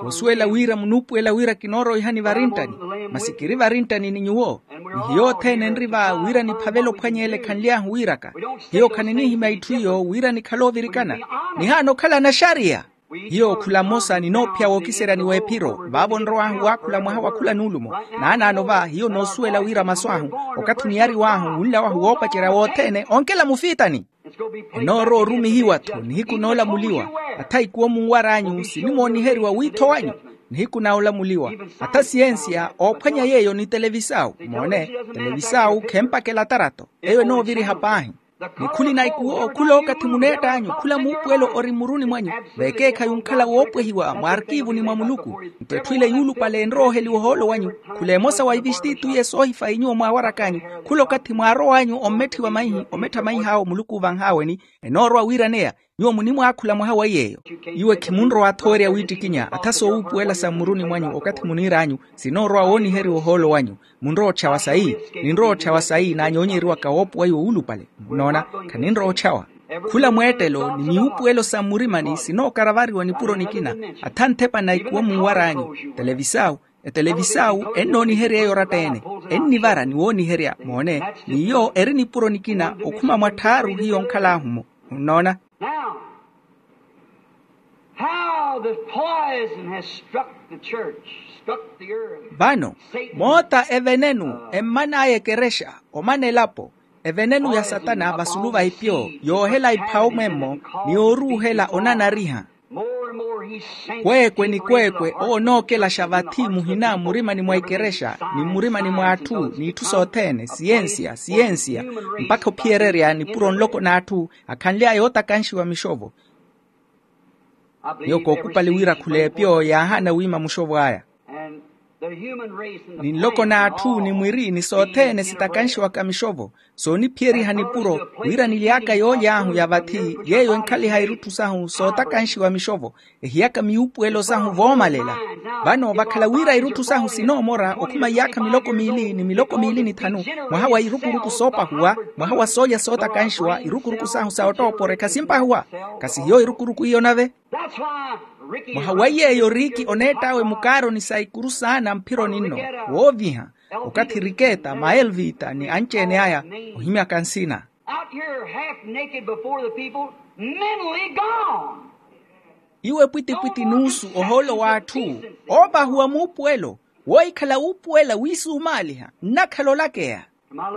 Koosuwela wira munuupuwela wira kinooroihani varinttani masi kiri varinttani ni nyuwo. Ni hiyo othene enri va wira niphavele ophwanya ele ekhanly'ahu wiiraka. Hiyo khaninihimya itthu iyo wira nikhale oovirikana. Nihaana okhala anaxariya. Hiyo khula mmosa ninoophiya wookiseryani w'ephiro vaavo nrow'ahu waakhula mwaha wa khula nuulumo. Naanaano va hiyo noosuwela wira masu ahu okathi oniyariw'ahu wunla wahu woopacerya wothene onkela mufiitani. Enoorowa orumihiwa-tho nihiku noolamuliwa. Atha ikuwo munwar'anyu sinimooniheriwa wiitho wanyu. Nihiku na olamuliwa atha siyensiya oophwanya yeeyo ni televisawu moone. Televisawu khempakela atarato eyo enooviriha paahi. Nikhulina ikuwo khula okathi muneett'anyu khula muupuwelo ori mmuruni mwanyu. Vekeekhayi onkhala woopwehiwa mwa arkiivuni mwa muluku. Nto etthu ile yuulupale enrooheliwa ohoolo wanyu. Khula emosa wa ivistitiye soohifayi nyuwo mwaawarak'anyu. Khula okathi mwaarow'anyu ommetthiwa maihi omettha maih'awo muluku oovanh'aweni. Enoorowa wiiraneya nyuwo munimwaakhula mwaha wa yeeyo. Iwe khimunrowa-tho owerya wiittikinya atha soowuupuwela sa mmuruni mwanyu okathi muniir'anyu. Sinoorowa wooniheriwa ohoolo wanyu. Munrowa ottxawa sayi. Ninrowa ottxawa sayi naanyoonyeriwaka woopuwa iwo wuulupale. Nnoona khaninrowa ottxawa. Khula mweettelo ni miwuupuwelo sa mmurimani sinookaravariwa nipuro nikina. Atha nthepa na ikuwo munwar'anyu. Televisawu etelevisawu ennooniherya eyo oratta-ene. Ennivara ni wooniherya moone. N'iyo eri nipuro nikina okhuma mwatthaaru hiyo onkhal'ahu-mo. Munnoona? Now, how the poison has struck the church, struck the earth. Vano moota evenenu emman'aya ekerexa omana elapo. Evenenu ya satana vasulu va ipyo yoohela iphawo mwemmo ni yooruuhela onanariha. More and more he sends kweekwe ni kweekwe owo onookelaxa vathi muhina mmurimani mwa ikerexa ni mmurimani mwa atthu n'itthu sothene siyensiya siyensiya mpakha ophiyererya nipuro nloko n'atthu akhanly'aya ootakanxiwa mixovo. Miyo kookupali wira khula epyo yaahaana wiima muxovo aya. Ni nloko n'atthu ni mwiri ni sothene sitakanxiwaka mixovo sooniphiyeriha nipuro wira nily'aka yooly'ahu ya vathi yeeyo enkhaliha irutthu sahu sootakanxiwa mixovo. Ehiyaka miwuupuwelo sahu voomalela. Vano vakhala wira irutthu sahu sinoomora okhuma iyaakha miloko miili ni miloko miili ni thanu mwaha wa irukuruku soopahuwa mwaha wa soolya sootakanxiwa irukuruku sahu sa ottooporeka simpahuwa. Kasi hiyo irukuruku iyo nave. That's why Mwaha wa yeeyo riiki oneett'awe mukaaroni sa ikuru saana mphironi nno, wooviha okathi rikeeta maelvita ni anci-ene aya ohimyaka nsina. Out here half naked before the people, mentally gone. Iwe pwitipwiti nuusu ohoolo w'atthu oovahuwa muupuwelo, woohikhala wuupuwela wiisuumaaliha nnakhala olakeya.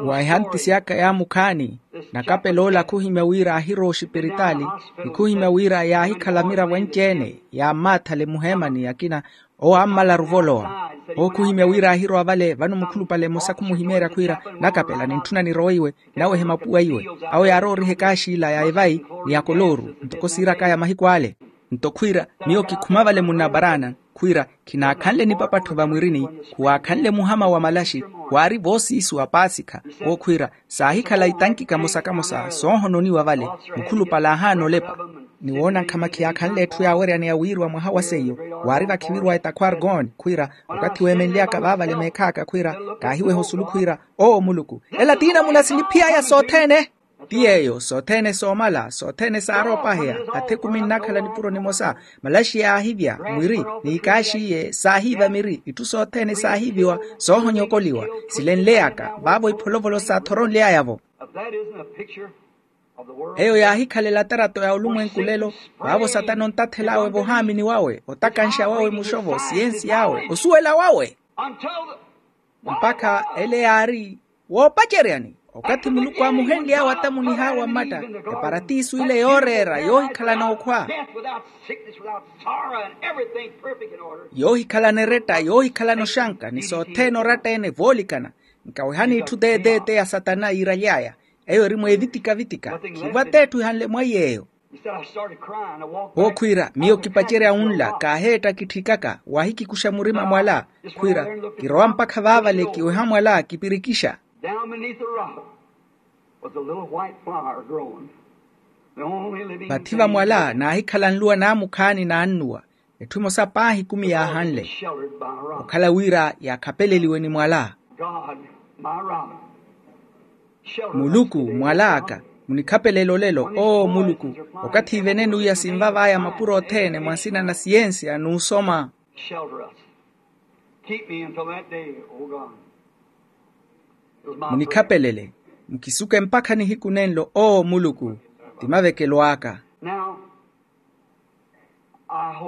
Wa ehantisi aka yaamukhaani, nakapeloola khuhimya wira aahirowa oxipiritaali, ni khuhimya wira yaahikhala miravo anci-ene yaammaathala emuheemani akina owo aammalaru ovolowa. Owo khuhimya wira aahirowa vale vano mukhulupale mmosa khumuhimeerya khwiira, nakapela nintthuna nirowe iwe, nawehe mapuwa iwe. Awo yaarowa oriha ekaaxi ila ya evayi ni ya kolooru ntoko siirak'aya mahiku ale. Nto khwiira, miyo kikhuma vale munnaparaana khwiira, khinaakhanle nipapattho vamwirini, khuwaakhanle muhama wa malaxi. Waari voosiisu wa paasikha. Owo khwiira, saahikhala itanki kamosa kamosa soohononiwa vale. Mukhulupale aahaana olepa ni woona nkhama khiyaakhanle etthu yaaweryani ya wiiriwa mwaha wa seiyo. Waari vakhivirwa etakhwargon khwiira, okathi weemenly'aka vaavale meekh'aka khwiira, kaahiweha osulu khwiira, owo muluku, ela tiina munasiniphiy'aya sothene. Ti yeeyo sothene soomala sothene saaroopaheya, athekumi nnakhala nipuro nimosa, malaxi yaahivya, mwiri n'ikaaxiiye saahiiva miri, itthu sothene saahiiviwa soohonyokoliwa. Silenleyaka vaavo ipholovolo saathoronly'aya-vo. Eyo yaahikhalela tarato ya olumwenku lelo, vaavo satana ontathel'awe vohaamini wawe, otakanxa wawe muxovo siyensi yawe osuwela wawe. Mpakha ele yaari woopaceryani okathi muluku aamuhenly'awe atamunih'awe mmatta, eparatiiso ile yooreera yoohikhalana okhwa, yoohikhalana eretta yoohikhalana oxanka ni sothene oratta-ene voolikana. Nkawehani itthu teeteete ya satana yiiraly'aya, eyo eri mweevitika-vitika khivo at'etthu ihanle mwa yeeyo. Owo khwiira miyo kipacerya wunla kaaheetta kitthikaka waahikikuxa murima mwala. Khwiira kirowa mpakha vaavale kiweha mwala kipirikixa. Vathi va mwala naahikhala nluwa naamukhaani naannuwa. Etthu emosa paahi ekumi yaahanle okhala wira yaakhapeleliwe ni mwala. Muluku mwal'aka, munikhapelele olelo oo muluku, okathi ivene nuiya sinvav'aya mapuro othene mwa nsina na siyensiya n'usoma. Munikhapelele, mukisuke mpakha nihiku nenlo oo muluku. Ti mavekelo aka.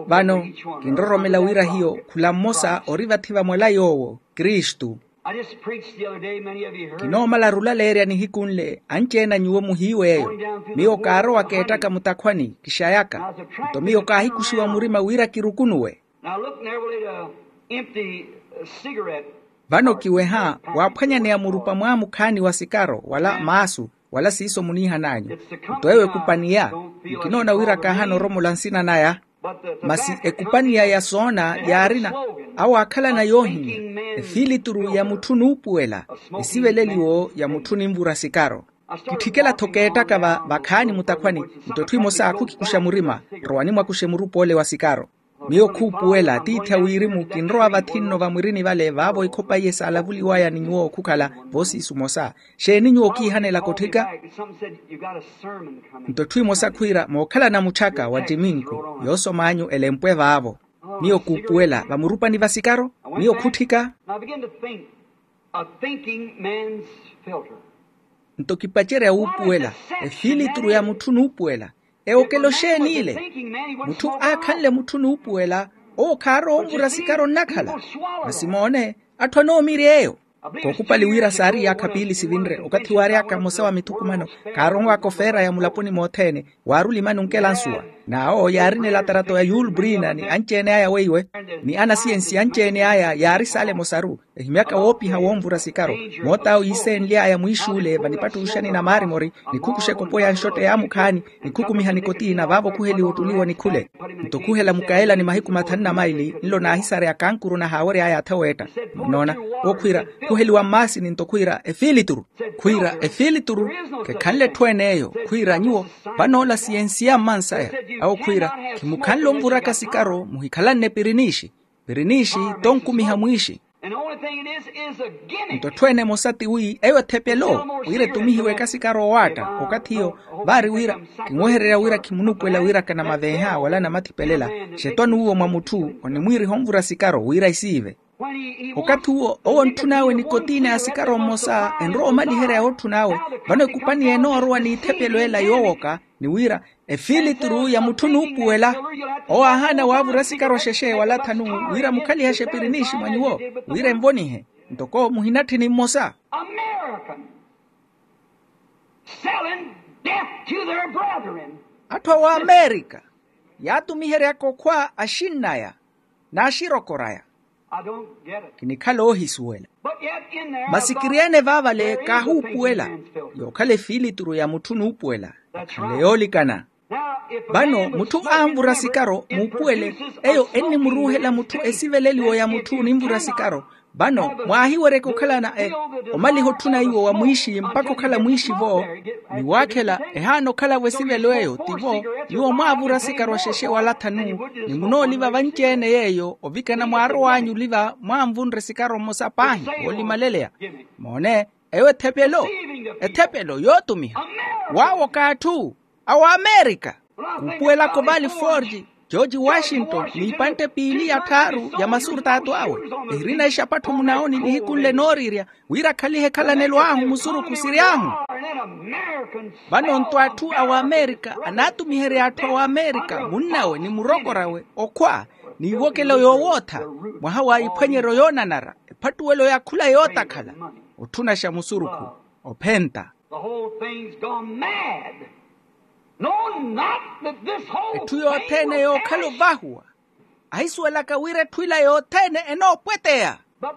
Vano kinroromela wira hiyo khula mmosa ori vathi va mwala yoowo kristu. Kinoomalaru olaleerya nihiku nle anci-ene a nyuwo muhiiw'eyo. Miyo kaarowa keettaka mutakhwani kixayaka, nto miyo kaahikuxiwa murima wira kirukunuwe. Vano kiweha waaphwanyaneya murupa mwaamukhaani wa sikaro wala maasu, wala siiso muniihan'anyu. Nto eyo ekupaniya, nkinoona wira kaahana oromola nsina naya. Masi ekupaniya ya soona yaarina awo aakhalana yoohimya efilituru ya mutthu nuupuwela, esiveleliwo ya mutthu ninvura sikaro. Kitthikela-tho keettaka va vakhaani mutakhwani, nto etthu emosa khukikuxa murima, rowani mwakuxe murupa ole wa sikaro. Miyo khuupuwela tiithi a wirimu kinrowa vathi nno vamwirini vale vaavo ikhopa iye saalavuliwaya ni nyuwo khukhala voosiisu mosa. Xeeni nyuwo kiihanelaka otthika? Nto etthu emosa khwiira mookhalana mutthyaka wa ttiminku, yoosom'anyu elempwe vaavo. Miyo khuupuwela vamurupani va sikaro. Miyo khutthika. Nto kipacerya wuupuwela efilituru ya mutthu nuupuwela. Ewokelo xeeni ile? Mutthu aakhanle mutthu nuupuwela, owo khaarowa onvura sikaro nnakhala. Masi moone, atthu anoomirya eyo. Kookupali wira saari iyaakha piili sivinre okathi waary'aka mmosa wa mithukumano, kaaronw'aka ofeera ya mulaponi mothene, waari olimani onkela nsuwa. N'awo yaarina elatarato ya yulbrina ni anci-ene aya weiwe, ni anasiyensi anci-ene aya yaari saale emosaru. Ehimyaka woopiha wonvura sikaro, moot'awo yiiseenly'aya mwiixuule vanipattuxani na maarimori, nikhukuxa ekupo ya nxotte yaamukhaani, nikhukumiha nikottina vaavo khuheliwa ottuliwa nikhule. Nto khuhela mukaela ni mahiku mathanu na maili nlo naahisareya kankuru nahaawery'aya atha weetta. Munnoona, owo khwiira khuheliwa mmaasini nto khwiira efilituru. Khwiira efilituru khekhanle etthu-ene eyo khwiira nyuwo, vanoola siyensiya mmansaya. Awo khwiira, khimukhanle onvuraka sikaro muhikhalanne piriniixi. Piriniixi tonkumiha mwiixi. Nto etthu ene emosa ti wi eyo ethepelo wira etumihiwe ekasikari owaatta. Okathi iyo vaari wira kinwehererya wira khimunuupuwela wira kanamaveeha wala namathipelela. Xetwani uwo mwa mutthu onimwiiriha onvura sikaro wira isiive. Okathi uwo owo ontthun'awe nikotiina ya sikaro mmosa enrowa omaliherya yootthun'awe. Vano ekupani enoorowa n'ithepelo ela yoowoka ni wira efiilituru ya mutthu nuupuwela. Owo aahaana waavura sikaro xexe wala thanu wira mukhalihaxe piri niixi mwa nyuwo wira envonihe. Ntoko muhinatthi ni mmosa. American selling death to their brethren. Atthu a waamerika yaatumiheryaka okhwa axinn'aya n'axirokor'aya. I don't get it. Kinikhala oohisuwela. But yet in there, masi kiri ene vaavale kaahuupuwela yookhala efiilituru ya mutthu nuupuwela. That's right. Khanle yoolikana. Vano mutthu aanvura sikaro muupuwele eyo ennimuruuhela mutthu esiveleliwo ya mutthu ninvura sikaro. Vano mwaahiweryeke okhalana omaliha otthuna iwo wa mwiixi mpakha okhala mwiixi-vo. Ni waakhela ehaana okhala-vo esivelo eyo tivo nyuwo mwaavura sikaro axexe wala thanu. Ni munooliva vanci-ene yeeyo ovikana mwaarow'anyu oliva mwaanvunre sikaro mmosa paahi woolimaleleya. Moone eyo ethepelo ethepelo yootumiha waawoka atthu a waamerika. Kuupuwelaka ovaali forge george washington n'ipantte piili ya tthaaru ya masurtaatu awe ehirina exapattho munaoni nihiku nle nooriirya wira akhalihe ekhalanelo ahu musurukhu siry'ahu. Vano nto atthu a waamerika anaatumiherya atthu a waamerika munn'awe ni murokor'awe okhwa n'iwokelo yoowootha mwaha wa iphwanyeryo yoonanara ephattuwelo ya khula yootakhala otthunaxa musurukhu ophenta. The whole thing's gone mad. No, not that this whole etthu yothene yookhala ovahuwa ahisuwelaka wira etthu ila yothene enoopweteya. But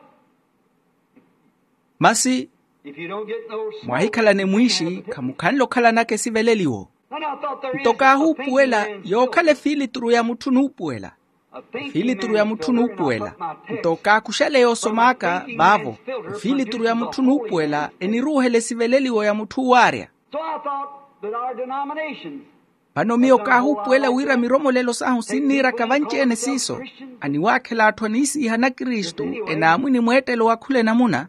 masi if you don't get no smoke, mwahikhalane mwiixi khamukhanle okhalanaka esiveleliwo. Nto kaahuupuwela yookhala efiilituru ya mutthu nuupuwela. Efiilituru ya mutthu nuupuwela nto kaakuxale yoosom'aka vaavo. Efiilituru ya mutthu nuupuwela eniruuhela esiveleliwo ya mutthu uwaarya. So I thought that our denominations vano miyo kaahuupuwela wira miromolelo sahu sinniiraka vanci-ene siiso aniwaakhela atthu aniisiiha nakristu enaamwini mweettelo wa khula enamuna.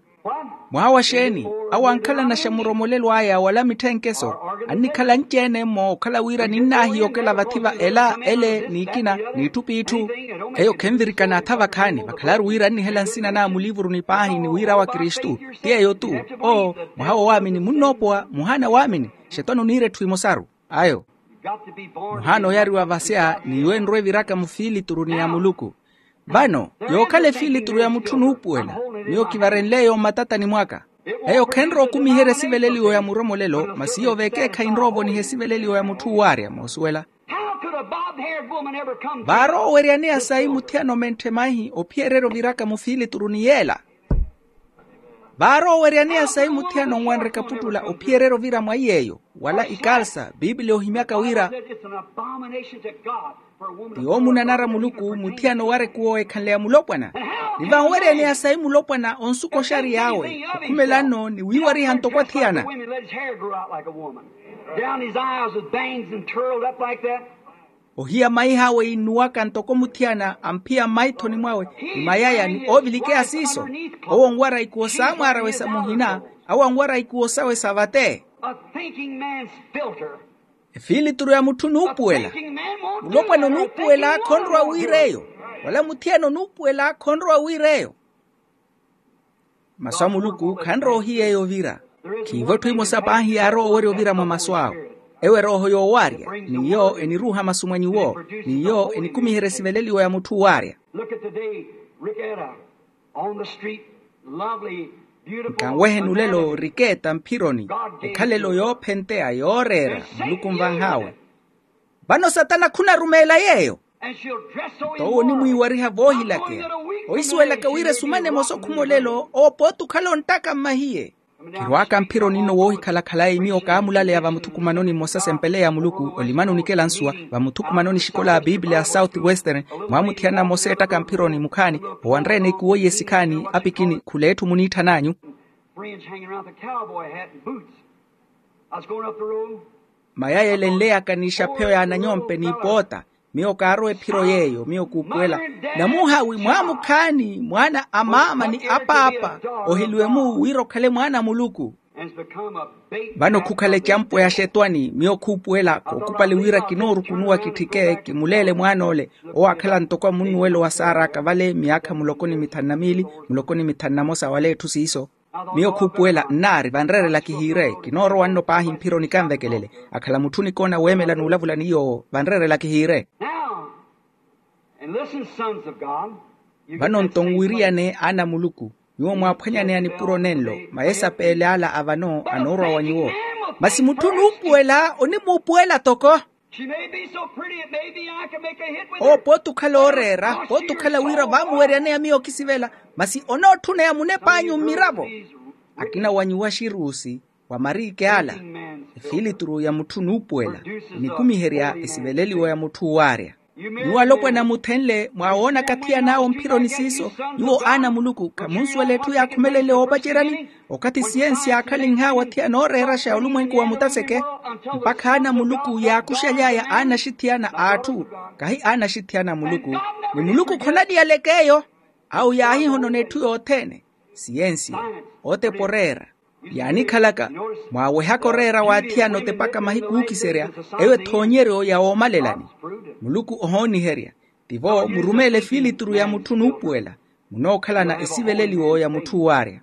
Mwaha wa xeeni awo ankhalanaxa muromolelo aya wala mitthenkeso annikhala anci-ene-mmo okhala wira ninnaahiya okela vathi va ela ele n'ikina n'itthu p'itthu. Eyo khenvirikana atha vakhaani vakhalaru wira annihela nsina naa muliivuruni paahi ni wira awo akristu ti eyo-tu. Oo mwaha woowaamini munnoopowa muhaana waamini. Xetwani oniira etthu emosaru ayo muhaana oyariwa vasya n'iwo enrwa eviraka mufiilituruni ya muluku. Vano yookhala efiilituru ya mutthu nuupuwela miyo kivarenle eyo mmatatani mwaka. Eyo khenrowa okumiherya esiveleliwo ya muromolelo masi iyo vekeekhayi nrowa ovoniha esiveleliwo ya mutthu uwaarya moosuwela. Vaarooweryaneya sayi muthiyana omentthe maihi ophiyererya oviraka mufiilituruni yeela. Vaarooweryaneya sayi muthiyana onwanre kaputtula ophiyererya ovira mwa iy'eyo wala ikalsa bibliya ohimyaka wira ti yoomunanara muluku muthiyana owarekuwa oweekhanleya mulopwana. Ni vanweryaneya sayi mulopwana onsuka oxariy'awe okhumela nno ni wiiwariha ntoko athiyana. Ohiya maih'awe innuwaka ntoko muthiyana amphiya mmaithoni mwawe ni mayaya ni oovilikeya siiso. Owo onwara ikuwo saamwaar'awe sa muhina awo anwara ikuwo sawe sa vate. Efiilituru ya mutthu onuupuwela. Mulopwana onuupuwela khonrowa wiir'eyo wala muthiyana onuupuwela khonrowa wiir'eyo. Masu a muluku khanrowa ohiya eyo ovira. Khiivo etthu emosa paahi yaarowa owerya ovira mwa masu awe. Ewo erooho yoowaarya n'iyo eniruuha masu mwa nyuwo n'iyo enikumiherya esiveleliwo ya mutthu uwaarya. Look at the day, Ricketta, on the street, lovely, beautiful. Nkanweheni olelo riketa mphironi ekhalelo yoophenteya yooreera muluku nvanh'awe. Vano satana khunarumeela yeeyo. Nto owo onimwiiwariha voohilakeya ohisuwelaka wira esumana emosa okhuma olelo owo pooti okhala onttaka mmahiye. Khirwaaka mphironi nno woohikhala khalayi miyo kaamulaleya vamuthukumanoni mmosa sempeleya a muluku olimani onikela nsuwa vamuthukumanoni exikola a bibliya south western. Mwaamuthiyana mmosa eettaka mphironi mukhaani owanre-ene ikuwo iye sikhaani apikini khula etthu muniitthan'anyu. Mayaya elenleyaka n'ixapheyo y'ananyompe n'ipoota Miyo kaarowa ephiro yeeyo, miyo kuupuwela. Namuhaawi mwaamukhaani mwaana a maama ni a paapa, oheliwe-mu wira okhale mwaana a muluku. Vano khukhala ecampo ya xetwani, miyo khuupuwela kookhupali wira kinoorukunuwa kitthike kimuleele mwaan'ole. Owo aakhala ntoko a munnuwelo wa saaraka vale miyaakha muloko ni mithanu na miili, muloko ni mithanu na mosa wala etthu siiso. Miyo khuupuwela nnaari vanreerela kihiire. Kinoorowa nno paahi mphironi kanvekelele. Akhala mutthu onikoona weemela n'ulavula ni yoowo vanreerela kihiire. Vano nto nwiriyane aana a muluku, nyuwo mwaaphwanyaneya nipuro nenlo. Mayesapeele ala a vano anoorwa wa nyuwo. Masi mutthu onuupuwela onimuupuwela toko. Owo pooti okhala ooreera, pooti okhala wira vaamuweryaneya miyo okisivela. Masi onootthuna ya munep'anyu mmiravo. Akina wa nyuwo axiruusi wa mariike ala, efiilituru ya mutthu onuupuwela, enikumiherya esiveleliwo ya mutthu owaarya. Nyuwo alopwana muthenle mwaawoonaka athiyan'awe mphironi siiso. Nyuwo aana a muluku khamunsuwela etthu yaakhumelenle woopaceryani. Okathi siyensi yaakhalinh'awe athiya nooreeraxa olumwenku wa mutaseke, mpakha aana a muluku yaakuxaly'aya aanaxithiyana a atthu, kahi aanaxithiyana a muluku. Ni muluku khonaliyaleke eyo. Awo yaahihonona etthu yothene, siyensi, otepa oreera. Yaanikhalaka, mwaawehaka oreera w'athiyana otepaka mahiku ookiserya. Eyo ethoonyeryo ya woomalelani. Muluku ohooniherya. Tivo murumeele efiilituru ya mutthu onuupuwela. Munookhalana esiveleliwo ya mutthu owaarya.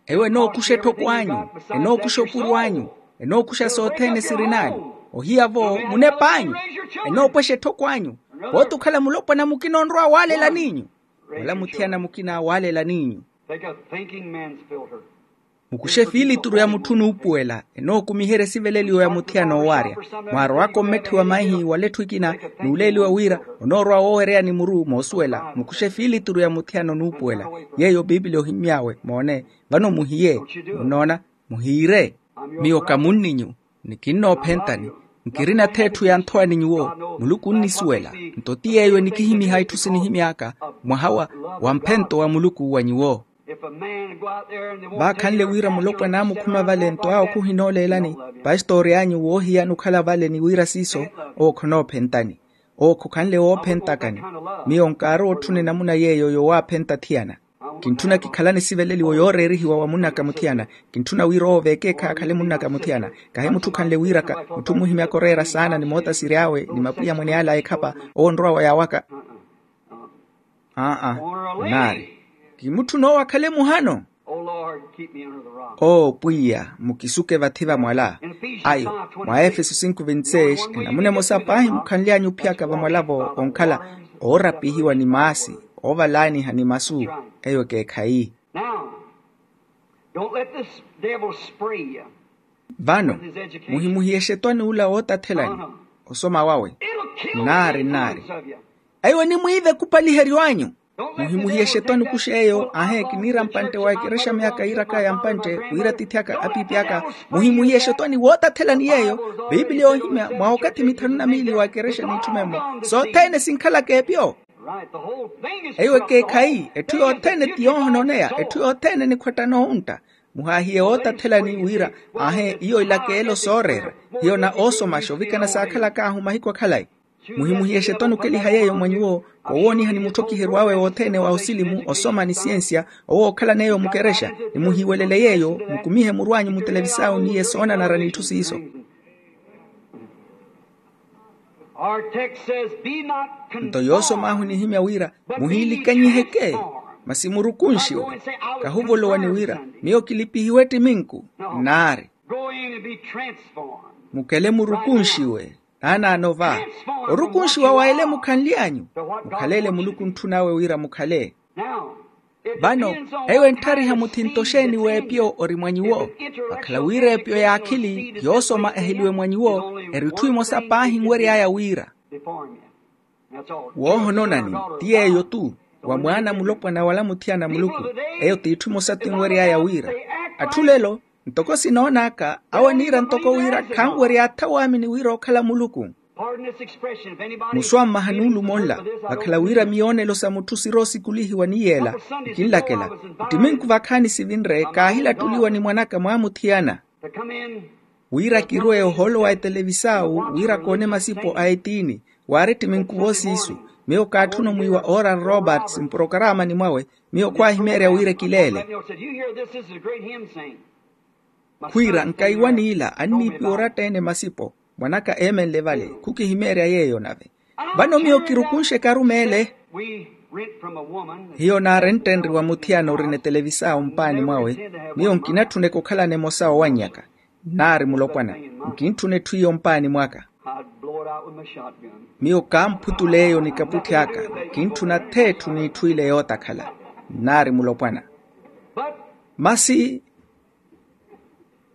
Eyo enookuxa etthoko anyu, enookuxa opuro anyu, enookuxa sothene sirin'anyu. Ohiya-vo munep'anyu, enoopwexa etthoko anyu. Pooti okhala mulopwana mukina onrowa waalelan'inyu, wala muthiyana mukina waalelan'inyu. Mukuxe efiilituru ya mutthu onuupuwela, enookumiherya esiveleliwo ya muthiyana owaarya. Mwaarowaka ommetthiwa maihi wala etthu ekina, n'uleeliwa wira onoorwa woowereyani muru moosuwela. Mukuxe efiilituru ya muthiyana onuupuwela, yeeyo piipili ohimy'awe moone. Vano muhiye. Munnoona? Muhiire. Miyo ka munninyu, ni kinnoophentani. Nkirina-tho etthu ya nthowani nyuwo. Muluku onnisuwela. Nto ti yeeyo enikihimyiha itthu sinihimy'aka, mwaha wa, wa mphento wa muluku wa nyuwo. Vaakhanle wira mulopwana aamukhuma vale nto awo khuhinooleelani, pastori anyu woohiyana okhala vale ni wira siiso, owo khonoophentani. Owo khokhanle woophentakani. Miyo nkaarowa otthuna enamuna yeeyo yowaaphenta athiyana. Kintthuna kikhalane esiveleliwo yooreerihiwa wa munn'aka muthiyana. Kintthuna wira owo vekeekhayi akhale munn'aka muthiyana. Kahi mutthu okhanle wiiraka, mutthu omuhimyaka oreera saana ni moota siry'awe ni mapwiya mwene ala a ekhapa, owo onrowa wa yaawaka. Aa, naari. Kimutthuna owo akhale muhano. Oo pwiya, mukisuke vathi va mwala. Ayo, mwa efeso sinku vinti seis, enamuna emosa paahi mukhanly'anyu ophiyaka vamwala-vo onkhala oorapihiwa ni maasi, oovalaaniha ni masu. Eyo ekeekhayi. Vano, muhimuhiye exetwani ula wootathelani osoma wawe. Naari naari. Eyo enimwiive ekupaliheryo anyu. Muhimuhiye exetwani okuxa eyo. Aahe kiniira mpantte wa ekerexa myaaka yiiraka ya mpantte wira atiithi aka apiipi aka. Muhimuhiye exetwani wootathelani yeeyo. Piipili yoohimya mwa okathi mithanu na miili wa ekerexa n'itthume-mo. Sothene sinkhalaka epyo. Eyo ekeekhayi. Etthu yothene ti yoohononeya, etthu yothene nikhwattana oontta. Muhaahiye wootathelani wira, aahe iyo ilakeelo sooreera. Hiyo na oosomaxa ovikana saakhalak'ahu mahiku akhalayi. Muhimuhiye exetwani okeliha yeeyo mwa nyuwo. Koowooniha ni mutthokiheryo awe wothene wa osilimu, osoma ni siyensiya, owo ookhalana eyo mukerexa. Ni muhiiwelele yeeyo, mukumihe muru anyu mutelevisau ni yesoonanara n'itthu siiso. Nto yoosom'ahu enihimya wira, muhiilikanyiheke, masi murukunxiwe. Kahuvolowa ni wira, miyo kilipihiwe ettiminku. Naari. Mukele murukunxiwe. Naanaano va orukunxiwa wa ele mukhanly'anyu. Mukhale ele muluku ontthun'awe wira mukhale. Vano, eyo entthariha muthinto xeeni w'epyo ori mwa nyuwo. Vakhala wira epyo y'akhili yoosoma eheliwe mwa nyuwo, eri itthu emosa paahi nwery'aya wira. Woohononani ti yeeyo-tu, wa mwaana mulopwana wala muthiyana muluku. Eyo ti itthu emosa ti nwery'aya wira. Atthu lelo, ntoko sinoon'aka awo aniira ntoko wira khanwerya atha waamini wira ookhala muluku. Musuwa mmaha nuulumo nla, vakhala wira miyoonelo sa mutthu siroosikulihiwa ni yeela. Nkinlakela, ittiminku vakhaani sivinre kaahilattuliwa ni mwan'aka mwaamuthiyana. Wira kirwe oholo wa etelevisau wira koone masipo a etiini. Waari ttiminkuvo siisu. Miyo kaatthuna omwiiwa oral roberts mprokaramani mwawe. Miyo khwaahimeerya wira ekileele. Khwiira nkaiwa n'ila anniipiwa oratta-ene masipo. Mwan'aka eemenle vale. Khukihimeerya yeeyo nave. Vano miyo kirukunxe ekarumeele. Hiyo naarenttenriwa muthiyana orina etelevisau mpaani mwawe. Miyo nkinatthuneke okhalana emosa owannyaka. Nnaari mulopwana. Nkintthuna etthu iyo mpaani mwaka. Miyo kamphutuleeyo nikapwitthi aka. Nkintthuna ath'etthu n'itthu ile yootakhala. Nnaari mulopwana. Masi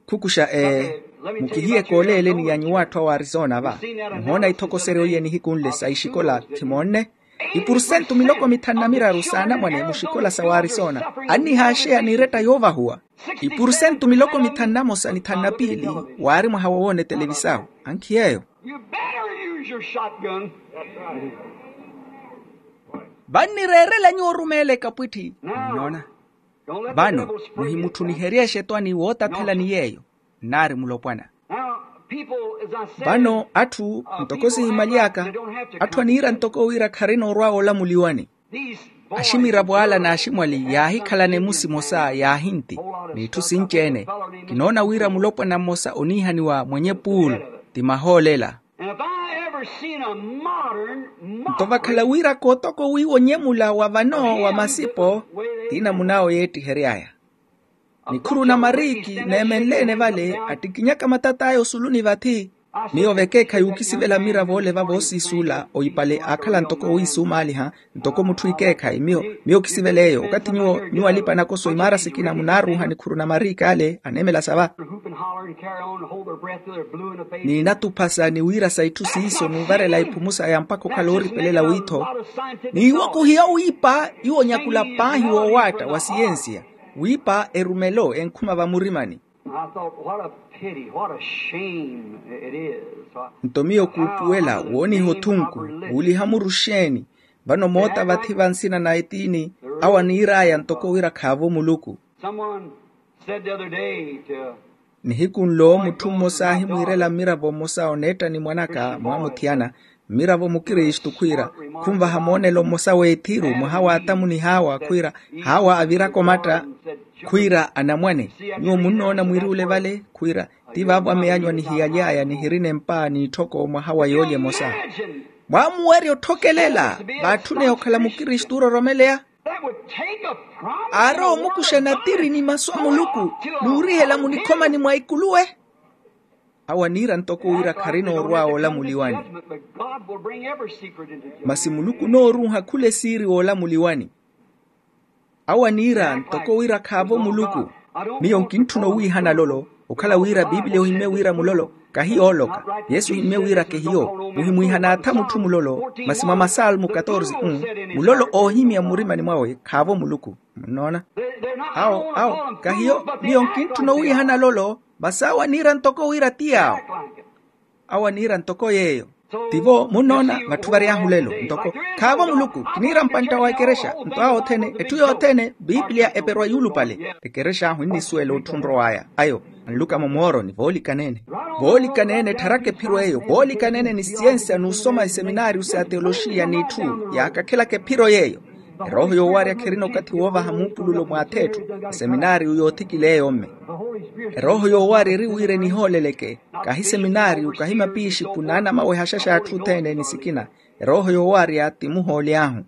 khukuxa ee. Mukihiye kooleeleni ya nyuw'atthu awa arisona va. Muhoona ithokoseryo iye nihiku nle sa ixikola khimoonne. Ipurusentu miloko mithanu na miraru s'anamwane muxikola sa waarisona annihaaxeya n'iretta yoovahuwa. Ipurusentu miloko mithanu na mosa ni thanu na piili. Waari mwaha wowoona etelevisau. Ankhiyeeyo. Vannireerela nyuwo orumeela ekapwitthi. Nnoona. Vano muhimutthuniherye exetwani wootathelani yeeyo. Nnaari mulopwana. Vano atthu ntoko sihimaly'aka. Atthu aniira ntoko wira kharina orwa oolamuliwani. Aximiravo ala n'aximwali yaahikhalana emusi emosa yaahinti. N'itthu sinci-ene. Kinoona wira mulopwana mmosa oniihaniwa mwenye puulu. Ti mahoolela. Nto vakhala wira kootoko wiiwa onyemula wa vano wa masipo. Ti namun'awe yeettihery'aya. Nikhuru na mariiki neemenle-ene vale attikinyaka matat'aya osuluni vathi. Miyo vekeekhayi okisivela mmiravo ole vavoosiisuula oyipale aakhala ntoko owiisumaaliha. Ntoko mutthu ikeekhayi miyo miyo okisivela eyo okathi nyuwo nyuwo alipa nakoso imaara sikina munaaruuha nikhuru na mariiki ale aneemela sava. Niinatuphasa ni wiirasa itthu siiso n'uvarela iphumusa ya mpakha okhala ooripelela wiitho. N'iwo khuhiya owiipa iwo onyakula paahi woowaatta wa siyensiya. Wiipa erumelo enkhuma vamurimani. Nto miyo kuupuwela wooniha othunku wuuliha muru xeeni? Vano moota vathi va nsina na etiini awo aniir'aya ntoko wira khaavo muluku. Nihiku nlo mutthu mmosa ahimwiirela mmiravo mmosa oneetta ni mwan'aka mwamuthiyana. Mmiravo mukristu khwiira khunvaha moonelo mmosa w'ethiru mwaha w'atamu ni hawa khwiira hawa aviraka omatta. Khwiira anamwane nyuwo munnoona mwiriwule vale khwiira ti vaavo ameyanyu anihiyaly'aya nihirina empa n'itthoko mwaha wa yoolya emosa. Mwaamuwerya otthokelela vaatthuneye okhala mukristu oororomeleya. Aarowa omukuxa natiri ni masu a muluku n'urihela munikhomani mwa ikuluwe. Awo aniira ntoko wira kharina orwa woolamuliwani. Masi muluku onoorunha khula esiiri woolamuliwani. Awo aniira ntoko wira khaavo muluku. Miyo nkintthuna owiihana lolo okhala wira bibiliya ohimmye wira mulolo kahi yooloka. Yesu ohimmye wira kehiyo muhimwiihana atha mutthu mulolo. Masi mwa masalmu katorze un mulolo oohimya mmurimani mwawe khaavo muluku. Munnoona? Awo awo kahiyo miyo nkintthuna owiihana lolo. Masi awo aniira ntoko wira ti awo. Awo aniira ntoko yeeyo. Tivo munnoona vatthu vary'ahu lelo ntoko khaavo muluku kiniira mpantta wa ekerexa. Nto awo othene etthu yothene bibiliya eperwa yuulupale. Ekerexa ahu ennisuwela otthu onrow'aya ayo anluka-mo mooroni voolikanene. Voolikanene ettharaka ephiro eyo voolikanene ni siyensiya n'usoma iseminaariyu sa teoloxiya n'itthu yaakakhelaka ephiro yeeyo. Erooho yoowarya kherina okathi woovaha muupululo mw'ath'etthu. Eseminaariyu yoothikila eyo mme. Erooho yoowarya eri wira enihooleleke. Kahi seminaariyu kahi mapiixiku naanamawehaxa x'atthu othene ni sikina. Erooho yoowarya ti muhooli ahu.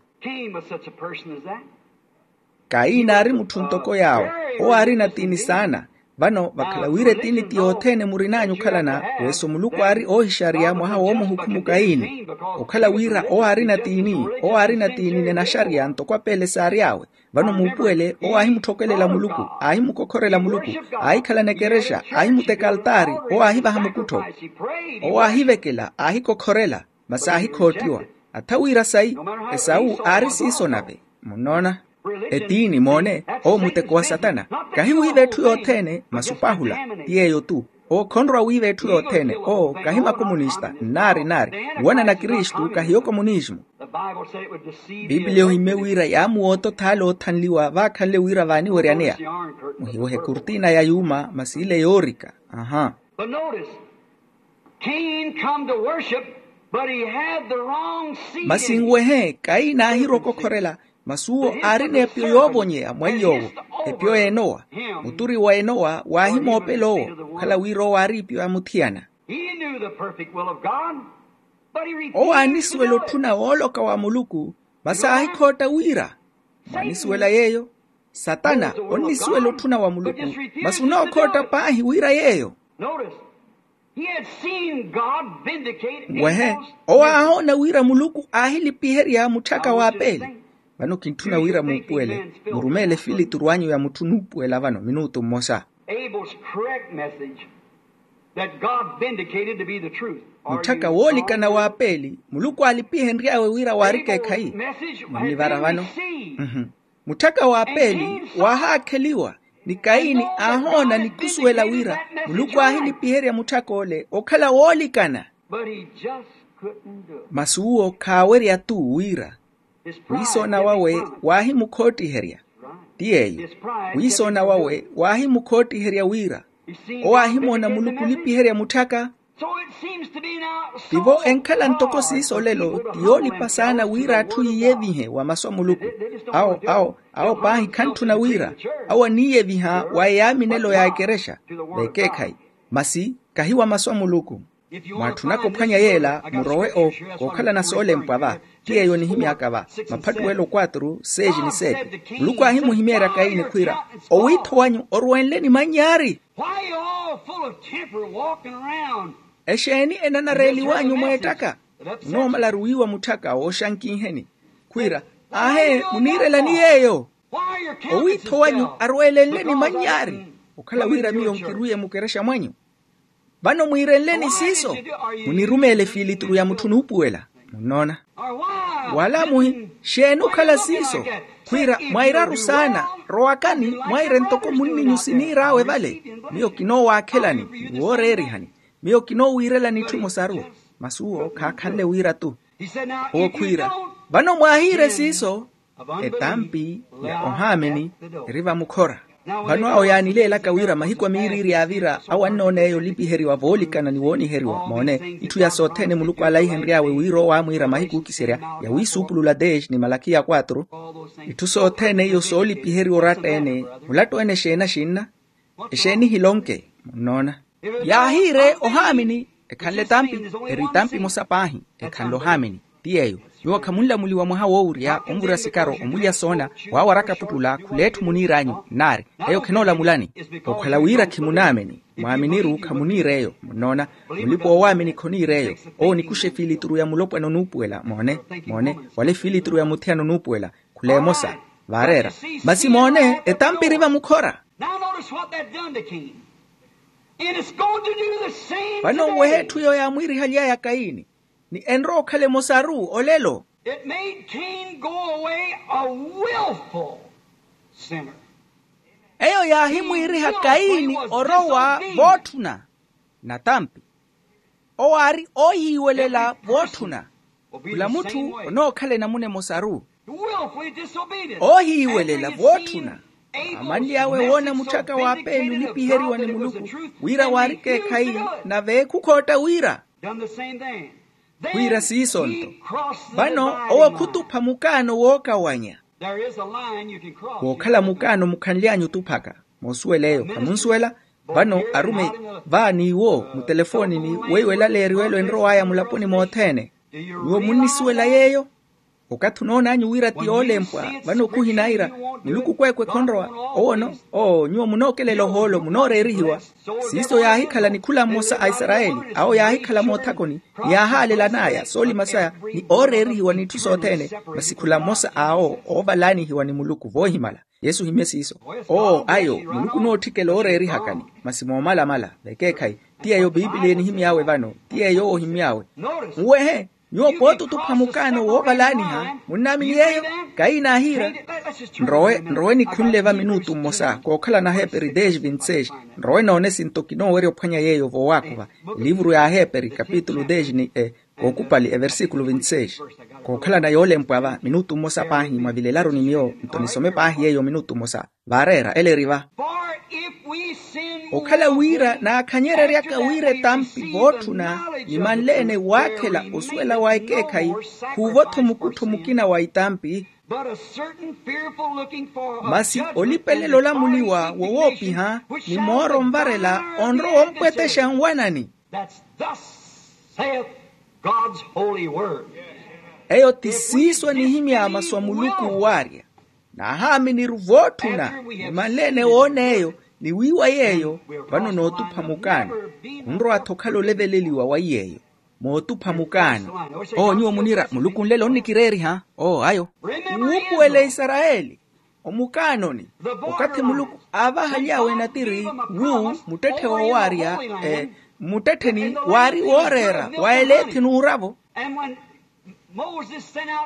Kaini aari mutthu ntoko yaawo. Owo aari natiini saana. Vano vakhala wira etiini ti yothene murin'anyu okhalana. Weso muluku aari oohixariya mwaha woomuhukhumu kaini. Okhala wira owo aari natiini owo aari natiini nenaxariya ntoko apeele saary'awe. Vano muupuwele owo aahimutthokelela muluku aahimukokhorela muluku. Aahikhalana ekerexa aahimuteka altaari. Owo aahivaha mukuttho. Owo aahivekela aahikokhorela. Masi aahikhottiwa. Atha wira sayi. Esawu aari siiso nave. Munnoona? Etiini moone. Owo muteko wa satana. Kahi wiiva etthu yothene masi opahula. Ti yeeyo-tu. Owo khonrowa wiiva etthu yothene owo kahi makomunista nnaari nnaari. Nuwanana kristu kahiyo komunismu. Bibiliya ohimmye wira yaamuwoota othaala oothanliwa vaakhanle wira vaaniweryaneya. Muhiwohe kurtina ya yuuma masi ile yoorika. Aha. But notice, Cain come to worship, but he had the wrong seed. Masi nwehe, kaini aahirwa okokhorela, masi uwo aari n'epyo yoovonyeya mwa iy'owo. Epyo y'enowa, muturi wa enowa waahimoopela owo, okhala wira owo aari ipyo ya muthiyana. He knew the perfect will of God, but he refused to know it. Owo aanisuwela otthuna wooloka wa muluku, masi aahikhootta wira. Mwaanisuwela yeeyo? Satana onnisuwela otthuna wa muluku, masi onookhootta paahi wira yeeyo. Notice, he had seen God vindicate angels. Wehe, owo aahoona wira muluku aahilipiherya mutthaka wa peeli. Vano kintthuna wira muupuwele, murumeele efilituru anyu ya mutthu onuupuwela vano minutu mmosa. Abel's correct message that God vindicated to be the truth. Mutthaka woolikana wa peeli, muluku aalipihenry'awe wira waarika ekhayi. Munivara vano. Mutthaka wa peeli waahaakheliwa, ni kaini aahoona ni khusuwela wira muluku aahilipiherya mutthak'ole okhala woolikana. Masi uwo khaawerya-tu wira wiisoona wawe waahimukhootiherya. Ti yeeyo, wiisoona wawe waahimukhootiherya wira owo aahimoona muluku olipiherya mutthaka. Tivo enkhala ntoko siiso olelo ti yoolipa saana wira atthu yiiyevihe wa masu a muluku. Awo awo awo paahi khantthuna wira awo aniiyeviha wa eyaaminelo ya ekerexa vekeekhayi. Masi kahi wa masu a muluku. Mwaatthunaka ophwanya yeela murowe o kookhalana soolempwa va. Ti yeeyo onihimyaka va, maphattuwelo quatro seis ni sete. Muluku aahimuhimeerya kaini khwiira, owiitho wanyu orwenle ni manyaari. Exeeni enanareeliw'anyu mweettaka? Munoomala aruwiiwa mutthaka wooxankinheni. Khwiira, aahe muniirelani yeeyo? Owiitho wanyu arwelenle ni manyaari okhala wira miyo nkirwiye mukerexa mwanyu. Vano mwiirenleni siiso? Munirumeele efiilituru ya mutthu onuupuwela. Munnoona? Wala muhi, xeeni okhala siiso? Khwiira mwairaru saana, rowakani mwaire ntoko munninyu siniir'awe vale. Miyo kinoowaakhelani ni wooreerihani. Miyo kinoowiirelani itthu emosaru. Masi uwo khaakhanle wira-tu. Owo khwiira, vano mwaahiire siiso? Etampi ya ohaamini eri vamukhora. Vano awo yaanileelaka wira mahiku a miiriiri yaavira awo annoon'eyo olipiheriwa voolikana ni wooniheriwa moone. Itthu ya sothene muluku alaihenry'awe wira owo aamwiira mahiku ookiserya ya wiisuupulula dex ni malakiya quatro. Itthu sothene iyo soolipiheriwa oratta-ene. Mulattu-ene exeeni axinna? Exeeni hilonke? Munnoona? Yaahiire ohaamini ekhanle etampi. Eri etampi emosa paahi ekhanle ohaamini. Ti yeeyo, nyuwo khamunlamuliwa mwaha woowurya onvura sikaro omulya soona waawaraka puttula khula etthu muniir'anyu nnaari. Eyo khinoolamulani okhala wira khimunaamini. Mwaaminiru khamuniir'eyo. Munnoona? Mulipa oowaamini khoniir'eyo. Owo onikuxa efiilituru ya mulopwana onuupuwela moone. Moone, wala efiilituru ya muthiyana onuupuwela. Khula emosa vaareera. Masi moone etampi eri vamukhora. Now notice what that done to Cain. And it's going to do the same today. Vano nwehe etthu eyo yaamwiirihaly'aya kaini ni enrowa okhala emosaru olelo. It made Cain go away a willful sinner. Eyo yaahimwiiriha kaini orowa vootthuna. Natampi owo aari oohiiwelela vootthuna. Khula mutthu onookhala enamuna emosaru. Oohiiwelela vootthuna. Amanly'awe woona mutthaka wa peeli olipiheriwa ni muluku wira waarika ekhayi, nave khukhootta wira. Khwiira siiso-nto. Vano owo khutupha mukaano wookawanya. Wookhala mukaano mukhanly'anyu otuphaka. Moosuwela eyo khamunsuwela? Vano arume va n'iwo mutelefonini weiwo elaleeriwelo enrow'aya mulaponi mothene. Nyuwo munnisuwela yeeyo? Okathi onoon'anyu wira ti yoolempwa vano khuhinaira muluku kweekwe khonrowa. Owono oo nyuwo munookelela ohoolo munooreerihiwa. Siiso yaahikhala ni khula mmosa a isarayeli awo yaahikhala moothakoni ni yaahaalela an'aya soolima saya ni ooreerihiwa n'itthu sothene. Masi khula mmosa awo oovalaanihiwa ni muluku voohimala. Yesu ohimye siiso. Oo ayo muluku onootthikela ooreerihakani. Masi moomalamala vekeekhayi. Ti yeeyo piipiliya enihimy'awe vano. Ti yeeyo owo ohimy'awe. Muwehe nyuwo pooti otupha mukaano woovalaaniha. Munnaamini yeeyo? Kaini aahiira. Nrowe nrowe nikhunle va minutu mmosa kookhala na aheeperi dez vinti seis. Nrowe noone sinto kinoowerya ophwanya yeeyo voowaakuva. Eliivuru ya aheeperi kapitulu dez ni e kookupali eversikulu vinti seis. Kookhalana yoolempwa va minutu mmosa paahi mwavilelaru ni miyo nto nisome paahi yeeyo minutu mmosa. Vaareera ela eri va. For if we sin Okhala wira naakhanyereryaka wira etampi vootthuna, ni manleene waakhela osuwela wa ekeekhayi, khuuvo-tho mukuttho mukina wa itampi. Masi olipelela olamuliwa wowoopiha, ni mooro onvarela onrowa ompwetexa nwanani. Eyo ti siiso anihimya masu a muluku waarya. Naahaaminiru vootthuna, ni manleene woona eyo, ni wiiwa yeeyo. Vano nootupha mukaano. Khunrowa-tho okhala oleveleliwa wa iy'eyo. Mootupha mukaano. Oo nyuwo muniira muluku nlelo onnikireeriha. Oo ayo. Wuupuwele isarayeli omukaanoni. Okathi muluku aavahaly'awe natiri, wu muttetthe woowaarya, muttettheni waari wooreera wa eleethi n'uravo.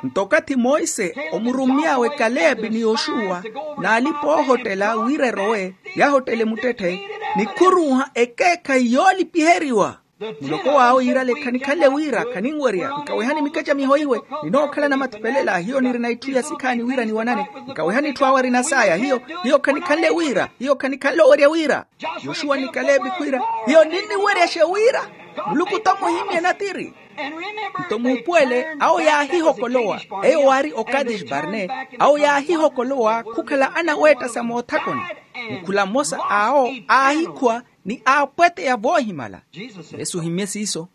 Nto okathi monse omurummy'awe kalebi ni yoxuwa, n'alipa oohottela wira erowe, yahottele muttetthe, nikhuruuha ekeekhayi yoolipiheriwa. Muloko w'awe yiirale khanikhanle wira khaninwerya nkawehani mikacamiho iwe. Ninookhalana mathupelela hiyo nirina itthu ya sikhaani wira niwanane. Nkawehani itthu awe arina saaya hiyo. Hiyo khanikhanle wira hiyo khanikhanle owerya wira. Yoxuwa ni kalebi khwiira, hiyo ninniweryaxe wira muluku t'omuhimye natiri. Nto muupuwele awo yaahihokolowa, eyo waari okadesi barne, awo yaahihokolowa khukhala anaweetta sa moothakoni. Mukhula mmosa awo aahikhuwa ni aapweteya voohimala. Yesu ohimmye siiso.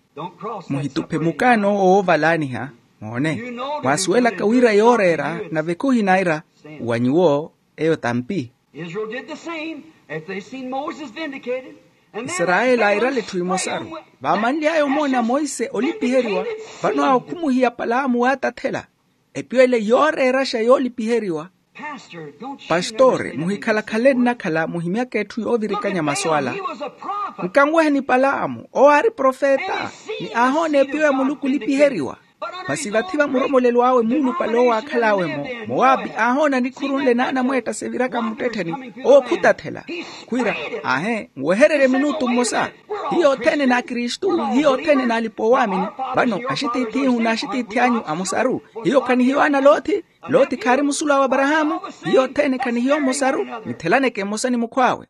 Muhituphe mukaano owo woovalaaniha. Moone, mwaasuwelaka wira yooreera nave khuhinaira wa nyuwo, eyo tampi. Israel did the same. If they seen Moses vindicated, and then isarayeli airale etthu emosaru. Vaamanly'aya omoona monse olipiheriwa, vano awo khumuhiya palaamu waatathela. Epiwele yooreeraxa yoolipiheriwa. Pastor, don't you pastore never say muhikhalakhale nnakhala muhimyaka etthu yoovirikanya masu ala. Nkanweheni palaamu owo aari profeta, ni aahoona epiyo ya muluku olipiheriwa. Masi vathi va muromolelo awe muulupale owo aakhal'awe-mo, mowaapi aahoona nikhuru nle n'anamweetta seviraka mmuttettheni, owo khutathela. Khwiira, aahe nwehererye minutu mmosa. Hiyo othene n'akristu, hiyo othene n'alipa owaamini. Vano axitiith'ihu n'axitiith'anyu amosaru, hiyo khanihiyo ana loothi. Loothi khaari musulu awe aparahaamu. Hiyo othene khanihiyo mmosaru. Nithelaneke mmosa ni mukhw'awe.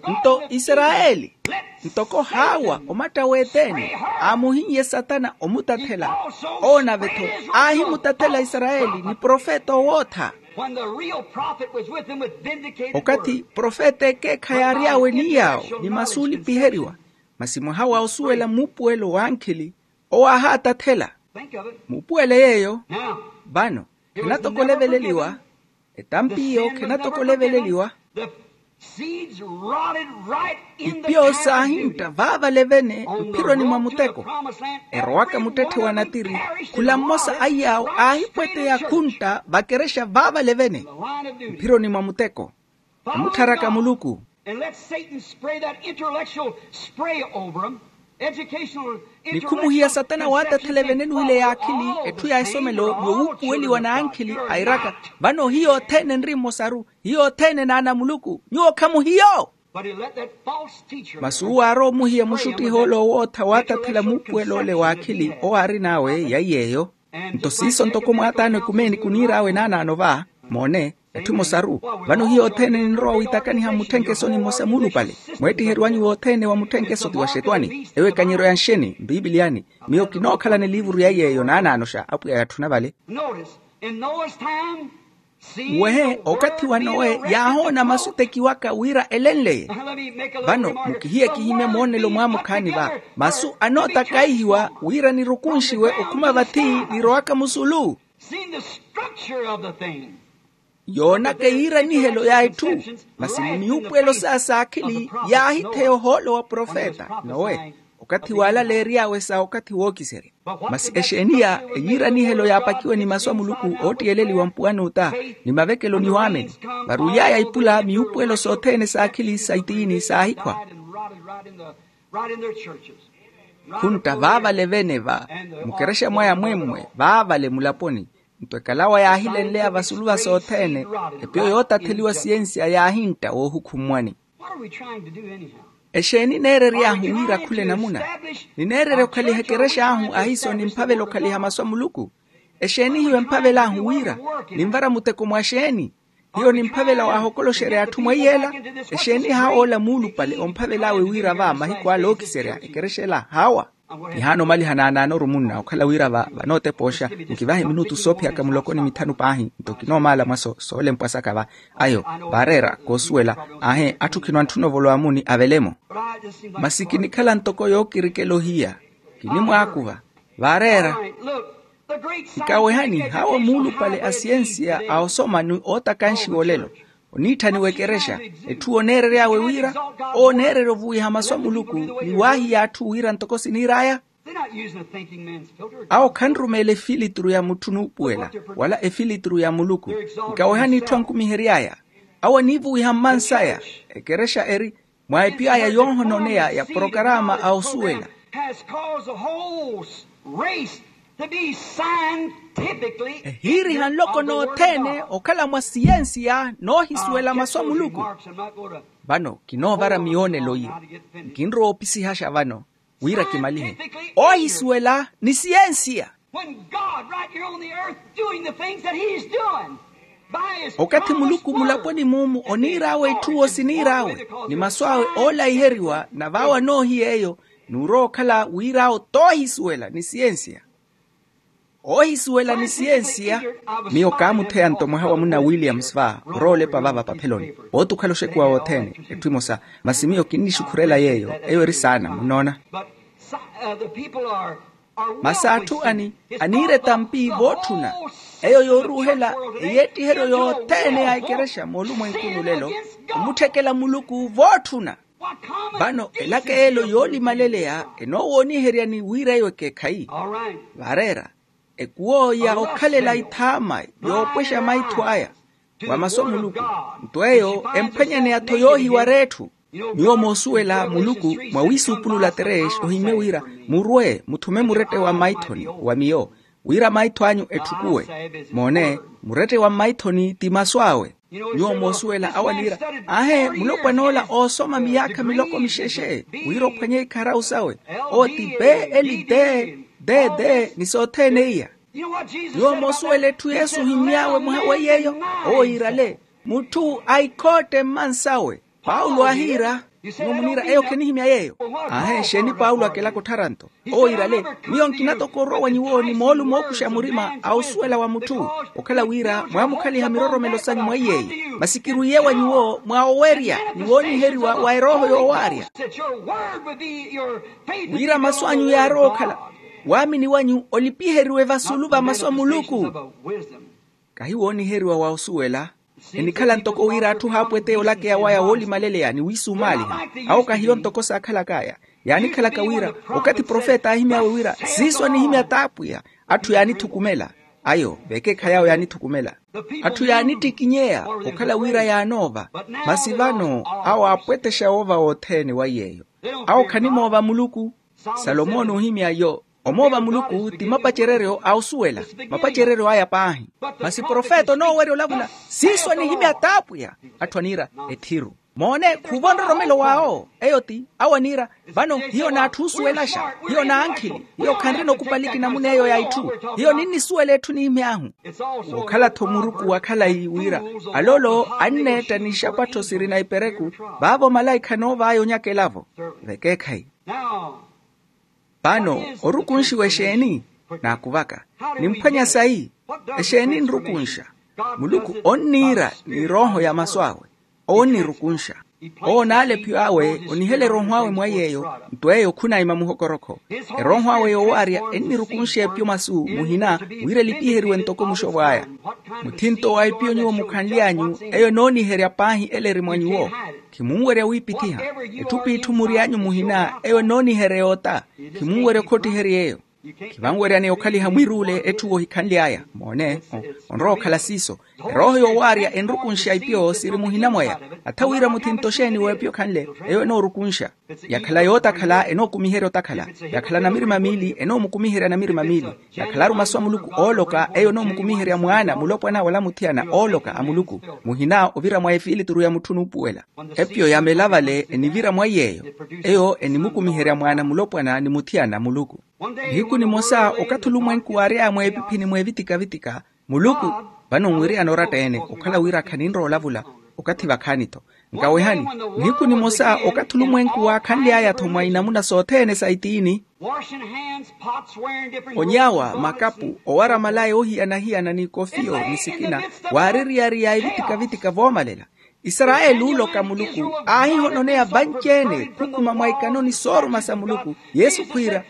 Nto isarayeli, ntoko haawa omatta w'eteene, aamuhinnye satana omutathela. Owo nave-tho aahimutathela isarayeli ni profeta owootha. Okathi profeta ekeekhayi aary'awe ni yaawo ni masu olipiheriwa. Masi mwaha wa osuwela muupuwelo w'ankhili, owo aahaatathela. Muupuwele yeeyo. Vano khenatokole eveleliwa. Etampi iyo khenatokole eveleliwa. Ipiyo saahintta vaavale vene mphironi mwa muteko. Erowaka muttetthe wa natiri, khula mmosa a iyaawo aahipweteya khuntta vakerexa vaavale vene mphironi mwa muteko. Omuttharaka muluku. Ni khumuhiya satana waatathela eveneni wile y'akhili etthu ya esomelo, ni owuupuweliwa n'ankhili airaka. Vano hiyo othene nri mmosaru. Hiyo othene n'ana a muluku. Nyuwo khamuhiyo. Masi uwo aarowa omuhiya muxuttiha ole owootha waatathela muupuwelo ole w'akhili owo aarin'awe yaiyeeyo. Nto siiso ntoko mwaataano ekumeeni kuniir'awe naanaano va. Moone, etthu emosaru. Vano hiyo othene ninrowa wiitakaniha mmutthenke esoni mmosa muulupale. Mweettiheriwa nyuwo othene wa mutthenke eso ti wa xetwani, eyo ekanyeryo ya nxeni mpipiliyani? Miyo kinookhalana eliivuru yaiyeeyo naanaanoxa apwiya yatthuna vale. Wehe okathi wa nowe yaahoona masu etekiwaka wira elenleye. Vano mukihiye kihimye moonelo mwaamukhaani va masu anootakaihiwa wira nirukunxiwe okhuma vathi nirowaka musulu. Yoonaka eyiiranihelo ya etthu. Masi mumiyuupuwelo saya saakhili yaahitheya ohoolo wa profeta nowe okathi waalaleery'awe sa okathi wookiserya. Masi exeeni ya eyiiranihelo yaapakiwe ni masu a muluku oottiyeleliwa mpuwan'uta, ni mavekelo ni waamini. Varuly'aya ipula miyuupuwelo sothene saakhili sa itiini saahikhwa. Khuntta vaavale vene va mukerexa mwaya mwemmwe vaavale mulaponi. Nto ekalawa yaahilenleya vasulu va sothene, epiyo yootatheliwa siyensiya yaahintta woohukhummwani. Exeeni neerery'ahu wira khula enamuna? Nineererya okhaliha ekerex'ahu ahiiso nimphavela okhaliha masu a muluku. Exeeni hiyo emphavel'ahu wira? Ninvara muteko mwa xeeni? Hiyo ni mphavela waahokoloxerya atthu mweiyela. Exeeni haawa ola muulupale omphavel'awe wira va mahiku ala ookiserya ekerexa ela haawa? Nihaana omaliha naanaanoru munna okhala wira va vanootepooxa. Nkivahe minutu soophiyaka muloko ni mithanu paahi nto kinoomaala mwaso soolempwa saka va. Ayo vaareera koosuwela. Aahe atthu khino antthuna ovolowa muni avele-mo. Masi kinikhala ntoko yookirikela ohiya kinimwaakuva. Vaareera. Nkawehani haawo muulupale a siyensiya a osoma ni ootakanxiwa olelo oniitthaniwa ekerexa. Etthu oneerery'awe wira oneererya ovuwiha masu a muluku ni waahiya atthu wira ntoko siniir'aya. Awo khanrumeela efilituru ya mutthu nuupuwela wala efilituru ya muluku. Nkawehani etthu ankumihery'aya. Awo aniivuwiha mmans'aya. Ekerexa eri mwa epiyo aya yoohononeya ya porokaraama a osuwela. Ehiiriha nloko nothene okhala mwa siyensiya noohisuwela masu a muluku. Vano kinoovara miyoonelo iyo. Nkinrowa opisihaxa vano wira kimalihe. Oohisuwela ni siyensiya. When God right here on the earth doing the things that he's doing. Okathi muluku mulaponi mumu oniir'awe etthu osiniir'awe ni masu awe oolaiheriwa na vaawo anoohiya eyo. Nuurowa okhala wir'awo t'ohisuwela ni siyensiya. Oohisuwela ni siyensiya. Miyo kaamutheya nto mwaha wa munna williams va orowa olepa vava papheloni. Pooti okhala oxekuwa wothene etthu emosa. Masi miyo kinnixukhurela yeeyo eyo eri saana munnoona. Masi atthu ani aniira etampi vootthuna. Eyo yooruuhela eyeettiheryo yothene ya ekerexa moolumwenkuni olelo omutthekela muluku vootthuna. Vano elaka elo yoolimaleleya enoowooniheryani wira eyo ekeekhayi. Vaareera ekuwo ya okhalela ithaama yoopwexa maitho aya wa masu a muluku. Nto eyo emphwanyaneya-tho yoohiwara etthu. Nyuwo moosuwela muluku mwa wiisuupulula terex ohimmye wira murwe muthume murette wa maithoni wa miyo wira maitho anyu etthukuwe. Moone murette wa mmaithoni ti masu awe. Nyuwo moosuwela awo aniira aahe mulopwan'ola oosoma miyaakha miloko mixexe wira ophwanye ikharau sawe. Owo ti b l d d d ni sothene iya. Nyuwo moosuwela etthu yesu ohimmy'awe mwaha wa yeeyo owo yiirale mutthu aikhootte mmansawe. Paulo aahiira. Nyuwo muniira eyo khinihimya yeeyo. Aahe exeeni paulo akelaka otthara nto owo yiirale miyo nkina toko orowa wa nyuwo ni moolumo ookuxa murima a osuwela wa mutthu okhala wira mwaamukhaliha miroromelo sanyu mwa iyeeyo. Masi kirwiiye wa nyuwo mwa owerya ni wooniheriwa wa erooho yoowaarya wira masu anyu yaarowa okhala waamini wanyu olipiheriwe vasulu va masu a muluku. Kahi wooniheriwa wa osuwela enikhala ntoko wira atthu haapweteya olakeya waya woolimaleleya ni wiisumaaliha. Awo kahiyo ntoko saakhalak'aya yaanikhalaka wira okathi profeta aahimy'awe wira siiso anihimya t'apwiya. Atthu yaanithukumela ayo vekeekhayi awo yaanithukumela. Atthu yaanittikinyeya okhala wira yaanoova. Masi vano awo aapwetexa woova wothene wa yeeyo. Awo khanimoova muluku. Salomoni oohimya yo omoova muluku ti mapacereryo a osuwela mapacereryo aya paahi. Masi profeta onoowerya olavula siiso anihimya t'apwiya. Atthu aniira ethiru moone khuuva nroromelo w'awo eyo ti awo aniira vano hiyo n'atthu oosuwelaxa hiyo n'ankhili hiyo khanrina okupaliki namuna eyo ya itthu. Hiyo ninnisuwela etthu nihimy'ahu wookhala-tho muruku wa khalayi wira alolo anneetta ni ixapattho sirina ipereku vaavo malaikha anoov'aya onyakela-vo. Vekeekhayi vano orukunxiwa exeeni naakuvaka nimphwanya sayi exeeni nrukunxa. Muluku onniira ni erooho ya masu awe owo onnirukunxa. Owo onaala epyo awe onihela erooho awe mwa yeeyo nto eyo khunaima muhokorokho. Erooho awe yoowaarya ennirukunxa epyo masu muhina wira elipiheriwe ntoko muxovw'aya. Muthinto wa epyo nyuwo mukhanly'anyu eyo enooniherya paahi ela eri mwa nyuwo. Khimunwerya wiipithiha etthu p'itthu mury'anyu muhina eyo enooniherya yoota. Khimunwerya okhottiherya eyo. Khivanweryaneya okhaliha mwiruule etthu wohikhanly'aya moone onrowa okhala siiso. Erooho yoowaarya enrukunxa ipyo siri muhina mwaya. Atha wira muthinto xeeni w'epyo khanle eyo enoorukunxa. Yakhala yootakhala enookumiherya otakhala. Yakhala namirima miili enoomukumiherya namirima miili. Yakhalaru masu a muluku ooloka eyo enoomukumiherya mwaana mulopwana wala muthiyana ooloka a muluku. Muhina ovira mwa efiilituru ya mutthu onuupuwela epyo yamela vale enivira mwa yeeyo. Eyo enimukumiherya mwaana mulopwana ni muthiyana muluku. Nihiku nimosa okathi olumwenku waary'aya mweepiphini mweevitika-vitika muluku Vano nwiriyana oratta-ene okhala wira khaninrowa olavula. Okathi vakhaani-tho nkawehani, nihiku nimosa okathi olumwenku waakhanly'aya-tho mwa inamuna sothene sa itiini. Onyawa makapu owara malaya oohiyana-hiyana n'ikofiyo ni sikina, waaririyariya evitika-vitika voomalela. Isarayeli ule oka muluku aahihononeya vanci-ene khukhuma mwa ikanoni sooruma sa muluku. Yesu khwiira,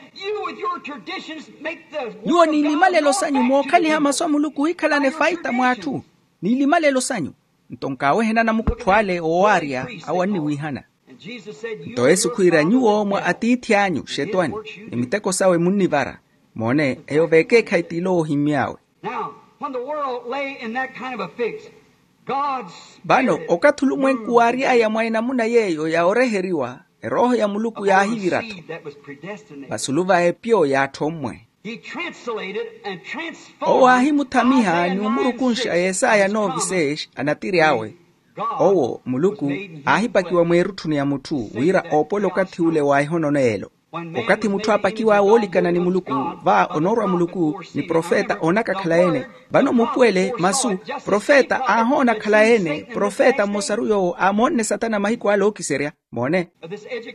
nyuwo n'ilimalelo sanyu mookhaliha masu a muluku ohikhalana efaita mw'atthu. N'ilimalelo sanyu. Nto nkaawehenana mukhuphu ale oowaarya awo anniwiihana. Nto yesu khwiira nyuwo mwa atiithi anyu xetwani, ni miteko sawe munnivara. Moone eyo vekeekhayi t'ilo woohimmy'awe. Now, when the world lay in that kind of a fix, God's vano Spirit okathi olumwenku moved waary'aya mwa enamuna yeeyo ya oreheriwa, erooho ya muluku upon a yaahivir'attho seed that was predestined. Vasulu va epyo y'atthu ommwe. He translated and transformed owo aahimuthamiha Isaiah ni omurukunxa nine six yesaya as a novi promise. Seis anatiri awe. Owo muluku aahipakiwa mweerutthuni ya mutthu wira oopwela okathi ule wa ehononeyelo. Okathi mutthu aapakiw'awe oolikana ni muluku, va onoorwa muluku ni profeta oonaka akhala-ene. Vano mupuwele masu, profeta aahoona akhala-ene. Profeta mmosaru yoowo aamoonne satana mahiku ale ookiserya. Moone,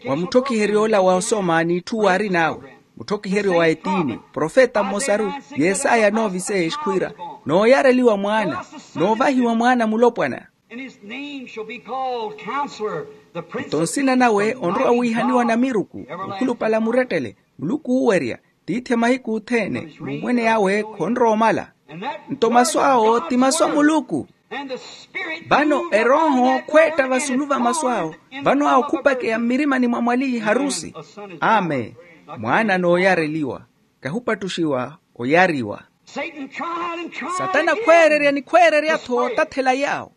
wa mutthokiheryo ola wa osoma n'itthu waarin'awe, mutthokiheryo wa etiini, profeta mmosaru, yesaya novi seis khwiira, nooyareliwa mwaana, noovahiwa mwaana mulopwana. And his name shall be called Counselor, the Prince of Peace, the Mighty God, the Everlasting Father. Nto nsina nawe onrowa wiihaniwa namiruku, mukhulupale a murettele, muluku oowerya, tiithi a mahiku othene, n'umwene yawe khonrowa omala. Nto masu awo ti masu a muluku. Vano erooho khweetta vasulu va masu awo, vano awo khupakeya mmirimani mwa mwali harusi. Amen. Mwaana nooyareliwa, kahupattuxiwa, oyariwa. Satana khweererya ni khweererya-tho otathela yaawo.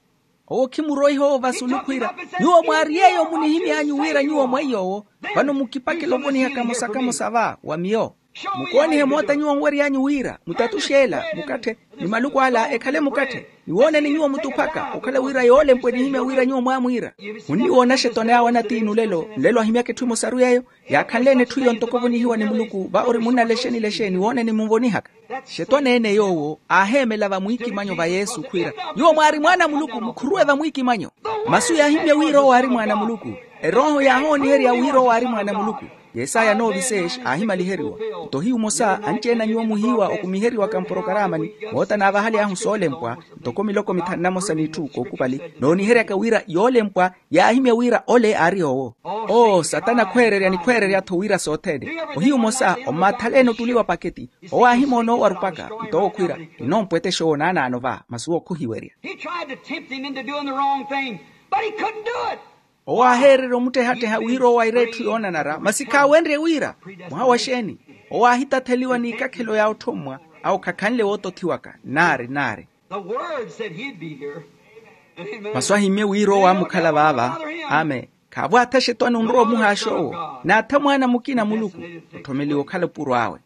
Owo khimuroiha owo vasulu khwiira, nyuwo mwaari yeeyo munihimy'anyu wira nyuwo mweiy'owo. Vano mukipakela ovoniha kamosa-kamosa va wa miyo. Mukoonihe moota nyuwo nwery'anyu wira mutatuxe ela mukatthe, ni maluku ala ekhale mukatthe. Niwooneni nyuwo mutuphaka okhala wira yoolempwa enihimya wira nyuwo mwaamwiira. Munniwoona axetwani awo anatiini olelo nlelo ahimyaka etthu emosaru yeeyo. Yaakhanle-ene etthu eyo ntoko ovonihiwa ni muluku va ori munnalexeni-lexeni wooneni munvonihaka. Xetwaneene yoowo aaheemela vamwiikimanyo va yesu khwiira, nyuwo mwaari mwaana a muluku mukhuruwe vamwiikimanyo. Masu yaahimya wira owo aari mwaana a muluku. Erooho yaahooniherya wira owo aari mwaana a muluku. Yesaya novi seis aahimaliheriwa. Nto hiyu omosa anci-ene a nyuwo muhiiwa okumiheriwaka mporokaraamani moota naavahaly'ahu soolempwa, ntoko miloko mithanu namosa n'itthu kookupali nooniheryaka wira yoolempwa yaahimya wira ole aari owo. Oo satana khweererya ni khweererya-tho wira sothene. Ohiyu omosa ommaathalene otuliwa paketi. Owo aahimoona owarupaka. Nto owo khwiira, kinoompwetexa owo naanaano va masi owo khuhiwerya. He tried to tempt him into doing the wrong thing, but he couldn't do it. Owo aaheererya omuttehatteha wira owo aire etthu yoonanara masi khaawenrye wira. Mwaha wa xeeni? Owo aahitatheliwa n'ikakhelo ya otthommwa. Awo khakhanle wootothiwaka naari naari. The word said he'd be here. Amen. Masu ahimmye wira owo aamukhala vaava. Amen. Khaavo atha xetwani onrowa omuhaaxa owo, n'atha mwaana mukina a muluku, otthomeliwa okhala opuro awe.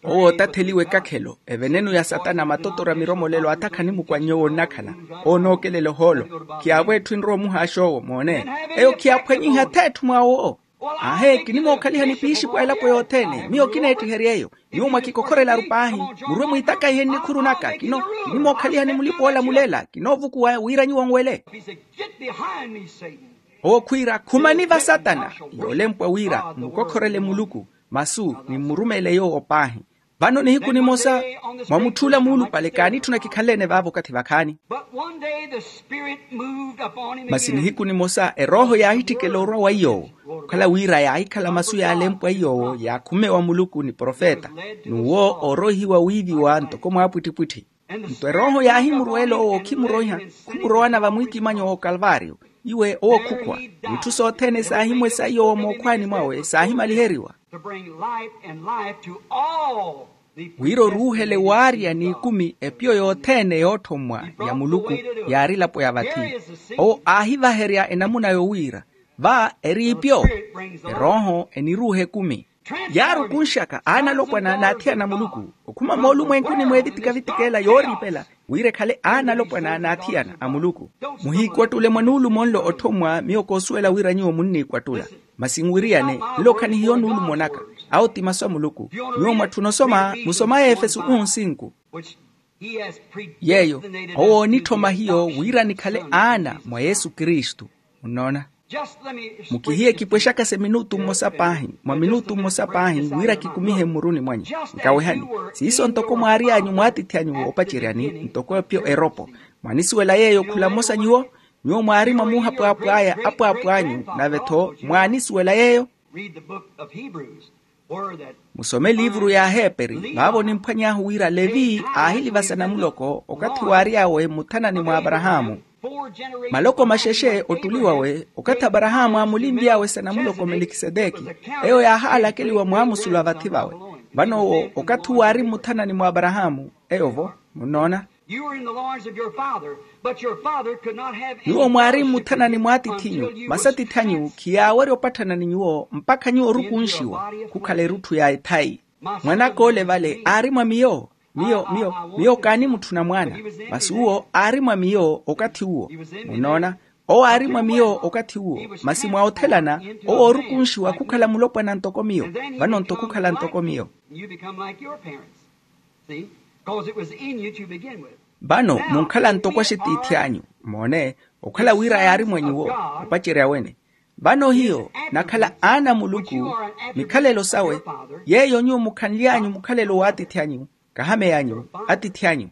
Owo ootatheliwa ekakhelo evenenu ya satana matotora miromolelo atha khanimukwannya owo onnakhala. Owo onookelela ohoolo. Khiyaavo etthu enrowa omuhaaxa owo moone. Eyo khiyaaphwanyiha atheetthu mwawo. Aahe kinimookhaliha ni piixipo a elapo yothene miyo kineettiherya eyo. Nyuwo mwakikokhorelaru paahi. Murwe mwiitakaihe nnikhuru naka kino. Kinimookhaliha ni mulipa olamulela kinoovukuwa wira nyuwo nwele. He said, get behind me, Satan. Owo khwiira khumani va satana. Yoolempwa wira mmukokhorele muluku masu ni mmurumele yoowo paahi. Vano nihiku nimosa mwa mutthula muulupale kaanitthuna kikhanle-ene vaavo okathi vakhaani. But one day the Spirit moved upon him again. Masi nihiku nimosa erooho yaahitthikela orwa wa iy'owo. Okhala wira yaahikhala masu yaalempwa iy'owo yaakhumewa muluku ni profeta, n'uwo ooroihiwa wiiviwa ntoko mwaapwittipwitthi. Nto erooho yaahimurweela owo okhimuroiha, khumurowana vamwiikimanyo wa okalvario. Iwe owo khukhwa n'itthu sothene saahimwesa iy'owo mookhwaani mwawe saahimaliheriwa. To bring light and life to all the wira oruuhele waarya n'ikumi epiyo yothene yootthommwa ya muluku. Yaari elapo ya vathi. Owo aahivaherya enamuna yowiira va eri ipyo. Erooho eniruuha ekumi yaarukunxaka aanalopwana n'athiyana a muluku okhuma moolumwenkuni mw'evitika-vitika ela yooriipela wira ekhale aanalopwana n'athiyana a muluku. Muhiikwattule mwa nuulumo nlo otthommwa miyo koosuwela wira nyuwo munniikwattula. Masi nwiriyane nlo khanihiyo nuulumo naka. Awo ti masu a muluku. Nyuwo mwatthuna osoma musoma a efesu unu nsinku. Yeeyo, owo oonitthoma hiyo wira nikhale aana mwa yesu kristu. Munnoona? Mukihiye kipwexakase minutu mmosa paahi, mwa minutu mmosa paahi wira kikumihe mmuruni mwanyu. Nkawehani, siiso ntoko mwaary'anyu mwaatithi anyu woopaceryani ntoko epyo eropo. Mwaanisuwela yeeyo khula mmosa nyuwo? Nyuwo mwaari mwa muuhapwaapw'aya apwaapw'anyu nave-tho mwaanisuwela yeeyo. Musome eliivuru y'aheeperi vaavo onimphwany'ahu wira levi aahiliva sanamuloko okathi waary'awe muthanani mwa aparahaamu. Maloko maxexe ottuli wawe okathi aparahaamu aamulinly'awe sanamuloko melikiseteki, eyo yaahaalakeliwa mwaamusula vathi vawe. Vano owo okathi uwo aari mmuthanani mwa aparahaamu. Eyo-vo. Munnoona? Nyuwo mwaari mmuthanani mwaatiith'inyu masi atiith'anyu khiyaawerya opatthana ni nyuwo mpakha nyuwo orukunxiwa khukhala erutthu ya ethayi. Mwan'aka ole vale aari mwa miyo. Miyo miyo miyo kaanimutthuna mwaana. Masi uwo aari mwa miyo okathi uwo. Munnoona? Owo aari mwa miyo okathi uwo. Masi mwa othelana owo oorukunxiwa khukhala mulopwana ntoko miyo. Vano nto khukhala ntoko miyo. Vano munkhala ntoko axitiithi anyu. Moone, okhala wira yaari mwa nyuwo opacerya wene. Vano hiyo nakhala aana a muluku. Mikhalelo sawe yeeyo nyuwo mukhanly'anyu mukhalelo w'atiithi anyu. Kahameyanyu atiithi anyu.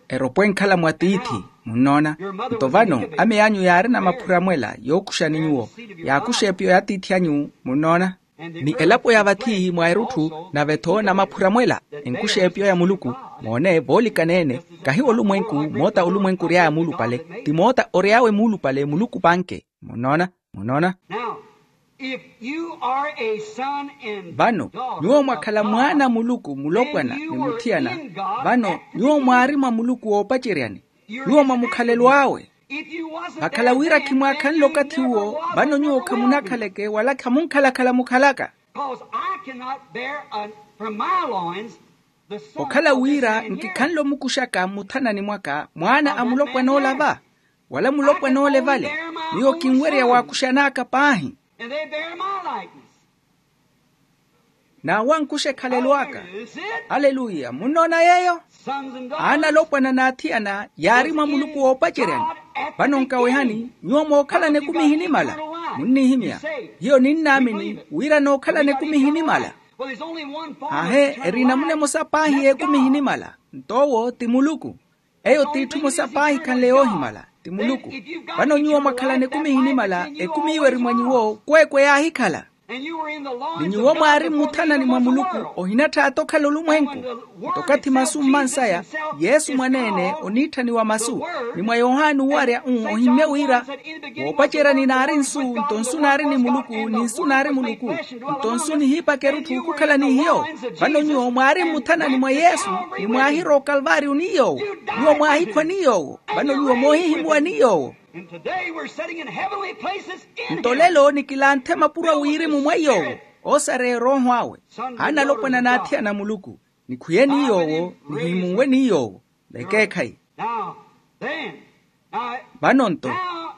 Eropo enkhala mwa tiithi. Munnoona? Nto vano ame anyu yaarina maphura mwela yookuxani nyuwo. Yaakuxa epiyo y'atiithi anyu. Munnoona? Ni elapo ya vathi mwa erutthu nave-tho na maphura mwela enkuxa epiyo ya muluku. Moone voolikana-ene kahi olumwenku moota olumwenku ory'aya muulupale. Ti moota ory'awe muulupale muluku panke. Munnoona? Munnoona? Vano nyuwo mwakhala mwaana a muluku mulopwana ni muthiyana. Vano nyuwo mwaari mwa muluku woopaceryani. Nyuwo mwa mukhalelo awe. Vakhala wira khimwaakhanle okathi uwo vano nyuwo khamunakhaleke wala khamunkhalakhala mukhalaka. Okhala wira nkikhanle omukuxaka mmuthanani mwaka mwaana a mulopwana ola va wala mulopwana ole vale. Miyo kinwerya waakuxan'aka paahi. N'awo ankuxa ekhalelo aka. Aleluya munnoona yeeyo. Aana alopwana n'athiyana yaari mwa muluku woopaceryani. Vano nkawehani nyuwo mookhalana ekumi ehinimala. Munnihimya hiyo ninnaamini wira nookhalana ekumi ehinimala. Aahe eri namuna emosa paahi y'ekumi ehinimala. Nto owo ti muluku. Eyo t'itthu emosa paahi ekhanle yoohimala ti muluku. Vano nyuwo mwakhalana ekumi ehinimala ekumi iwo eri mwa nyuwo kweekwe yaahikhala. Ni nyuwo mwaari mmuthanani mwa muluku ohinattha ato okhala olumwenku. Nto okathi masu mmansaya yesu mwaneene oniitthaniwa masu. Ni mwa yohani owarya-u ohimmye wira woopaceryani naari nsu nto nsu naari ni muluku ni nsu naari muluku. Nto nsu nihiipaka erutthu khukhala ni hiyo. Vano nyuwo mwaari mmuthanani mwa yesu ni mwaahirowa okalvaariyo ni yoowo. Nyuwo mwaahikhwa ni yoowo. Vano nyuwo moohihimuwa ni yoowo. Nto lelo nikilanthe mapuro a wirimu mwa yoowo. Oosareya erooho awe. Aana alopwana n'athiyana a muluku nikhwiye ni yoowo nihimunwe ni yoowo. Vekeekhayi. Vano nto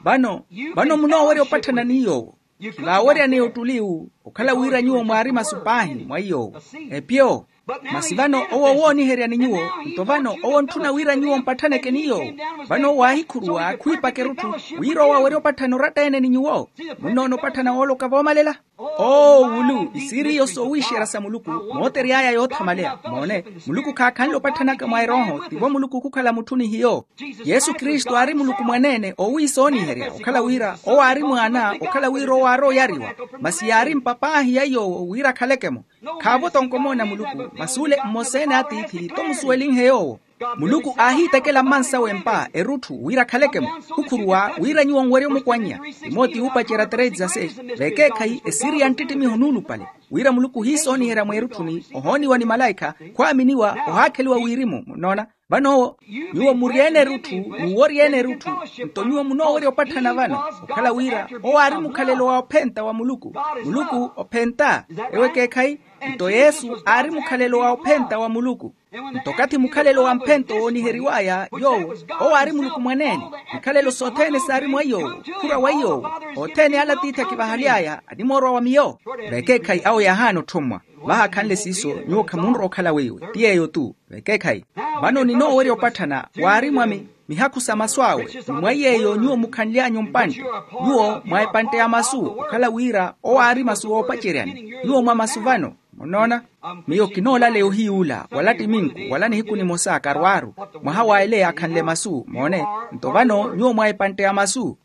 vano vano munoowerya opatthana ni yoowo. Khivaaweryaneya ottuli wu okhala wira nyuwo mwaari masu paahi mwa yoowo. Epyo. Masi vano owo wooniherya ni nyuwo. Nto vano owo ontthuna wira nyuwo mpatthaneke ni yoowo. Vano owo aahikhuruwa khwiipaka erutthu wira owo awerye opatthana oratta-ene ni nyuwo. Munnoona opatthana wooloka voomalela. Oo wulu isiiri iyo soowiixerya sa muluku mootery'aya yoothamaleya. Moone muluku khaakhanle opatthanaka mwa erooho tivo muluku khukhala mutthu ni hiyo. Yesu kristu aari muluku mwaneene owiisooniherya okhala wira owo aari mwaana okhala wira owo aari oyariwa. Masi yaari mpapaahi ya yoowo wira akhaleke-mo. Khaavo tonkomoona muluku masi ole mmosa-ene atiithi tomusuwelinhe yoowo. Muluku aahiitekela mmansawe mpa erutthu wira akhaleke-mo. Khukhuruwa wira nyuwo nwerye omukwannya. Timotiyo uupacerya treze a seis. Vekeekhayi esiiri ya nttittimiho nuulupale wira muluku ohiisooniherya mweerutthuni ohooniwa ni malaikha khwaaminiwa ohaakheliwa wirimu munnoona. Vano owo nyuwo muryeene erutthu n'uworyeene erutthu. Nto nyuwo munoowerya opatthana vano okhala wira owo aari mukhalelo wa ophenta wa muluku. Muluku ophenta. Ewo ekeekhayi. Nto yesu aari mukhalelo wa ophenta wa muluku. Nto okathi mukhalelo wa mphento wooniheriw'aya yoowo, owo aari muluku mwaneene. Mikhalelo sothene saari mwa yoowo, khura wa yoowo. Othene ale atiithi akivahaly'aya animoorwa wa miyo. Vekeekhayi awo yaahaana otthommwa. Vahaakhanle siiso, nyuwo khamunrowa okhala weiwe ti yeeyo-tu. Vekeekhayi, vano ninoowerya opatthana waari mwa mi- mihakhu sa masu awe, ni mwa yeeyo nyuwo mukhanly'anyu mpantte. Nyuwo mwa epantte ya masu okhala wira owo aari masu oopaceryani. Nyuwo mwa masu vano. Munoona, miyo kinoolaleya ohiyuula wala ttiminku wala nihiku nimosa karwaaru, mwaha wa ele yaakhanle masu moone. Nto vano nyuwo mwa epantte ya masu.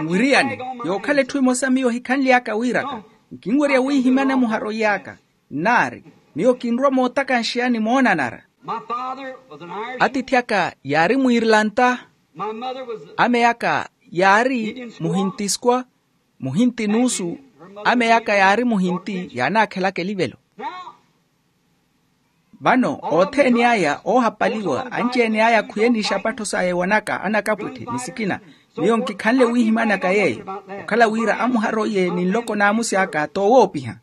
Nwiriyani, yookhala etthu emosa miyo hikhanly'aka wiiraka. Nkinwerya wiihimyana muharo iy'aka. Nnaari, miyo kinrwa mootakanxeyani moonanara. Atiithi aka yaari muirlanta. Ameyi aka yaari muhintiskwa. Muhinti nuusu. Ameyi aka yaari muhinti yaanaakhelaka elivelo. Vano othene aya oohapaliwa anci-ene aya khwiye ni isapattho saya ewanaka anakapwitte ni sikina. Miyo nkikhanle wiihimyanaka yeeyo, okhala wira amuharo iye ni nloko n'amusi aka toowoopiha.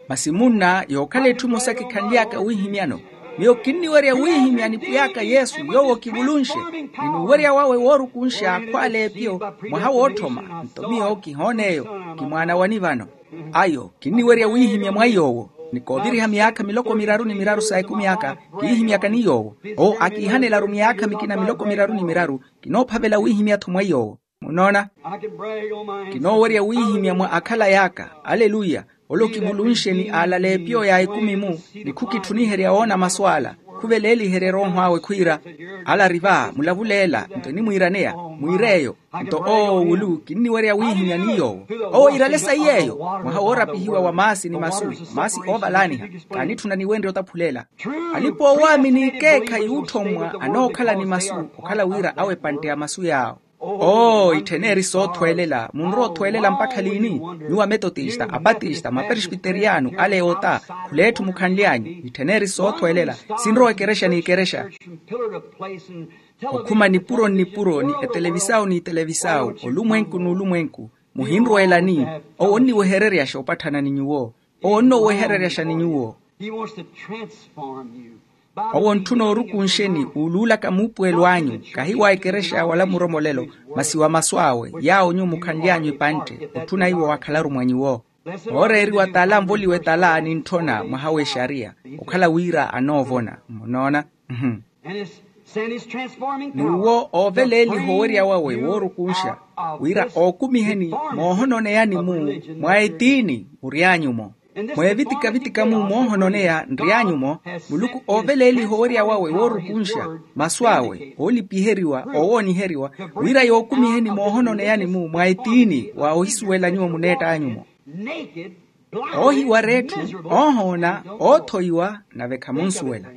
Masi munna yookhala etthu emosa kikhanly'aka wiihimyano. Miyo kinniwerya wiihimya nipwiy'aka yesu yoowo kivulunxe, ni nuwerya wawe woorukunxa akhwaala epiyo. Mwaha wootthoma nto miyo kihoona eyo. Kimwaana wani vano. Ayo kinniwerya wiihimya mwa yoowo. Ni kooviriha myaakha miloko miraru ni miraru sa ekumi aka kiihimyaka ni yoowo. Owo akiihanelaru myaakha mikina miloko miraru ni miraru. Kinoophavela wiihimya-tho mwa yoowo. Munoona, kinoowerya wiihimya mwa akhalay'aka. Aleluya. Ole okivulunxe ni aalala epiyo ya ekumi-mu, ni khukitthuniherya woona masu ala. Khuveleeliherye erooho awe khwiira, ala ari va mulavuleela nto enimwiiraneya. Mwiir'eyo. Nto owo wulu kinniwerya wiihimya ni yoowo. Owo iirale sayi yeeyo. Mwaha woorapihiwa wa maasi ni masu, maasi oovalaaniha. Kaanitthuna niwenrye otaphulela. Alipa-oowaamini ekeekhayi yuutthommwa anookhala ni masu, okhala wira awe epantte ya masu yaawo. Oo itthen'eri soothweelela munrowa othweelela mpakha liini? Nyuwo ametotista apatista maperespiteriyano ale ota, khul'etthu mukhanly'anyu. Itthen'eri soothweelela. Sinrowa ekerexa n'ikerexa. Okhuma nipuro nnipuro ni etelevisawu n'itelevisawu, olumwenku n'ulumwenku. Muhinrweelani? Owo onniwehereryaxa opatthana ni nyuwo. Owo onnowehereryaxa ni nyuwo. Owo ontthuna orukunxeni uuluulaka muupuwelo anyu, kahi wa ekerexa wala muromolelo, masi wa masu awe yaawo nyuwo mukhanly'anyu epantte. Otthuna iwo wakhalaru mwa nyuwo. Ooreeriwa tala anvoliwe tala nintthona mwaha w'exariya, okhala wira anoovona. Munoona. N'uwo ooveleeliha owerya wawe woorukunxa, wira ookumiheni moohononeyani-mu mwa etiini mury'anyu-mo. Mweevitika-vitika-mu moohononeya nry'anyu-mo. Muluku ooveleeliha owerya wawe woorukunxa, masu awe oolipiheriwa, oowooniheriwa, wira yookumiheni moohononeyani-mu mwa etiini wa ohisuwela nyuwo muneett'anyu-mo. Oohiwara etthu, oohoona, oothoiwa, nave khamunsuwela.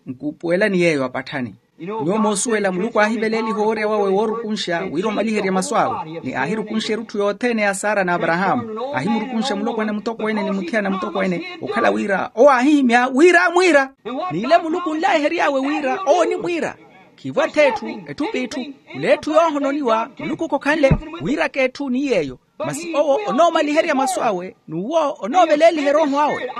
Nkuupuwelani yeeyo apatthani. Nyuwo moosuwela muluku aahiveleeliha owerya wawe woorukunxa wira omaliherye masu awe, ni aahirukunxa erutthu yothene ya sara n'aparahaamu. Aahimurukunxa mulopwana mutokweene ni muthiyana mutokweene, okhala wira owo aahihimya wira amwiira. N'ile muluku onlaihery'awe wira owo onimwiira. Khiivo ath'etthu, etthu p'itthu. Mule etthu yoohononiwa muluku khokhanle. Wiiraka etthu ni yeeyo. Masi owo onoomaliherya masu awe n'uwo onooveleeliha erooho awe.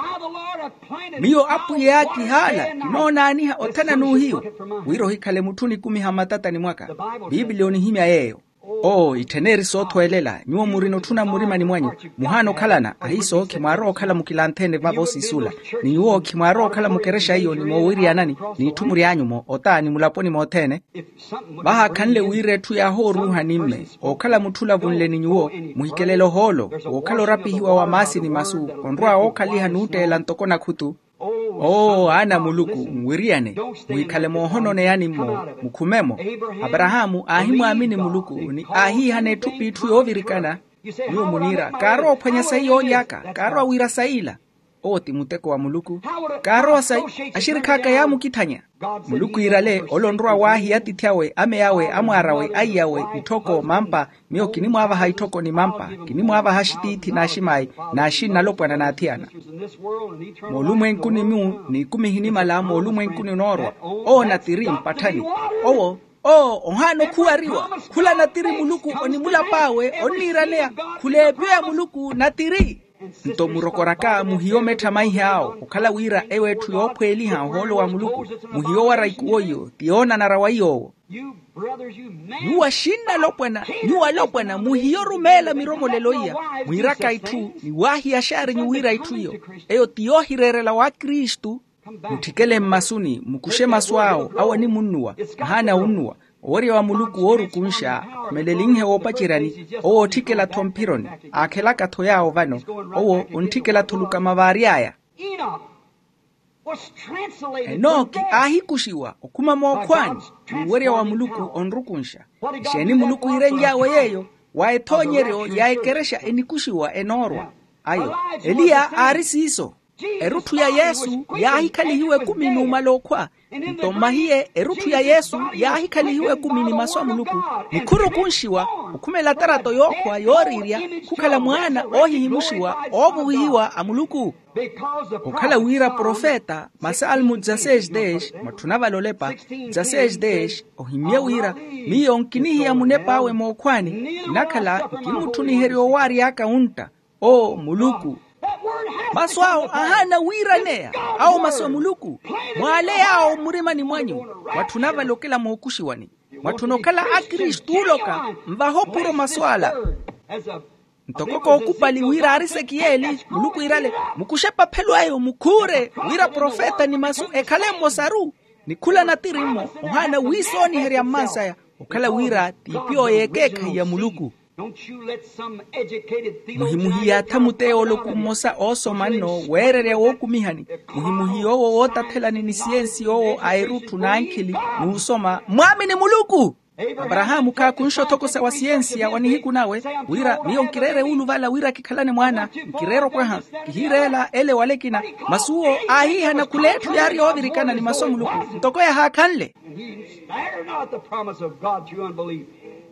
Miyo apwiya kihaala kinoonaaniha othana n'uhiyu. Wira ohikhale mutthu onikumiha mmatatani mwaka. Piipili onihimya yeeyo. Oo itthen'eri soothweelela nyuwo murina otthuna mmurimani mwanyu. Muhaana okhalana ahiiso khimwaarowa okhala mukilanthe-ene vavo siisula. Ni nyuwo khimwaarowa okhala mukerexa iyo ni moowiriyanani, n'itthu mury'anyu-mo ota ni mulaponi mothene. Vahaakhanle wira etthu yaahooruuhani mme, ookhala mutthu olavunle ni nyuwo, muhikelele ohoolo wookhala orapihiwa wa maasi ni masu, onrowa wookhaliha nuutteela ntoko nakhutu. Oo aana a muluku nwiriyane, muhikhale moohononeyani-mmo. Mukhume-mo. Aparahaamu aahimwaamini muluku ni aahiihana etthu p'itthu yoovirikana. Nyuwo muniira kaarowa ophwanya sayi yooly'aka, kaarowa wiira sayi ila. Owo ti muteko wa muluku. Kaarowa sayi, axirikhi aka yaamukitthanya. Muluku iirale ole onrowa waahiya atiithi awe, ameyi awe, amwaari awe, aiyawe, itthoko mampa. Miyo kinimwaavaha itthoko ni mampa. Kinimwaavaha axitiithi n'aximaayi, n'axinna alopwana n'athiyana. Moolumwenkuni-mu n'ikumi ehinimala moolumwenkuni onoorwa. Owo natiri mpatthani. Owo, owo ohaana okhuwariwa. Khula natiri muluku onimulap'awe onniiraneya. Khula epiyo ya muluku natiri. Nto murokoraka muhiyo mettha maihaawo okhala wira eyo etthu yoophweeliha ohoolo wa muluku. Muhiyo wara ikuwo iyo ti yoonanara wa iy'owo. Nyuwo axinnalopwana, nyuwo alopwana muhiyo orumeela miromolelo iya, mwiiraka itthu ni waahiyaxaarenyu wira itthu iyo eyo ti yoohireerela wa kristu. Mutthikele mmasuni mukuxe masu awo awo animunnuwa. Ahaana wunnuwa. Owerya wa muluku woorukunxa akhumelelihe woopaceryani. Owo ootthikela-tho mphironi. Aakhelaka-tho yaawo vano. Owo ontthikela-tho olukama vaary'aya. Enoki aahikuxiwa okhuma mookhwaani. N'uwerya wa muluku onrukunxa. Exeeni muluku iirenly'awe yeeyo? Wa ethoonyeryo ya ekerexa enikuxiwa enoorwa. Ayo eliya aari siiso. Erutthu ya yesu yaahikhalihiwa ekumi numala okhwa. Nto mmahiye erutthu ya yesu yaahikhalihiwa ekumi ni masu a muluku, ni khurukunxiwa okhumela tarato yookhwa yooriirya khukhala mwaana oohihimuxiwa oovuwihiwa a muluku. Okhala wira profeta masalmu dzaseis deis mwatthuna vale olepa dzaseis deis ohimmye wira, miyo nkinihiya munep'awe mookhwaani. Kinakhala nkimutthuniherya owaary'aka wuntta. Oo muluku. Masu awo ahaana wiiraneya. Awo masu a muluku mwaale yaawo mmurimani mwanyu. Mwatthuna vale okela mookuxiwani. Mwatthuna okhala akristu oloka nvaha opuro masu ala. Ntoko kookupali wira ariseki yeeli muluku iirale mukuxe epaphelo eyo mukhuure wira profeta ni masu ekhale mmosaru. Ni khula natiri-mo ohaana wiisooniherya mmansaya okhala wira t'ipi oyo ekeekhayi ya muluku. Muhimuhiyaatha muteyooloku mmosa oosoma nno weererya wookumihani. Muhimuhiy'owo wootathelani ni siyensi yoowo a erutthu n'ankhili n'usoma mwaamini muluku. Aparahaamu khaakunxa othokosa wa siyensiya wa nihiku nawe wira miyo nkireere wuuluvala wira kikhalane mwaana. Nkireere opwaha kihiireela ele wala ekina. Masi uwo aahiihana khul'etthu yaari yoovirikana ni masu a muluku ntoko yahaakhanle.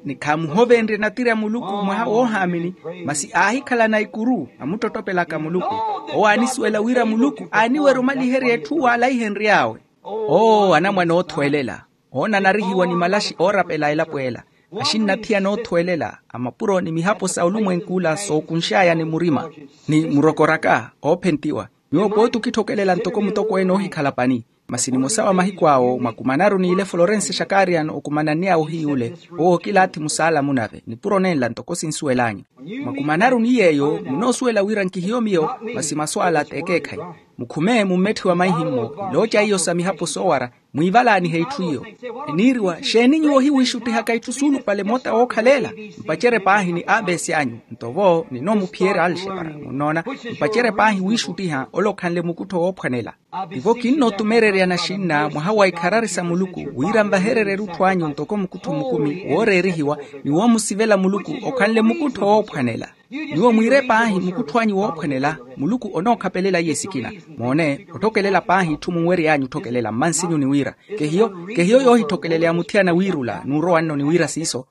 Ni khaamuhovenrye natiri a muluku mwaha woohaamini. Masi aahikhalana ikuru amuttottopelaka muluku. Owo aanisuwela wira muluku aaniwerya omaliherya etthu waalaihenry'awe. Oo anamwane oothwelela oonanarihiwa ni malaxi oorapela elapo ela. Axinnathiyana oothwelela a mapuro ni mihapo sa olumwenk'ula sookunx'aya ni murima ni murokoraka oophentiwa. Nyuwo pooti okitthokelela ntoko mutokweene oohikhala pani. Masi nimosa wa mahiku awo mwakumanaru n'ile florense xakarian okumananny'awe ohiy'ule. Owo okilaathi musaalamu nave nipuro nenla ntoko sinsuwel'anyu. Mwakumanaru ni yeeyo munoosuwela wira nkihiyo miyo. Masi masu ala t'ekeekhayi. Mukhume mummetthiwa maihi-mmo. Nilooca iyo sa mihapo soowara mwiivalaanihe itthu iyo. Eniiriwa xeeni nyuwo ohiwiixuttihaka itthu suulupale moota wookhalela? Mpacerye paahi ni abesi anyu. Nto vo ninoomuphiyerya alxepara munnoona. Mpacerye paahi wiixuttiha ole okhanle mukuttho woophwanela. Tivo kinnootumereryana xinna mwaha wa ikharari sa muluku wira nvahererye erutthu anyu ntoko mukuttho mukumi wooreerihiwa ni woomusivela muluku okhanle mukuttho woophwanela. Nyuwo mwiire paahi mukuttho anyu woophwanela. Muluku onookhapelela iye sikina. Moone otthokelela paahi itthu munwery'anyu otthokelela mmansinyu ni wira kehiyo kehiyo yoohitthokeleleya muthiyana wiirula n'urowa nno ni wira siiso.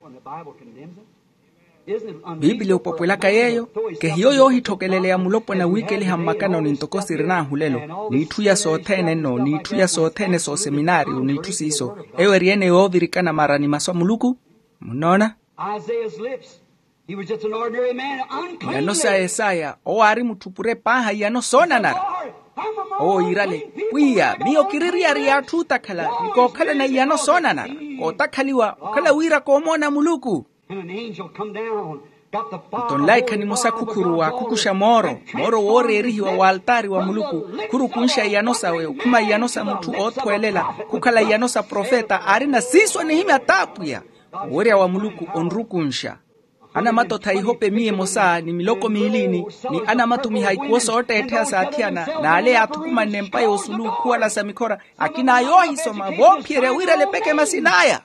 Piipiliya opwepwelaka yeeyo kehiyo yoohitthokeleleya mulopwana wiikeliha mmakanoni ntoko sirin'ahulelo n'itthu iya sothene nno n'itthu iya sothene sooseminaariyo n'itthu siiso. Eyo eri ene yoovirikana mara ni masu a muluku. Munnoona? Iyano sa esaya owo aari mutthupure paaha iyano soonanara. Owo yiirale pwiya miyo kiri eriyari y'atthu ootakhala ni kookhalana iyano soonanara. Kootakhaliwa okhala wira koomoona muluku. Nto nlaikha nimosa khukhuru waakhukuxa mooro mooro wooreerihiwa w'altaari wa muluku. Khurukunxa iyano sawe okhuma iyano sa mutthu oothwelela khukhala iyano sa profeta aarina siiso anihimya t'apwiya. Owerya wa muluku onrukunxa. Anamata otha ihope miya emosa ni miloko miili-ni ni anamata omiha ikuwo sootteettheya s'athiyana n'ale yaathukumanne empa y'osulu okhuwala sa mikhora. Akina yoohisoma voophiyerya wira alepeke masin'aya.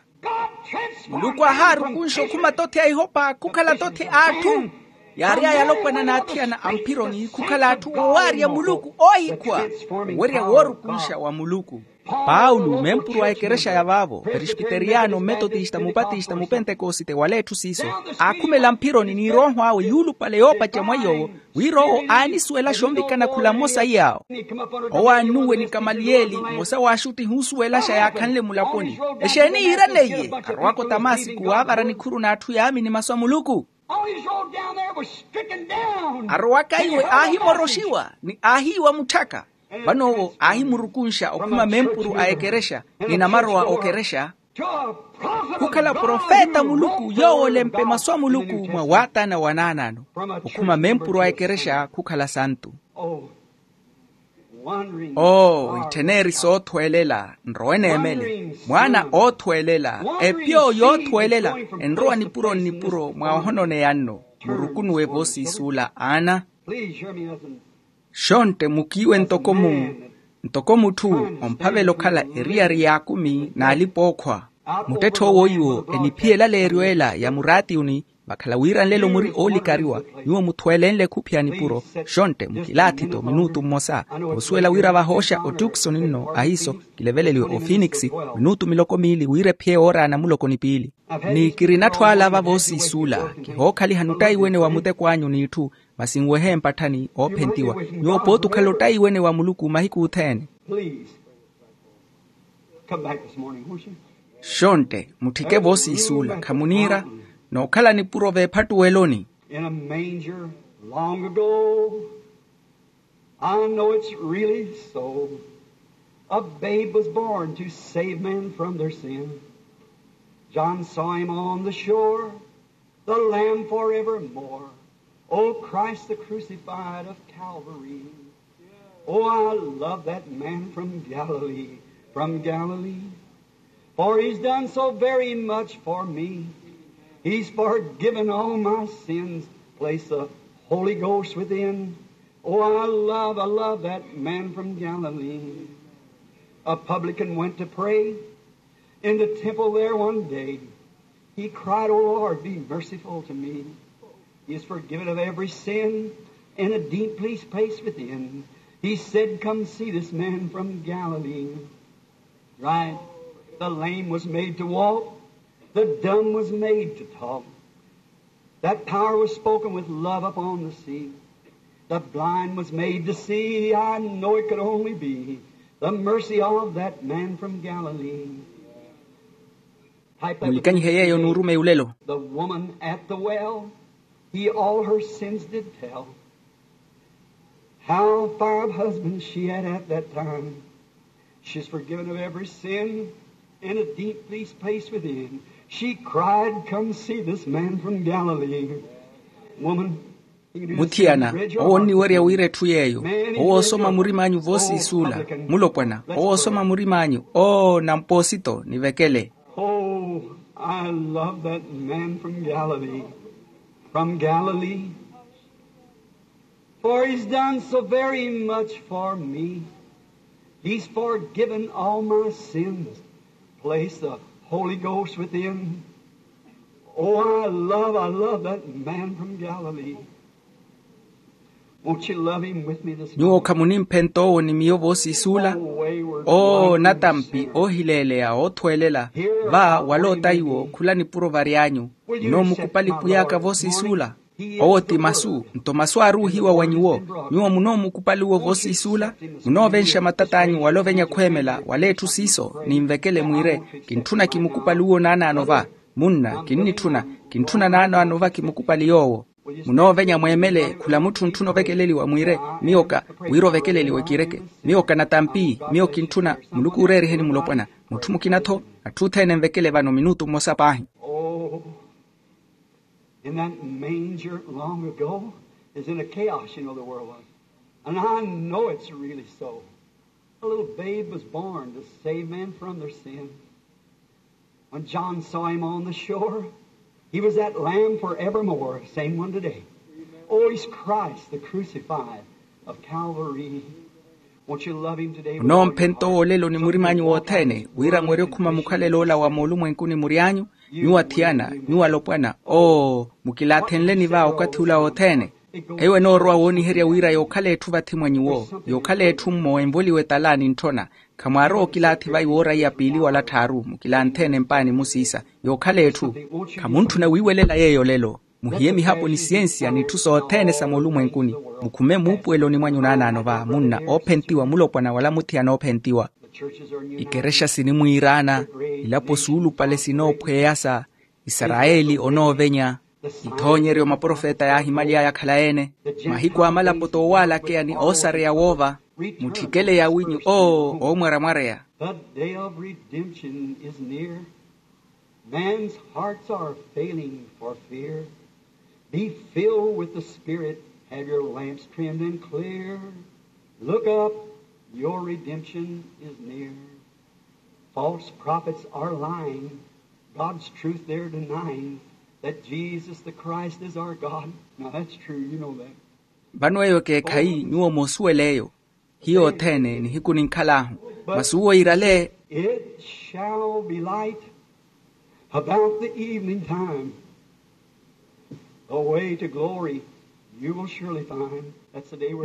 Muluku aahaarukunxa okhuma tothi a ihopa khukhala tothi a atthu. Yaary'aya alopwana n'athiyana a mphironi khukhala atthu oowaarya muluku oohikhwa. Owerya woorukunxa wa muluku. Paulo mempuru a ekerexa ya vaavo presbiteriyano mmetotista mupatista mupentekosite wala etthu siiso aakhumela mphironi ni erooho awe yuulupale yoopaca mwa iy'owo wira owo aanisuwelaxa onvikana khula mmosa iy'awo. Owo aannuwe ni kamaliyeli mmosa w'axuttihi oosuwelaxa yaakhanle mulaponi. Exeeni yiiraneiye? Arowaka otamasiku waavara nikhuru n'atthu yaamini masu a muluku. On his road down there was stricken down. Arowaka iwe aahimoroxiwa ni aahiiwa mutthaka. Vano owo aahimurukunxa okhuma mempuru a ekerexa ni namarowa okerexa. Khukhala profeta muluku yoowo olempe masu a muluku mwa waatana wa naanaano. Okhuma mempuru a ekerexa khukhala santu. Oo, ittheneeri soothwelela nrowe neemele mwaana oothwelela epyo yoothwelela. Enrowa nipuro nnipuro mwa ohononeya nno. Murukunuwe voosiisuula aana. Xontte mukiiwe ntoko mu ntoko mutthu omphavela okhala eriyari y'akumi n'alipa-ookhwa. Muttetthe owo iwo eniphiyela leeryo ela ya muraatiyuni. Vakhala wira nlelo muri oolikariwa nyuwo muthwelenle khuphiya nipuro. Xontte mukilaathi-tho minuutu mmosa. Koosuwela wira vahooxa otukisoni nno ahiiso kileveleliwe ofinikisi minuutu miloko miili wira ephiye ooraana muloko ni piili. Ni kirina atthu ala vavoosiisuula. Kihookhaliha nuttaiwene wa muteko anyu n'itthu masi nwehe mpatthani oophentiwa. Nyuwo pooti okhala ottaiwene wa muluku mahiku othene. Come back this morning, won't you? Xontte mutthike voosiisuula khamuniira nookhala nipuro veephattuweloni. In a manger long ago, I know it's really so, a babe was born to save men from their sin. John saw him on the shore, the Lamb forevermore. Oh, Christ the crucified of Calvary. Oh, I love that man from Galilee, from Galilee. For he's done so very much for me. He's forgiven all my sins. Place the Holy Ghost within. Oh, I love, I love that man from Galilee. A publican went to pray in the temple there one day. He cried, "O Lord, be merciful to me." He is forgiven of every sin, and a deep place, place within. He said, "Come see this man from Galilee." Right. The lame was made to walk. The dumb was made to talk. That power was spoken with love upon the sea. The blind was made to see. I know it could only be the mercy of that man from Galilee. Mulikanyihe yeeyo n'urumeyi ulelo. The woman at the well, he all her sins did tell. How five husbands she had at that time. She's forgiven of every sin, in a deep, pleased place within. She cried, "Come see this man from Galilee." Woman, muthiyana owo onniwerya wira etthu yeeyo. Owo osoma murim'anyu voosiisuula. Mulopwana owo osoma murim'anyu. Oo nampoosito nivekele. Oh, I love that man from Galilee. From Galilee. For he's done so very much for me. He's forgiven all my sins. Place the Holy Ghost within. Oh, I love, I love that man from Galilee. Won't you love him with me this morning? Nyuwo khamunimphenta owo ni miyo voosiisuula. Oh, natampi oohileeleya oothwelela. Va wala otaiwo khula nipuro varyanyu. Munoomukupali pwiy'aka voosiisuula. Owo ti masu nto masu aaruuhiwa wa nyuwo. Nyuwo munoomukupali uwo voosiisuula. Munoovenxa matat'anyu wala ovenya khweemela wala etthu siiso ninvekele mwiire. Kintthuna kimukupali uwo naanaano va. Munna kinnitthuna. Kintthuna naanaano va kimukupali yoowo. Munoovenya mweemele khula mutthu ntthuna ovekeleliwa mwiire. Miyo ka wira ovekeleliwe kireke. Miyo ka natampi. Miyo kintthuna. Muluku ooreeriheni mulopwana. Mutthu mukina-tho. Atthu othene nvekele vano minutu mmosa paahi. In that manger long ago is in a chaos, you know, the world was. And I know it's really so. A little babe was born to save men from their sin. When John saw him on the shore, he was that lamb forevermore, same one today. Oh, he's Christ, the crucified of Calvary. Won't you love him today with all your heart? Munoomphenta owo olelo ni murim'anyu wothene wira mwerye okhuma mukhalelo ola wa moolumwenkuni mury'anyu. Nyuwo athiyana, nyuwo alopwana. Oo, mukilaathenleni va okathi ula wothene. Eyo enoorowa wooniherya wira yookhala etthu vathi mwa nyuwo, yookhala etthu mmo envoliwe tala nintthona. Khamwaarowa okilaathi vai wooraiya piili wala tthaaru mukilaanthene mpaani musiisa. Yookhala etthu. Khamuntthuna wiiwelela yeeyo olelo. Muhiye mihapo ni siyensiya n'itthu sothene sa moolumwenkuni. Mukhume muupuweloni mwanyu naanaano va munna oophentiwa mulopwana wala muthiyana oophentiwa. Ikerexa sinimwiiraana. Ilapo suulupale sinoophweya sa isarayeli onoovenya. Ithoonyeryo maprofeta yaahimaly'aya akhala-ene. Mahiku a malapo t'owalakeya ni oosareya woova. Mutthikele yawinyu oo oomwaramwareya. The day of redemption is near. Man's hearts are failing for fear. Be filled with the Spirit, have your lamps trimmed and clear. Look up, your redemption is near. False prophets are lying, God's truth they're denying, that Jesus the Christ is our God. Now that's true, you know that. Vano eyo ekeekhayi nyuwo moosuwela eyo. Hiyo othene nihiku ninkhal'ahu. Masi uwo iirale. It shall be light about the evening time. The way to glory you will surely find.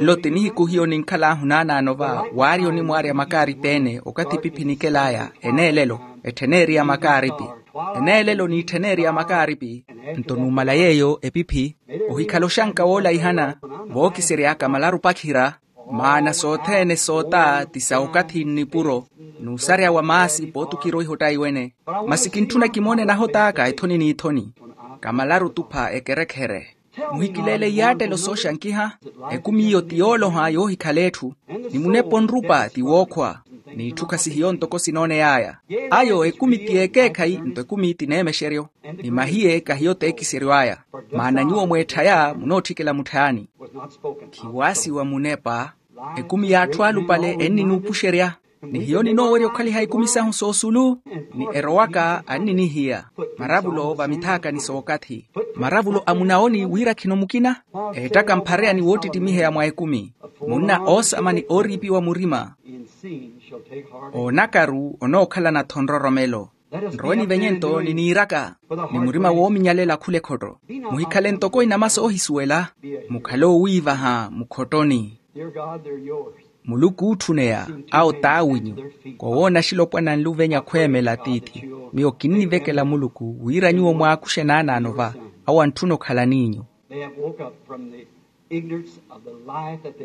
Nlo ti nihiku hiyo ninkhal'ahu naanaano va waarya onimwaarya makaaripi-ene okathi epiphi nikel'aya. Eneelelo etthen'eriya makaaripi. Eneelelo n'itthen'eriya makaaripi. Nto numala yeeyo epiphi ohikhala oxanka woolaihana. Vookisery'aka malaru opakhira. Maana sothene soota ti sa okathi nnipuro n'usarya wa maasi pootukira oihotta iwene. Masi kintthuna kimoone nahot'aka ethoni n'ithoni. Kamalaru otupha ekerekhere. Muhikileele iyaattelo sooxankiha. Ekumi iyo ti yooloha yoohikhala etthu. Ni munepa onrupa ti wookhwa. N'itthu khasihiyo ntoko sinooney'aya. Ayo ekumi ti ekeekhayi nto ekumi ti neemexeryo. Ni mahiye kahiyo t'ekisery'aya. Maana nyuwo mweetthaya munootthikela mutthaani. Khiwaasiwa munepa. Ekumi y'atthu alupale enninuupuxerya. Ni hiyo ninoowerya okhaliha ekumi sahu soosulu. Ni erowaka anninihiya maravulo vamithaakani sookathi. Maravulo a munawoni wira khino mukina. Eettaka mphareya ni woottittimiheya mwa ekumi. Munna oosama ni ooriipiwa murima. Oonakaru onookhalana-tho nroromelo. Nrowe nivenye nto niniiraka. Ni murima woominyalela khula ekhotto. Muhikhale ntoko inama soohisuwela. Mukhale owiivaha mukhottoni. Muluku ootthuneya awo t'awinyu. Kowoona axilopwana nluvenya khweemela tiithi. Miyo kinnivekela muluku wira nyuwo mwaakuxe naanaano va. Awo antthuna okhala n'inyu.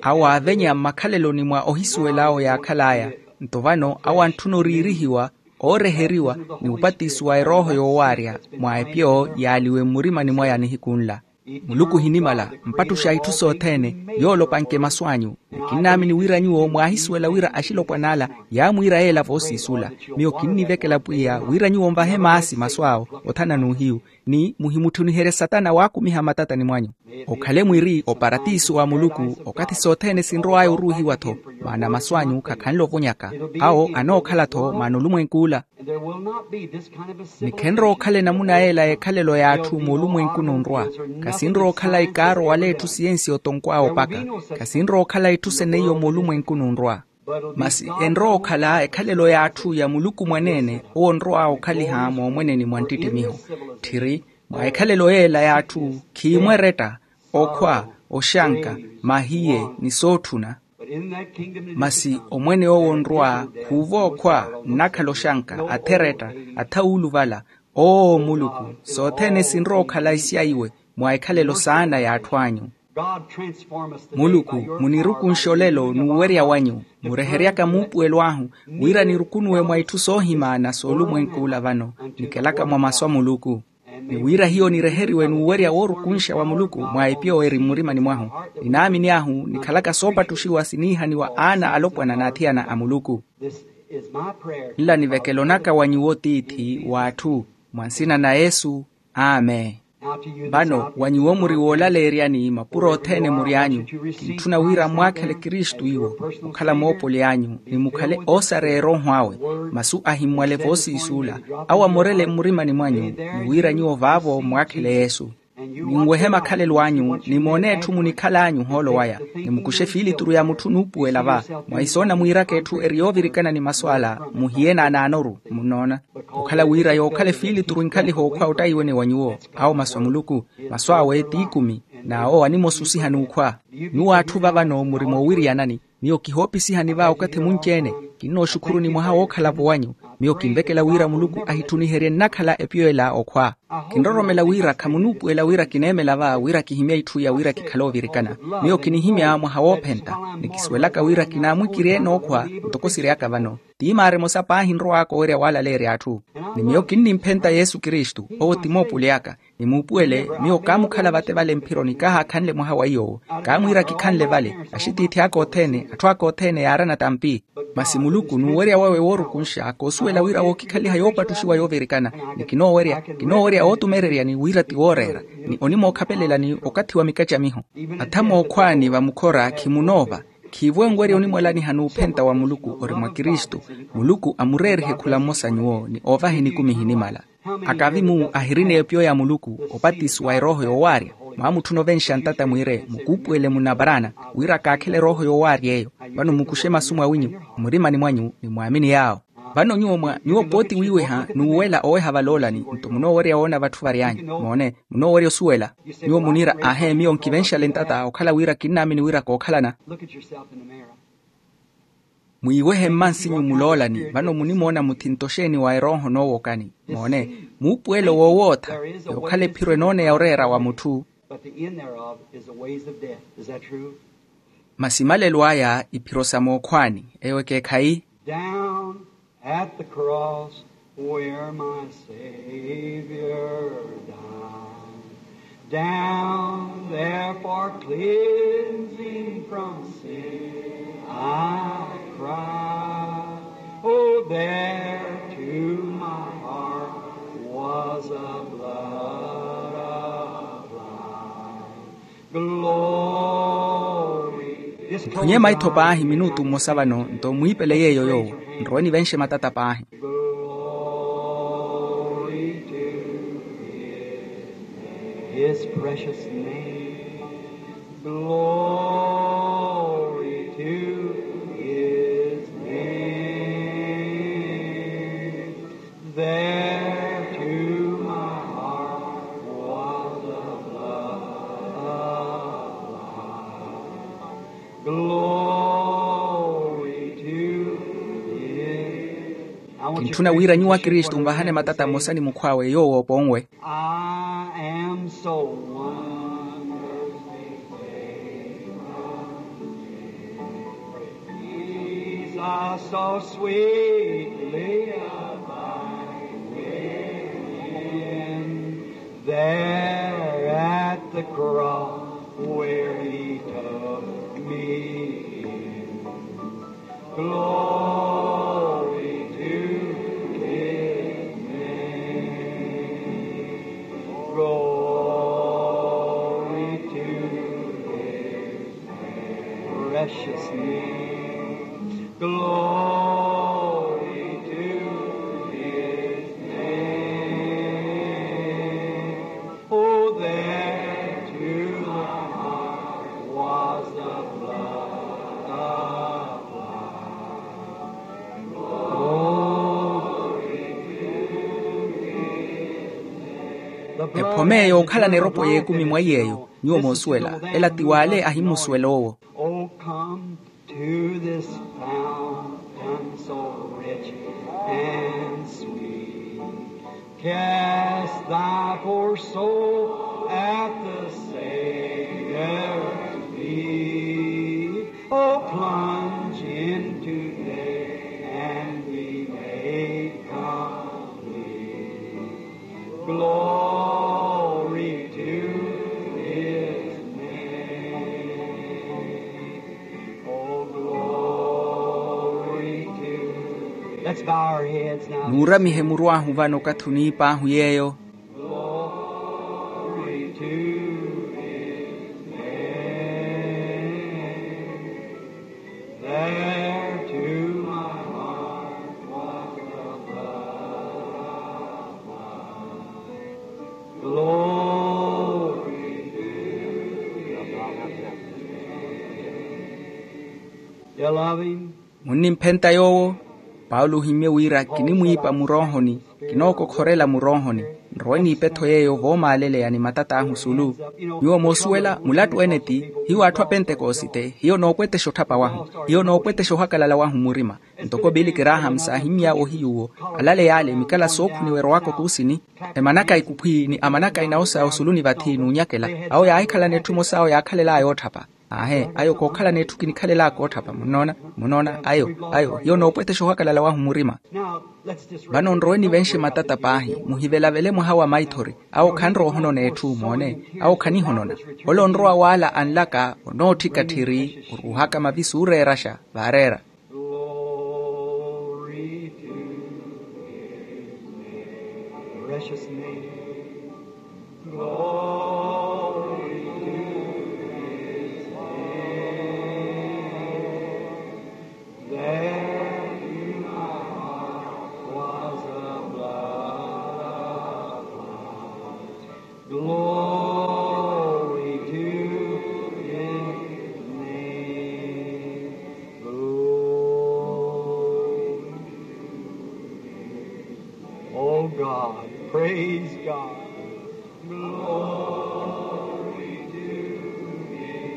Awo aavenya mmakhaleloni mwa ohisuwela awo yaakhal'aya. Nto vano awo antthuna oriirihiwa ooreheriwa ni opatisiwa erooho yoowaarya mwa epyo yaaliwe mmurimani mwaya nihiku nla. Muluku ohinimala mpattuxa itthu sothene. Yoolopanke masu anyu. Ni kinnaamini wira nyuwo mwaahisuwela wira axilopwan'ala yaamwiira yeela voosiisula. Miyo kinnivekela pwiya wira nyuwo nvahe maasi masu awo othana n'uhiyu. Ni muhimutthuniherye satana waakumiha mmatatani mwanyu. Okhale mwiri oparatiso wa muluku okathi sothene sinrow'aya oruuhiwa-tho. Maana masu anyu khakhanle ovonyaka. Awo anookhala-tho maana olumwenk'ula. Ni khenrowa okhala enamuna yeela y'ekhalelo y'atthu moolumwenku nunrwa. Khasinrowa okhala ikaaro wala etthu siyensi otonkw'awe opaka. Khasinrowa okhala etthu seneiyo moolumwenku nunrwa. Masi enrowa okhala ekhalelo y'atthu ya muluku mwaneene owo onrow'awe okhaliha moomweneni mwa nttittimiho. Tthiri mwa ekhalelo yeela y'atthu khiimweretta, okhwa, oxanka, mahiye ni sootthuna. Masi omwene owo onrwa khuuva okhwa nnakhala oxanka atheretta, athawuuluvala. Oo muluku sothene sinrowa okhala isya iwe mwa ekhalelo saana y'atthu anyu. Muluku munirukunxe olelo n'uwerya wanyu, mureheryaka muupuwelo ahu wira nirukunuwe mwa itthu soohimana soolumwenk'ula vano. Nikelaka mwa masu a muluku. Ni wira hiyo nireheriwe n'uwerya woorukunxa wa muluku mwa epyo eri mmurimani mwahu. Ninaamini ahu nikhalaka soopattuxiwa siniihaniwa aana alopwana n'athiyana a muluku. Nla nivekelonaka wa nyuwo tiithi w'atthu, mwa nsina na yesu. Amen. Vano wa nyuwo muri woolaleeryani mapuro othene muri anyu, kintthuna wira mmwaakhele kristu iwo okhala moopoli anyu ni mukhale oosareya erooho awe. Masu ahimmwale voosiisuula awo amorele mmurimani mwanyu, ni wira nyuwo vaavo mmwaakhele yesu. Ninwehe makhalelo anyu ni moone etthu munikhal'anyu ohoolo waya, ni mukuxe efiilituru ya mutthu onuupuwela va. Mwa isoona mwiiraka etthu eri yoovirikana ni masu ala muhiye naanaanoru. Munnoona? Okhala wira yookhala efiilituru enkhaliha okhwa ottaiwene wa nyuwo. Awo masu a muluku. Masu awe t'ikumi. N'awo animosusiha n'ukhwa. Nyuwo atthu va vano muri moowiriyanani. Miyo kihoopisihani va okathi munci-ene. Kinnooxukhuruni mwaha wookhala-vo wanyu. Miyo kinvekela wira muluku ahitthuniherye nnakhala epiyo ela okhwa. Kinroromela wira khamunuupuwela wira kineemela va wira kihimye itthu iya wira kikhale ovirikana. Miyo kinihimya mwaha woophenta, ni kisuwelaka wira kinaamwikirye nookhwa. Ntoko siryaka vano, ti maara emosa paahi nrow'aka owerya waalaleerya atthu. Ni miyo kinnimphenta yesu kristu, owo ti moopuli aka. Ni muupuwele, miyo kaamukhala vate vale mphironi kahaakhanle mwaha wa iy'owo. Kaamwiira kikhanle vale, axitiithi aka othene, atthu aka othene yaarana tampi. Masi muluku n'uwerya wawe woorukunxa koosuwela wira wookikhaliha yoopattuxiwa yoovirikana. Ni kinoowerya kinoowerya ootumereryani wira ti wooreera, ni onimookhapelela ni okathi wa mikacamiho. Atha mookhwaani vamukhora khimunoova. Khiivo enwerya onimwalaniha n'uphenta wa muluku ori mwa kristu. Muluku amureerihe khula mmosa nyuwo ni oovaha enikumi ehinimala. Akavi-mu ahirina epiyo ya muluku, opatisi wa erooho yoowaarya. Mwaamutthuna ovenxa ntata mwiire mukuupuwele munaparaana, wira kaakhele erooho yoowaarya eyo. Vano mukuxe masu mwawinyu, mmurimani mwanyu ni mwaamini yaawo. Vano nyuwo mwa nyuwo pooti wiiweha n'uwela oweha valoolani. Nto munoowerya woona vatthu vary'anyu moone, munoowerya osuwela. Nyuwo muniira ahe miyo nkivenxale ntata okhala wira kinnaamini wira kookhalana. Mwiiwehe mmansinyu muloolani vano munimoona muthintto xeeni wa erooho noowokani. Moone, muupuwelo woowootha, yookhala ephiro enooneya oreera wa mutthu. Masi malelo aya iphiro sa mookhwaani. Eyo ekeekhayi. Down at the cross where my Savior died. Down there for cleansing from sin I cried. Oh, there to my heart was a blood applied. Mphunye maitho paahi minutu mmosa vano nto mwiipele yeeyo yoowo. Nrowe nivenxe matata paahi. His precious name. Glory to his name. There to my heart was the blood applied. Glory to his. Kintthuna wira nyuwo akristu nvahane matata mmosa ni mukhw'awe yoowo oponwe. I am so wonderfully saved. Jesus so sweetly abide within. There at the cross where he took me in. Glory to his name. Glory to his precious name. Glory to his name. Oh, there to my heart was the blood applied. Ephome yookhalana eropo y'ekumi mwa iy'eyo. Nyuwo moosuwela ela ti w'ale ahimmusuwela owo. Oh, come to this fountain so rich and sweet. Cast thy poor soul at the Savior's feet. Oh, plunge in today and be made complete. Glory to his name. Oh, glory to his name. Let's bow our heads now. Nuuramihe muru ahu vano okathi oniip'ahu yeeyo. Glory to his name. There to my heart was the blood applied. Glory to his name. You love him? Munnimphenta yoowo? Paulo ohimmye wira kinimwiipa muroohoni, kinookokhorela muroohoni. Nrowe n'ipetho yeeyo voomaaleleya ni matat'ahu sulu. Nyuwo moosuwela mulattu ene ti, hiyo atthu a pentekosite hiyo noopwetexa otthapa wahu, hiyo noopwetexa ohakalala wahu mmurima. Ntoko billy graham saahimmy'awe ohiyuwo, alale yaale mikala sookhuniwa erowaka otuusini. Emanakayi kukhwi ni amanakayi nawo sawo sulu ni vathi n'unyakela, awo yaahikhalana etthu emosa awo yaakhalel'aya ootthapa. Aahe, ayo kookhalana etthu kinikhalel'aka ootthapa munnoona. Munnoona ayo, ayo hiyo noopwetexa ohakalala wahu mmurima. Vano nrowe nivenxe matata paahi, muhivelavele mwaha wa maithori. Awo khanrowa ohonona etthu moone, awo khanihonona. Ole onrowa w'ala anlaka onootthika tthiri, oruuhaka mavi suureeraxa vaareera. Glory to his name. Precious name. Glory to his name. There in my heart was a blood of life. Glory to his name. Glory to his name. Oh God, praise God. Glory to his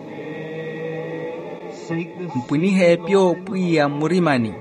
name. Sing this. Mpwinihe epyo pwiya mmurimani.